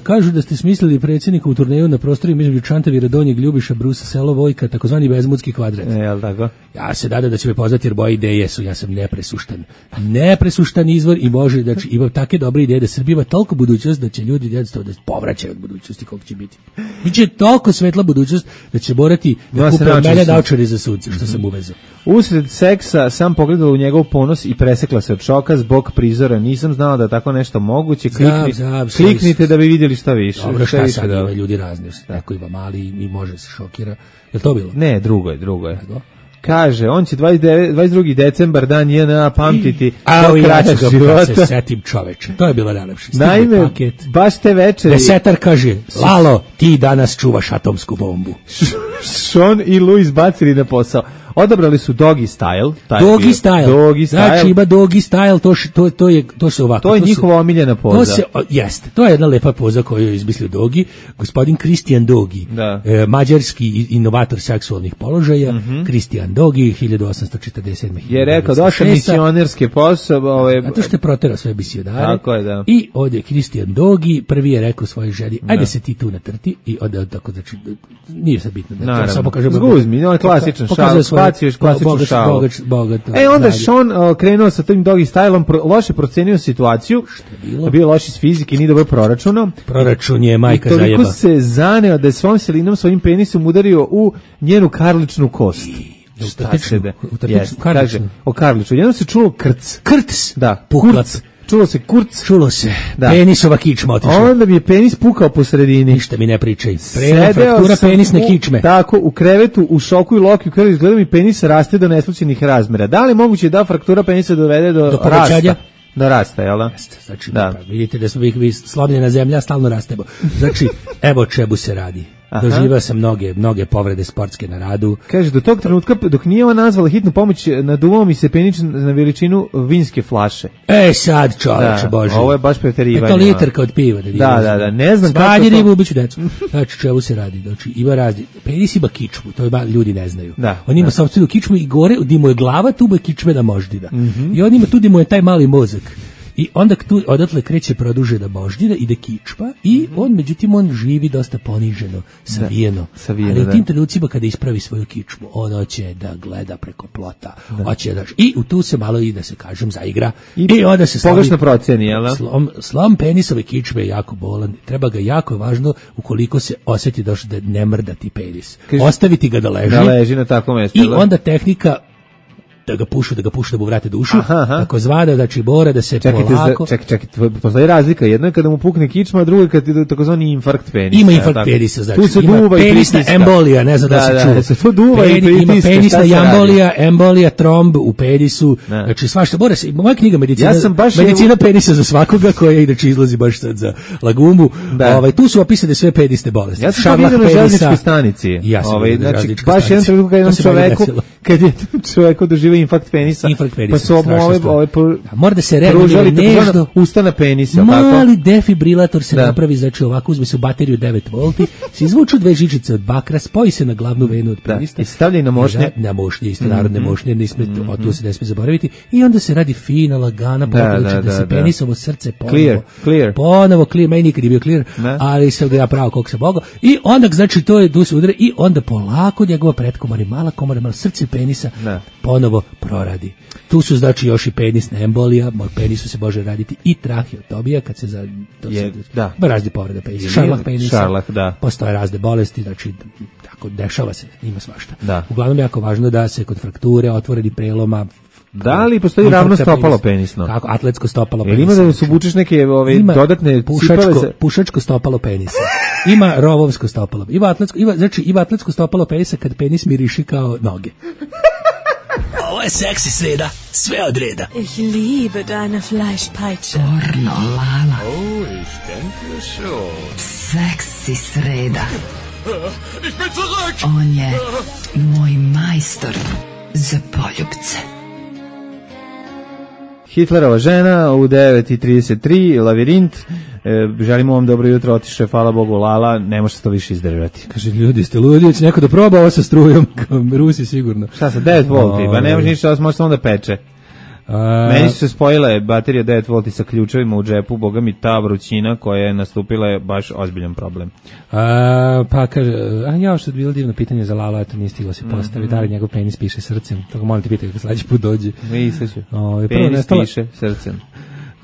Kažu da ste smislili predsjednika u turneju na prostoru između Čantavira, Donjeg Ljubiša, Brusa, Selo Vojka, takozvani Bezmudski kvadrat. Jel tako? Ja se nadam da će me poznati jer moje ideje su, ja sam nepresuštan izvor i može, znači imam take dobre ideje da Srbija ima toliko budućnost da će ljudi jednostavno da povraćaju od budućnosti koliko će biti. Biće toliko svetla budućnost da će morati da kupe od mene naočare za sunce, što sam uvezao. Usred seksa sam pogledala u njegov ponos i presekla se od šoka zbog prizora. Nisam znala da tako nešto moguće. Kliknite da bi vidjeli šta više. Dobro, šta sad ima ljudi razni. Neko ima mali i može se šokira. Je to bilo? Ne, drugo je. Kaže, on će 22. decembar dan JNA pamtiti do kraćeg života. Se setim čoveče. To je bilo najlepše. Naime, baš te večeri... Desetar kaže, Lalo, ti danas čuvaš atomsku bombu. Sean i Louis bacili na posao. Odabrali su Doggy Style. Doggy Style. Znači ima Doggy Style, to se ovako. To je njihova omiljena poza. Jeste, to je jedna lepa poza koju je izmislio Doggy. Gospodin Christian Doggy, mađarski inovator seksualnih položaja. Christian Doggy, 1847. Je rekao, došao misionerske posao. Zato što je proterao sve misionare. Tako je, da. I ovdje Christian Doggy prvi je rekao svojoj ženi, ajde se ti tu natrti. I onda tako, znači, nije sad bitno. Zguzmi, on je klasičan šal. Bacio klasičnu šalu. Onda Sean krenuo sa tim Doggy Styleom, loše procenio situaciju, bio loš iz fizike, nije dobro proračunao. Proračun je majka zajeba. I toliko se zaneo da je svom silinom, svojim penisom udario u njenu karličnu kost. Kaže, o karličnu. Jedno se čulo krc. Krc? Da, puklac. Čulo se kurc. Čulo se. Da. Penisova kičma otišla. Onda mi je penis pukao po sredini. Ništa mi ne pričaj. Fraktura penisne kičme. Tako, u krevetu, u šoku i loki, u krevetu, izgleda mi penis raste do neslučajnih razmera. Da li je moguće da fraktura penisa dovede do rasta? Do rasta, jel da? Znači, vidite da smo vi slomljena zemlja, stalno rastemo. Znači, evo čemu se radi. doživao sam mnoge povrede sportske na radu. Kaže, do tog trenutka, dok nije ona nazvala hitnu pomoć, naduvao mi se penič na veličinu vinske flaše. Sad čoveče, Bože. Ovo je baš preterivanje. To litarka od piva. Da, ne znam kako to... Svalji ribu, ubiću decu. Znači, čemu se radi? Znači, ima razni... Penis ima kičmu, to ljudi ne znaju. On ima sopstvenu kičmu i gore, gdje mu je glava, tu mu je kičmena moždina. I on ima tu gdje mu je taj mali mozak. I onda tu odatle kreće produžena moždina, ide kičma i međutim on živi dosta poniženo, savijeno. Ali u tim trenucima kada ispravi svoju kičmu, on hoće da gleda preko plota, hoće da... I u tu se malo i da se kažem zaigra i onda se slavi... Pogrešno proceni, jel? Slom penisove kičme je jako bolan, treba ga jako važno ukoliko se osjeti da ne mrda ti penis. Ostaviti ga da leži na takvom mjestu. I onda tehnika da ga pušu, da mu vrate dušu, tako zvada, znači mora da se polako... Čekajte, postoji razlika, jedno je kada mu pukne kičma, a drugo je kada je takozvani infarkt penisa. Ima infarkt penisa, znači tu se ima duva penisna embolija, ne znam da se čuva. Se to duva i pritiska. Ima penisna embolija, tromb u penisu, znači svašta, mora se, moja knjiga Medicina penisa za svakoga, koja inače izlazi baš sad za Lagumu, tu su opisane sve penisne bolesti. Ja sam to vidio na željezničkoj stanici. Znači, baš jedan trenutak kad je čovjeku doživio infarkt penisa, pa su mora da se reaguje nešto ustana penisa, mali defibrilator se napravi, znači ovako uzme se u bateriju 9 volti, se izvuču 2 žičice od bakra, spoji se na glavnu venu od penisa i stavlja na mošnje, isto narodne mošnje, tu se ne smije zaboraviti, i onda se radi fina, lagana potreba da se penisovo srce ponovo clear, meni nikad je bio clear, ali sam ga ja pravo koliko sam mogao, i onda znači to je, tu se udare i onda polako njegova pretkomora, mala komora, malo srce penisa ponovo proradi. Tu su znači još i penisna embolija, penisu se može raditi i traheotomija kad se za razne povrede penisa, šarlah penisa, postoje razne bolesti, znači tako dešava se, ima svašta. Uglavnom je jako važno da se kod frakture, otvorenih preloma, da li postoji ravno stopalo penisno? Kako, atletsko stopalo penisa. Ima da se obučeš neke dodatne pušačko stopalo penisa. Ima rovovsko stopalo. Ima atletsko stopalo penisa kad penis miriši kao noge. Ovo je seksi sreda, sve od reda. Ich liebe deine Fleischpeitsche. Pornolala. Oh, ich denke schon. Seksi sreda. Ich bin zurück. On je moj majstor za poljubce. Hitlerova žena u 9:33, Lavirint. Želimo vam dobro jutro, otiše, hvala Bogu, Lala, ne može se to više izdržati. Kaže, ljudi ste ludi, će neko da proba ovo sa strujom, Rusi sigurno. Šta sa 9 volti, pa ne može ništa, može samo da peče. Meni su se spojile baterije 9 volti sa ključevima u džepu, boga mi ta vrućina koja je nastupila je baš ozbiljan problem. Pa kaže, ja što je bilo divno pitanje za Lala, eto nije stiglo se postavi, da li njegov penis piše srcem, tako molim ti pitaj kako sledeći put dođe. Penis piše srcem.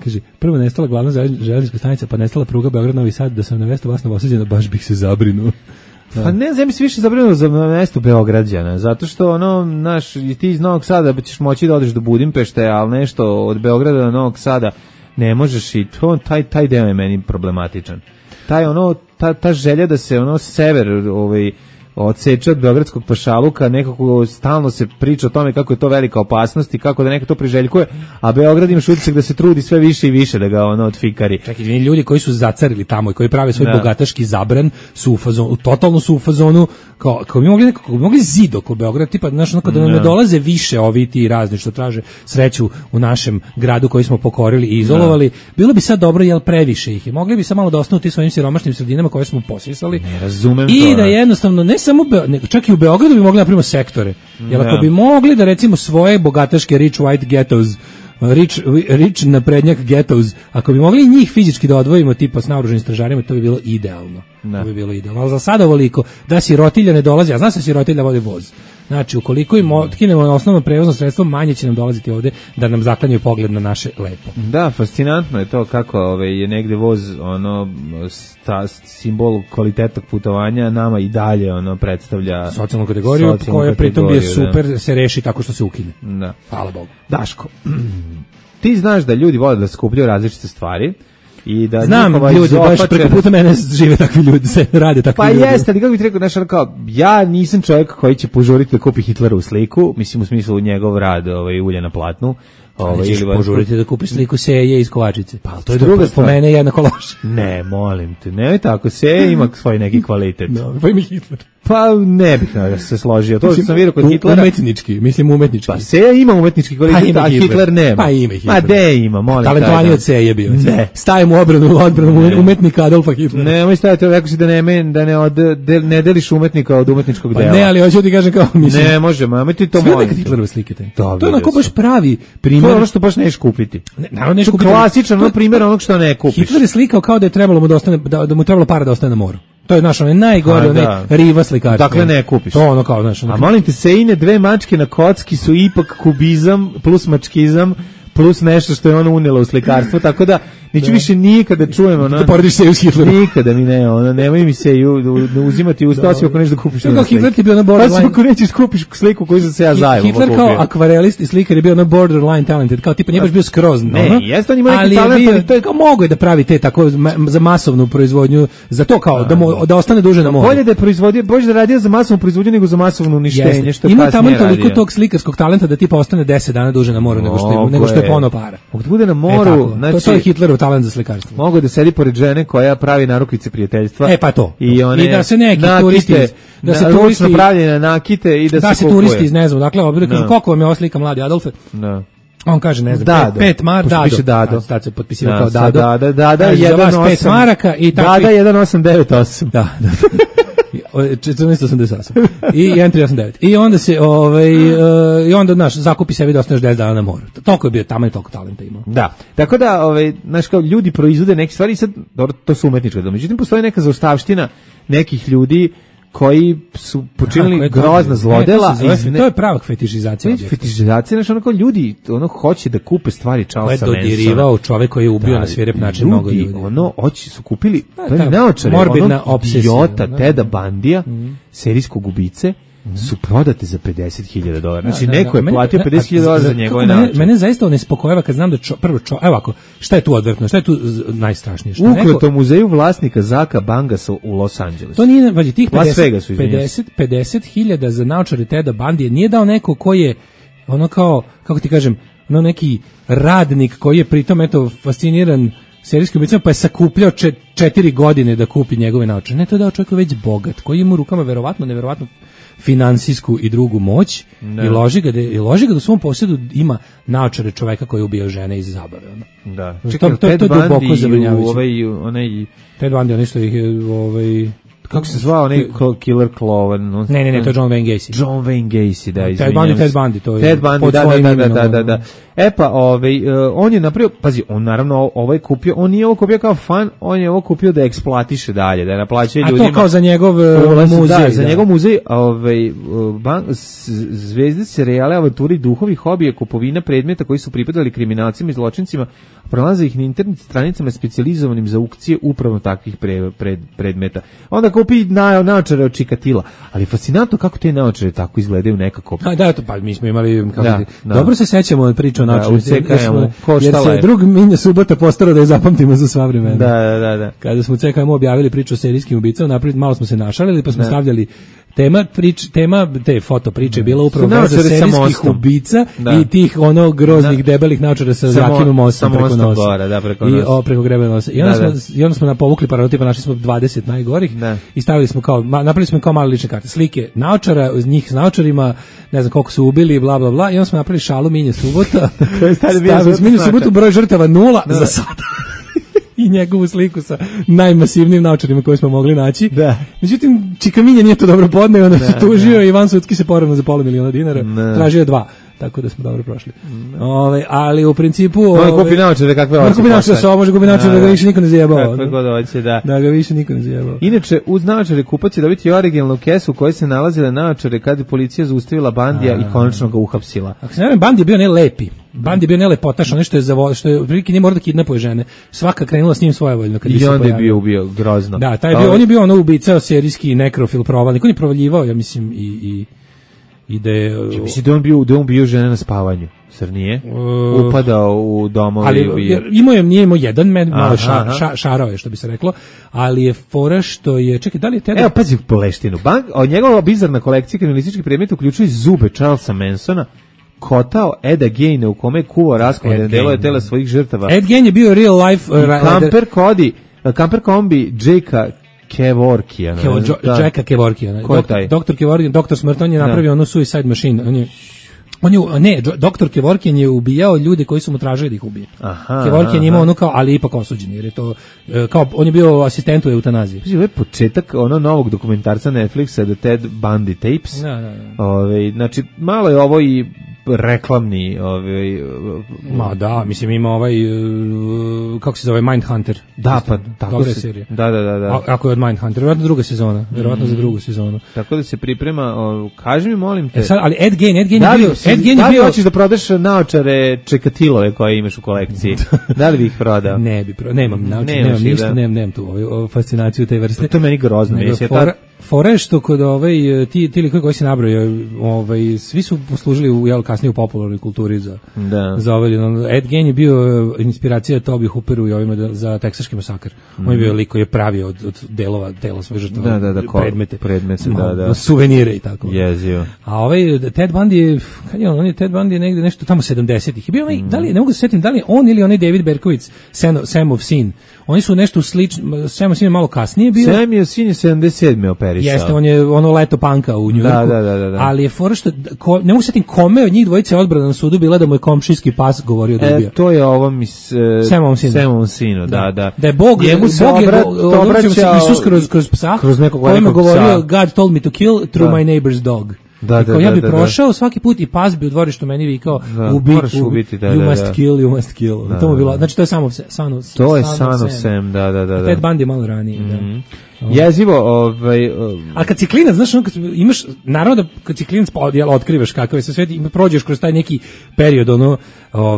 Kaže, prvo nestala glavna železnička stanica, pa nestala pruga Beograd-Novi Sad, da sam na mesto vas novosađena, baš bih se zabrinuo. Pa ne znam, se više zabrinuo za mesto Beograđana, zato što ti iz Novog Sada ćeš moći da odeš do Budimpešte, ali nešto od Beograda do Novog Sada ne možeš, i taj deo je meni problematičan. Ta želja da se sever odseče od beogradskog pašaluka, nekako stalno se priča o tome kako je to velika opasnost i kako da neko to priželjkuje, a Beograd ima utisak da se trudi sve više i više da ga odfikari. Čekaj, ljudi koji su zacarili tamo i koji prave svoj bogataški zabran su u fazonu, totalno su u fazonu kao bi mogli zid oko Beograda, tipa kada nam ne dolaze više ovi ti razni što traže sreću u našem gradu koji smo pokorili i izolovali, bilo bi sad dobro, jel previše ih je. Mogli bi sad malo da ostanu ti svojim siromašnim sredinama koje smo posisali. Ne razumem i da jednostavno ne samo čak i u Beogradu bi mogli napraviti sektore. Jer ako bi mogli da recimo svoje bogataške rich white ghettos, rich naprednjak ghettos, ako bi mogli njih fizički da odvojimo tipa s naoružanim stražarima, to bi bilo idealno. To bi bilo idealno. Ali za sada ovoliko da sirotilja ne dolazi, a zna se sirotilja vodi voz. Znači, ukoliko im otkinemo osnovno prevozno sredstvo, manje će nam dolaziti ovde da nam zaklanjaju pogled na naše lepo. Da, fascinantno je to kako je negde voz simbol kvalitetnog putovanja, nama i dalje predstavlja socijalnu kategoriju, koja pritom je super, se reši tako što se ukine. Da. Hvala Bogu. Daško, ti znaš da ljudi vole da skupljaju različite stvari I da znam ljudi, baš preko puta mene žive takvi ljudi, se rade takvi ljudi. Pa jeste, ali kako bih rekao, znaš, kao, ja nisam čovjek koji će požuriti da kupi Hitlerovu sliku, mislim u smislu njegov rad, ulje na platnu. Nećeš požuriti da kupiš sliku Seje iz Kovačice. Pa to je druga stvar. Po mene jednako loše. Ne, molim te, nemoj tako, Seje ima svoj neki kvalitet. No, pa ima Hitler. Pa ne bih se složio. To što sam vidio kod Hitlera. Umetnički. Pa Seja ima umetnički kvalitet, a Hitler nema. Pa ima Hitler. Ma de ima, molim te. Talentovaniji od Seje bio. Ne. Stajem u odbranu umetnika Adolfa Hitlera. Nemoj staviti, rekao si da ne deliš umetnika od umetničkog dela. Pa ne, ali hoću ti kažem kao mislim. Ne možemo, ajme ti to molim. Sve Hitlerove slike te. To je onako baš pravi primjer. To je ono što baš neš kupiti. Naravno neš kupiti. Klasičan primjer onog što ne kupiš. Hitler je slikao kao da je trebalo mu da mu trebalo para da ostane na moru. To je naš najgore, riva slikarstva. Dakle ne kupiš. To ono kao naš. A molim te, Sejine dve mačke na kocki su ipak kubizam plus mačkizam plus nešto što je ona unijela u slikarstvo, tako da neću više nikada čujem ono. Da porediš Seju s Hitlerom. Nikada mi ne, ono, nemoj mi Seju uzimati u usta, osim ako nešto da kupiš. Kao Hitler ti bio na borderline. Osim ako nećeš kupiš sliku koju sam se ja zajedno kupio. Hitler kao akvarelist i slikar je bio na borderline talented, kao tipa nije baš bio skroz. Ne, jeste on ima neki talent, ali to je kao mogo je da pravi te tako za masovnu proizvodnju, za to kao da ostane duže na moru. Bolje da je proizvodio, bolje da radio za masovnu proizvodnju nego za masovno uništenje, što ima tamo toliko tog slikarskog talenta da tipa ostane 10 dana duže na moru nego što je pono para. Ako bude na moru, znači to je Hitlerov talent za slikarstvo. Mogu da sedi pored žene koja pravi narukvice prijateljstva. Pa to. I da se neki turisti, da se turisti napravljene nakite i da se kupuje. Turisti ne znam, dakle, koliko vam je ova slika mladi Adolfe? Da. On kaže, ne znam, 5 maraka, Dado. Sad se potpisivao kao Dado. Dada, 5 maraka i tako. Dada 1898. Da. 1488 i 1389 i onda se i onda naš zakupi sebi da ostaneš 10 dana na moru. Toliko je bio tamo i toliko talenta imao. Da. Tako da znaš kao ljudi proizvode neke stvari, sad dobro, to su umetničke, međutim postoji neka zaostavština nekih ljudi koji su počinili grozna zlodela. To je prava fetišizacija. Fetišizacija, znači ono kao ljudi hoće da kupe stvari Charlesa Mansona. To je dodirivao čovek koji je ubio na svirep način mnogo ljudi. Hoće su kupili naočare, morbidna obsesija. Teda Bandija, serijskog ubice, su prodate za $50,000. Znači neko je platio $50,000 za njegove naočare. Mene zaista nespokojava kad znam da prvo evo ovako, šta je tu odvratno, šta je tu najstrašnije? Ukleto muzeju vlasnika Zaka Bangasa u Los Angelesu. To nije, vađi, tih 50,000 za naočare Teda Bandije nije dao neko koji je ono kao, kako ti kažem, ono neki radnik koji je pritom eto fasciniran serijskim ubicama, pa je sakupljao 4 godine da kupi njegove naočare. Ne, to je dao čovjek već bogat, koji ima u rukama neverovatno finansijsku i drugu moć i loži ga da u svom posjedu ima naočare čoveka koji je ubio žene iz zabave. Da. To je duboko zabrinjavajuće. Ted Bundy, ono što ih je kako se zvao onaj Killer Clown? Ne, to je John Wayne Gacy. John Wayne Gacy, da, izvinjam se. Ted Bundy, to je Ted Bundy, da. E pa, on je napravio, pazi, on naravno ovaj kupio, on nije ovo kupio kao fan, on je ovo kupio da eksploatiše dalje, da naplaćuje ljudima. A to kao za njegov muzej. Da, za njegov muzej, zvezde serijale, avanturi, duhovi, hobije, kupovina predmeta koji su pripadali kriminalcima i zločincima, pronalaze ih na internet stranicama specijalizovanim za aukcije upravo takvih predmeta. Onda kupi naočare od Čikatila, ali fascinantno kako te naočare tako izgledaju nekako. Da, to pa mi smo imali dobro se sećamo priča o naočarima, jer se drug Minja Subota postarao da je zapamtimo za sva vremena. Da. Kada smo u CKM objavili priču o serijskim ubicama, malo smo se našalili, pa smo stavljali tema te foto priče je bila upravo veza serijskih ubica i tih groznih debelih naočara sa zakinom mostom preko nosa. Preko grebe nosa. I onda smo povukli paralelu, našli smo 20 najgorih i stavili smo napravili smo kao male lične karte. Slike naočara, uz njih s naočarima, ne znam koliko su ubili, bla bla bla, i onda smo napravili šalu Minje Subota. Minje Subotu broj žrtava 0 za sada. I njegovu sliku sa najmasivnijim naočarima koje smo mogli naći. Da. Međutim, Čika Minja nije to dobro podneo, onda se tužio i Ivan Sudski se poravno za $500,000. Tražio je 2. Tako da smo dobro prošli. Ali u principu... kupi naočare kakve hoće. Kupi naočare, može kupi naočare da ga više niko ne zajebao. Kakve god hoće, da. Da ga više niko ne zajebao. Inače, uz naočare kupac će dobiti originalnu kesu u kojoj se nalazile naočare kad je policija zaustavila Bandija i konačno ga uhapsila. Ako se ne vem, Bandi je bio nelepi. Bandi je bio nelepotaš, nešto je prilike nije mora da kidnapuje žene. Svaka krenula s njim svojevoljno. I onda je bio ubio grozno. Da, on je bio ubica, serijski nekrofil, provalnik. On je provaljivao, ja mislim, i i da je... Mislim da on bio žena na spavanju, zar nije? Upadao u domove. Ali nije imao jedan, malo šarao je, što bi se reklo, ali je fora što je... Čekaj, da li je Ted... Evo, pazi poleštinu. Njegova bizarna kolekcija kriminalističkih predmeta uključuje zube Charlesa Mansona, kotao Eda Gejna u kome je kuvao rasklade delove tela svojih žrtava. Ed Gein je bio real life... Kamper kombi Jakea Kevorkijana. Jacka Kevorkijana. Doktor Kevorkijan, doktor smrt, on je napravio onu Suicide Machine. Doktor Kevorkijan je ubijao ljude koji su mu tražili da ih ubije. Kevorkijan je imao ono kao, ali ipak osuđen, jer je to, kao, on je bio asistent u eutanaziji. Ovo je početak novog dokumentarca Netflixa, The Ted Bundy Tapes. Znači, malo je ovo i reklamni ma da, mislim ima kako se zove, Mindhunter. Da, pa tako se serija. Da. Ako je od Mindhunter, verovatno druga sezona, verovatno za drugu sezonu. Tako da se priprema, kaži mi, molim te. Ali Ed Gein je bio... Da li hoćeš da prodaš naočare Čekatilove koje imaš u kolekciji? Da li bi ih prodao? Ne bi prodao, nemam naočare, nemam ništa, nemam tu fascinaciju te vrste. To je meni grozno. Fora je što kod ti likovi koji se nabrojao, svi su poslužili kasnije u popularnoj kulturi za Ed Gein je bio inspiracija Toby Hooperu i ovima za teksaški masakr. On je bio lik koji je pravio od delova tela svojih žrtava predmete, suvenire i tako. Jezio. A Ted Bundy je Ted Bundy negde nešto tamo 70-ih. Je bio da li, ne mogu se setim, da li on ili onaj David Berkowitz, Sam of Sin. Oni su nešto slično, Sam of Sin je malo kasnije bio. Sam of Sin je 77. operisao. Jeste, on je leto panka u New Yorku. Da. Ali je fora što, ne mogu se setim kome od njih dvojice odbrana na sudu bila da mu je komšijski pas govorio da ubija. To je ovom Samom Sinu, da. Da je Bog je Isus kroz psa, kojim je govorio God told me to kill through my neighbor's dog. Ja bi prošao svaki put i pas bi u dvorištu meni vikao ubiti, you must kill. To mu bilo, znači to je samo to je Sam, da. Ted Bundy je malo ranije, jezivo, a kad si klinac, znaš, kad imaš, naravno da kad si klinac otkrivaš kakav je sve svet i prođeš kroz taj neki period,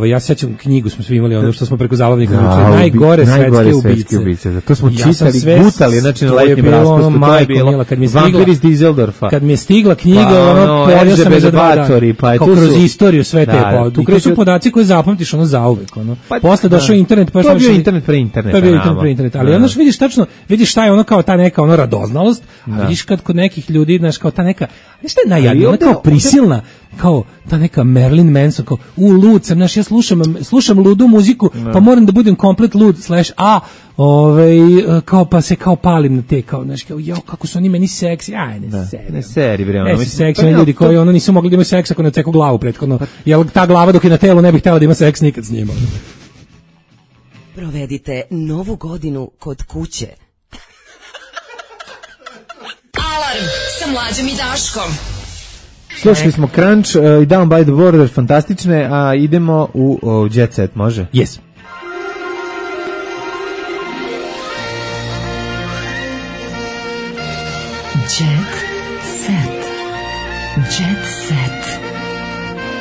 ja se sećam, knjigu smo svi imali, što smo preko zabavnika naučili, najgore svetske ubice. To smo čitali, gutali, znači na letnjem raspustu, to je bilo Vampir iz Dizeldorfa. Kad mi je stigla knjiga, pojavio sam je za 2 dana, kao kroz istoriju sve te, to su podaci koje zapamtiš zauvek, posle došao internet, to je bio internet pre interneta, ali onda vidiš šta je kao ta neka radoznalost, a vidiš kad kod nekih ljudi, znaš, kao ta neka, nešto je najjadnije, ona kao prisilna, kao ta neka Marilyn Manson, kao lud sam, znaš, ja slušam ludu muziku, pa moram da budem komplet lud, kao pa se kao palim na te, kao, znaš, kao, kako su oni meni seksi, ne seri, bre, ono, seksi, ljudi koji nisu mogli da imaju seks ako ne ceku glavu prethodno, jer ta glava dok je na telu ne bih htjela da ima seks nikad s njima. Provedite novu godinu kod kuće. Alarm sa Mlađom i Daškom. Slušali smo Crunch i Down by the Border, fantastične, a idemo u Jet Set, može? Yes. Jet Set. Jet Set.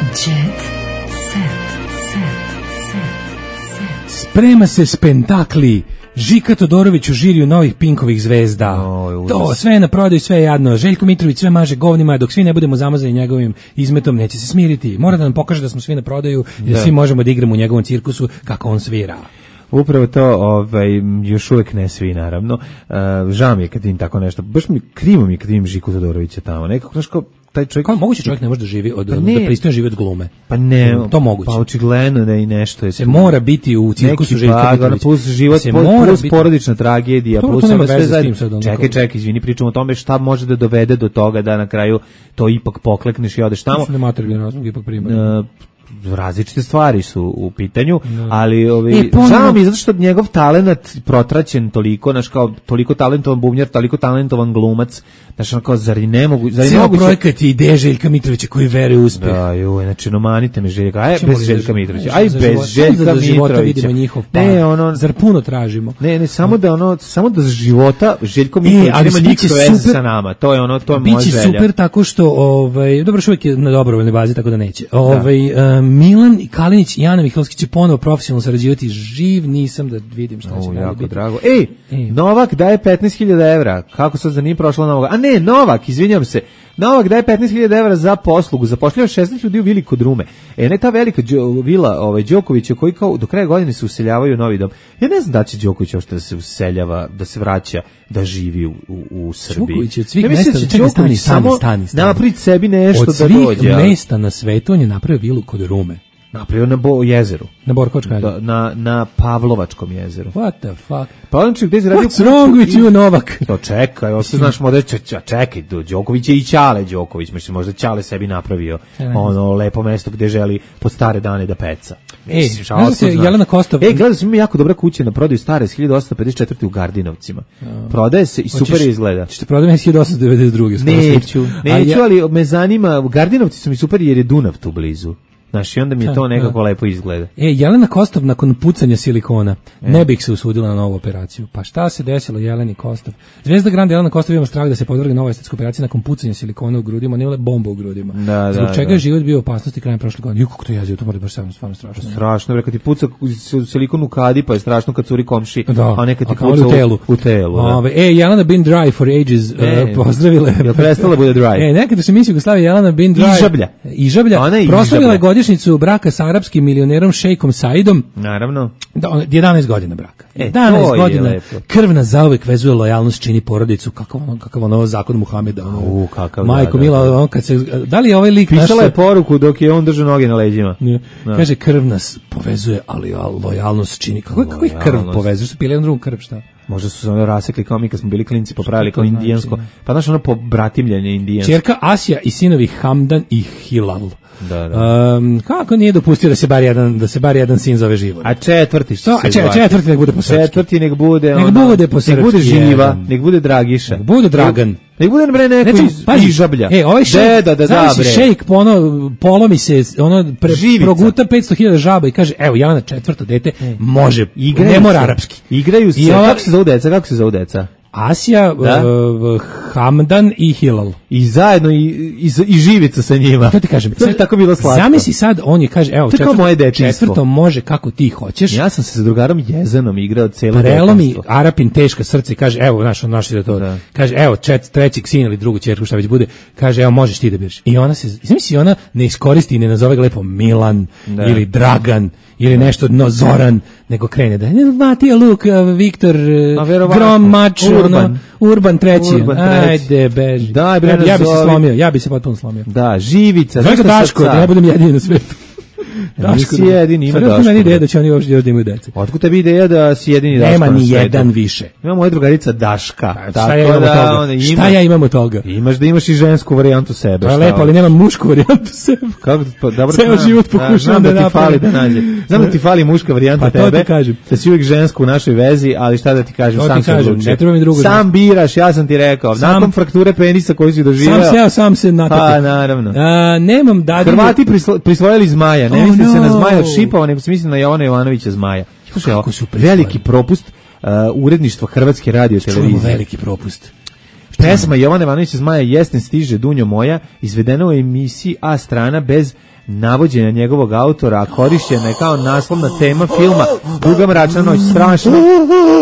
Jet Set. Sprema se spektakli. Žika Todorović u žiriju novih Pinkovih zvezda. To sve je na prodaju, sve je jadno. Željko Mitrović sve maže govnima, dok svi ne budemo zamazani njegovim izmetom, neće se smiriti. Mora da nam pokaže da smo svi na prodaju, da svi možemo da igramo u njegovom cirkusu kako on svira. Upravo to, još uvek ne svi, naravno. Žao mi je kad im tako nešto. Baš krivo mi je kad im Žiku Todorovića tamo. Nekako, znaš, kao taj čovjek... Kao moguće čovjek ne može da živi da pristojno živi od glume. Pa ne, to moguće. Pa očigledno da i nešto je. Se mora biti u cirkusu Željka Mitrovića. Plus život, plus porodična tragedija, plus sve zajedno. Čekaj, izvini, pričamo o tome šta može da dovede do toga da na kraju to ipak poklekneš i odeš tamo. Ne materijalni razlog ipak primaju. Različite stvari su u pitanju, ali žao mi zato što njegov talenat protraćen toliko, znaš, kao toliko talentovan bubnjar, toliko talentovan glumac, znaš, kao zar ne mogu... Cijel projekat je ideja Željka Mitrovića koji veruje u uspeh. Da, znači, nomanite me Željka, bez Željka Mitrovića, bez Željka Mitrovića. Ne, zar puno tražimo? Ne, samo da za života Željko Mitrović nema nikakve veze sa nama, to je moja želja. Biće super tako što, dobro, uvijek je na dobrovoljnoj bazi, tako da neće. Milan i Kalinić i Ana Mihajlovski će ponovo profesionalno sarađivati. Živ nisam da vidim šta će jako biti. Drago. Novak daje 15.000 evra. Kako sad za nije prošla Novak? A ne, Novak, izvinjam se. Novak daje 15.000 evra za poslugu. Zapošljava 16 ljudi u vili kod Rume. Ne ta velika vila Đokovića koji kao do kraja godine se useljavaju u novi dom. Ja ne znam da će Đoković uopšte da se useljava, da se vraća, da živi u Srbiji. Đoković je od svih mesta, stani. Napravi sebi nešto da dođe. Od svih mesta na svetu on je napravio vilu kod Rume. Napravio na jezeru. Na Borkovačkom na Pavlovačkom jezeru. What the fuck? Pa on će gde se radio... What's wrong with you, Novak? To čekaj, ovo se znaš model, čekaj, Đoković je i Ćale Đoković, mislim, možda Ćale sebi napravio ono lepo mesto gde želi pod stare dane da peca. Znaš se Jelena Kostov... Gledao sam, ima jako dobra kuća na prodaju stare iz 1854. u Gardinovcima. Prodaje se i super izgleda. Ćete prodati 1892. Neću, ali me zanima, Gardinovci su mi super jer je Dunav tu blizu. Znaš, i onda mi je to nekako lepo izgleda. Jelena Kostov nakon pucanja silikona ne bih se usudila na novu operaciju. Pa šta se desilo Jeleni Kostov? Zvezda Grande Jelena Kostov ima strah da se podvrgne novoj estetskoj operaciji nakon pucanja silikona u grudima, ne bomba u grudima. Zbog čega je život bio u opasnosti krajem prošle godine. Kako to jezivo, to mora baš stvarno strašno. Strašno, kad ti puca silikon u kadi, pa je strašno kad curi komši, a nekad ti puca u telu. Jelena been dry for ages, pozdravile. Jel prestala bude dry? Nekada se misli Jugoslavija Jelena been dry. Ižablja. Proslavila je godišnjicu braka sa arapskim milionerom šejkom Saidom. Naravno. 11 godina braka. 11 godina. Krv nas zauvek vezuje, lojalnost čini porodicu. Kakav ono zakon Muhameda. Majko Mila, kad se... Da li je ovaj lik... Pisala je poruku dok je on držao noge na leđima. Kaže, krv nas povezuje, ali lojalnost čini... Kako ih krv povezuje? Što pili jedan drugom krv, šta? Možda su se ono rasekli kao mi kad smo bili klinci, popravili kao indijansko. Pa znaš ono pobratimljanje indijansko. Čerka Asija i sinovi Hamdan i Hilal. Kako nije dopustio da se bar jedan sin zove Život? A četvrti nek bude po srpski. Četvrti nek bude po srpski. Nek bude Živa, nek bude Dragiša. Nek bude Dragan. Nek bude bre neko iz Ižablja. Ovaj šejk, šejk polomi se, proguta 500.000 žaba i kaže, evo, ja na četvrto dete može, ne mora arapski. Igraju se, kako se zove deca? Asija, Hamdan i Hilal. I zajedno i Živica sa njima. To ti kažem. To je tako bilo slatko. Zamisli sad, on je kaže, evo, četvrto može kako ti hoćeš. Ja sam se sa drugarom Jezanom igrao cijelo prelomi Arapin teška srce i kaže, evo, naši da to. Kaže, evo, trećeg sina ili drugu ćerku, šta već bude, kaže, evo, možeš ti da biraš. I ona se, zamisli, ona ne iskoristi i ne nazove ga lepo Milan ili Dragan ili nešto, Zoran, nego krene da je Matija Luk, Viktor, Grom, Mač, Urban treći. Ajde, beži. Ja bi se potpuno slomio. Da, Živica. Zove ga Daško, da ne budem jedini na svetu. Nisi jedini, ima Daško. Nema ni ideja da će oni uopšte da imaju dece. Otkud tebi ideja da si jedini Daško? Nema ni jedan više. Ima moja drugarica Daška. Šta ja imam od toga? Imaš da imaš i žensku varijantu sebe. To je lepo, ali nemam mušku varijantu sebe. Ceo život pokušavam da napravim. Znam da ti fali muška varijanta tebe. Da si uvijek žensku u našoj vezi, ali šta da ti kažem, sam se odlučio. Sam biraš, ja sam ti rekao. Nakon frakture penisa koju si doživeo. Sam se natakao. Pa, naravno. Nemam dadinu. Hrvati prisvojili zmaja. Ne mislim se na Zmaja od Šipova, nego se mislim na Jovana Jovanovića Zmaja. Slušaj, veliki propust uredništva Hrvatske radiotelevizije. Čujemo veliki propust. Pesma Jovana Jovanovića Zmaja Jesen stiže Dunjo moja, izvedena u emisiji A strana bez navođenja njegovog autora, a korišćena je kao naslovna tema filma Duga mračna noć, strašno.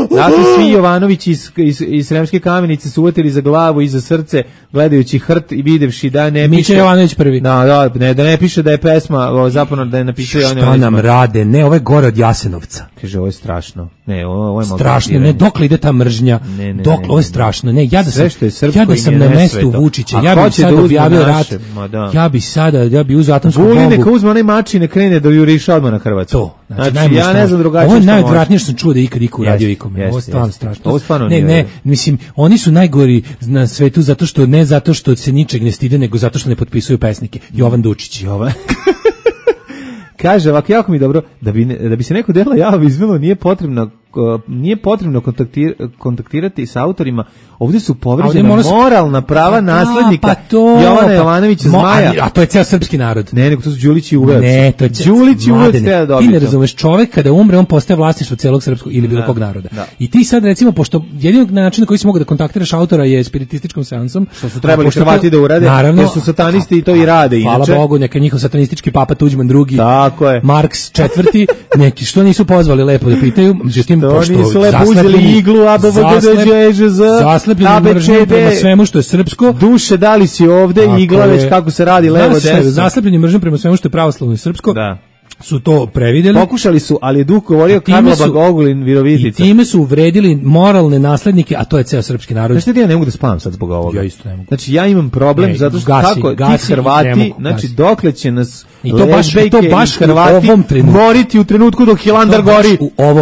Dakle, svi Jovanovići iz Sremske Kamenice su uvatili za glavu i za srce, gledajući hrt i videvši da ne piše... Mića Jovanović prvi. Da ne piše da je pesma, zapravo da je napisao Jovanović. Šta nam rade? Ne, ovo je gore od Jasenovca. Kaže, ovo je strašno. Ne, ovo je strašno, ne, dokle ide ta mržnja? Ovo je strašno. Ne, ja da sam na mestu Vučića, ja bih sada objavio rat. Ja bi uzeo atomsku bombu. Neka uzme onaj mač i ne krene da juriša odmah na Hrvatsku. To. Znači, ja ne znam drugačije. Ovo je najodvratnije što sam čuo da ikad iko uradio ikome. Ovo je stvarno strašno. Ovo stvarno ne, mislim, oni su najgori na svetu zato što se ničeg ne stide, nego zato što ne potpisuju pesnike. Jovan Dučić. Kaže ovako, jako mi dobro, da bi se neko delo javo izvelo, nije potrebno nije potrebno kontaktirati sa autorima. Ovdje su povređena moralna prava naslednika Jovana Jovanovića Zmaja. A to je ceo srpski narod. Ne, nego to su Đulić i Uvac. Ne, to je Đulić i Uvac treba dobiti. Ti ne razumeš, čovjek kada umre, on postaje vlasništvo celog srpskog ili bilo kog naroda. Da. I ti sad recimo, pošto jedini način na koji si mogu da kontaktiraš autora je spiritističkom seansom, što su trebali Hrvati da urade, naravno, jer su satanisti i to i rade. Hvala inače. Bogu, neka njihov satanistički papa Tuđman II, tako je. Marks IV, neki što nisu pozvali lepo da pitaju, međutim, pošto nisu lepo uzeli iglu, zaslepljeni mržnjom prema svemu što je srpsko. Duše, da li si ovde, igla već kako se radi levo desno. Zaslepljeni mržnjom prema svemu što je pravoslavno i srpsko. Da. Su to previdjeli. Pokušali su, ali je duh govorio Karlo Bagogulin Virovitica. I time su uvredili moralne naslednike, a to je ceo srpski narod. Znači, ja ne mogu da spavam sad zbog ovoga. Ja isto ne mogu. Znači, ja imam problem zato što ti Hrvati, znači, dokle će nas lezbejke i Hrvati moriti u trenutku dok Hilandar gori.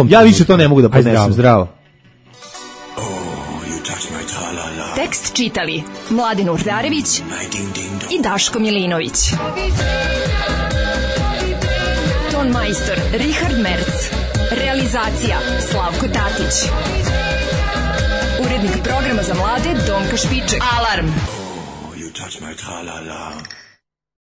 Ja više to ne mogu da podnesem. Zdravo. Tekst čitali Mladen Urdarević i Daško Milinović. Ton majstor Richard Merc. Realizacija Slavko Tatić. Urednik programa za mlade Donka Špiček. Alarm! You touch my tra-la-la.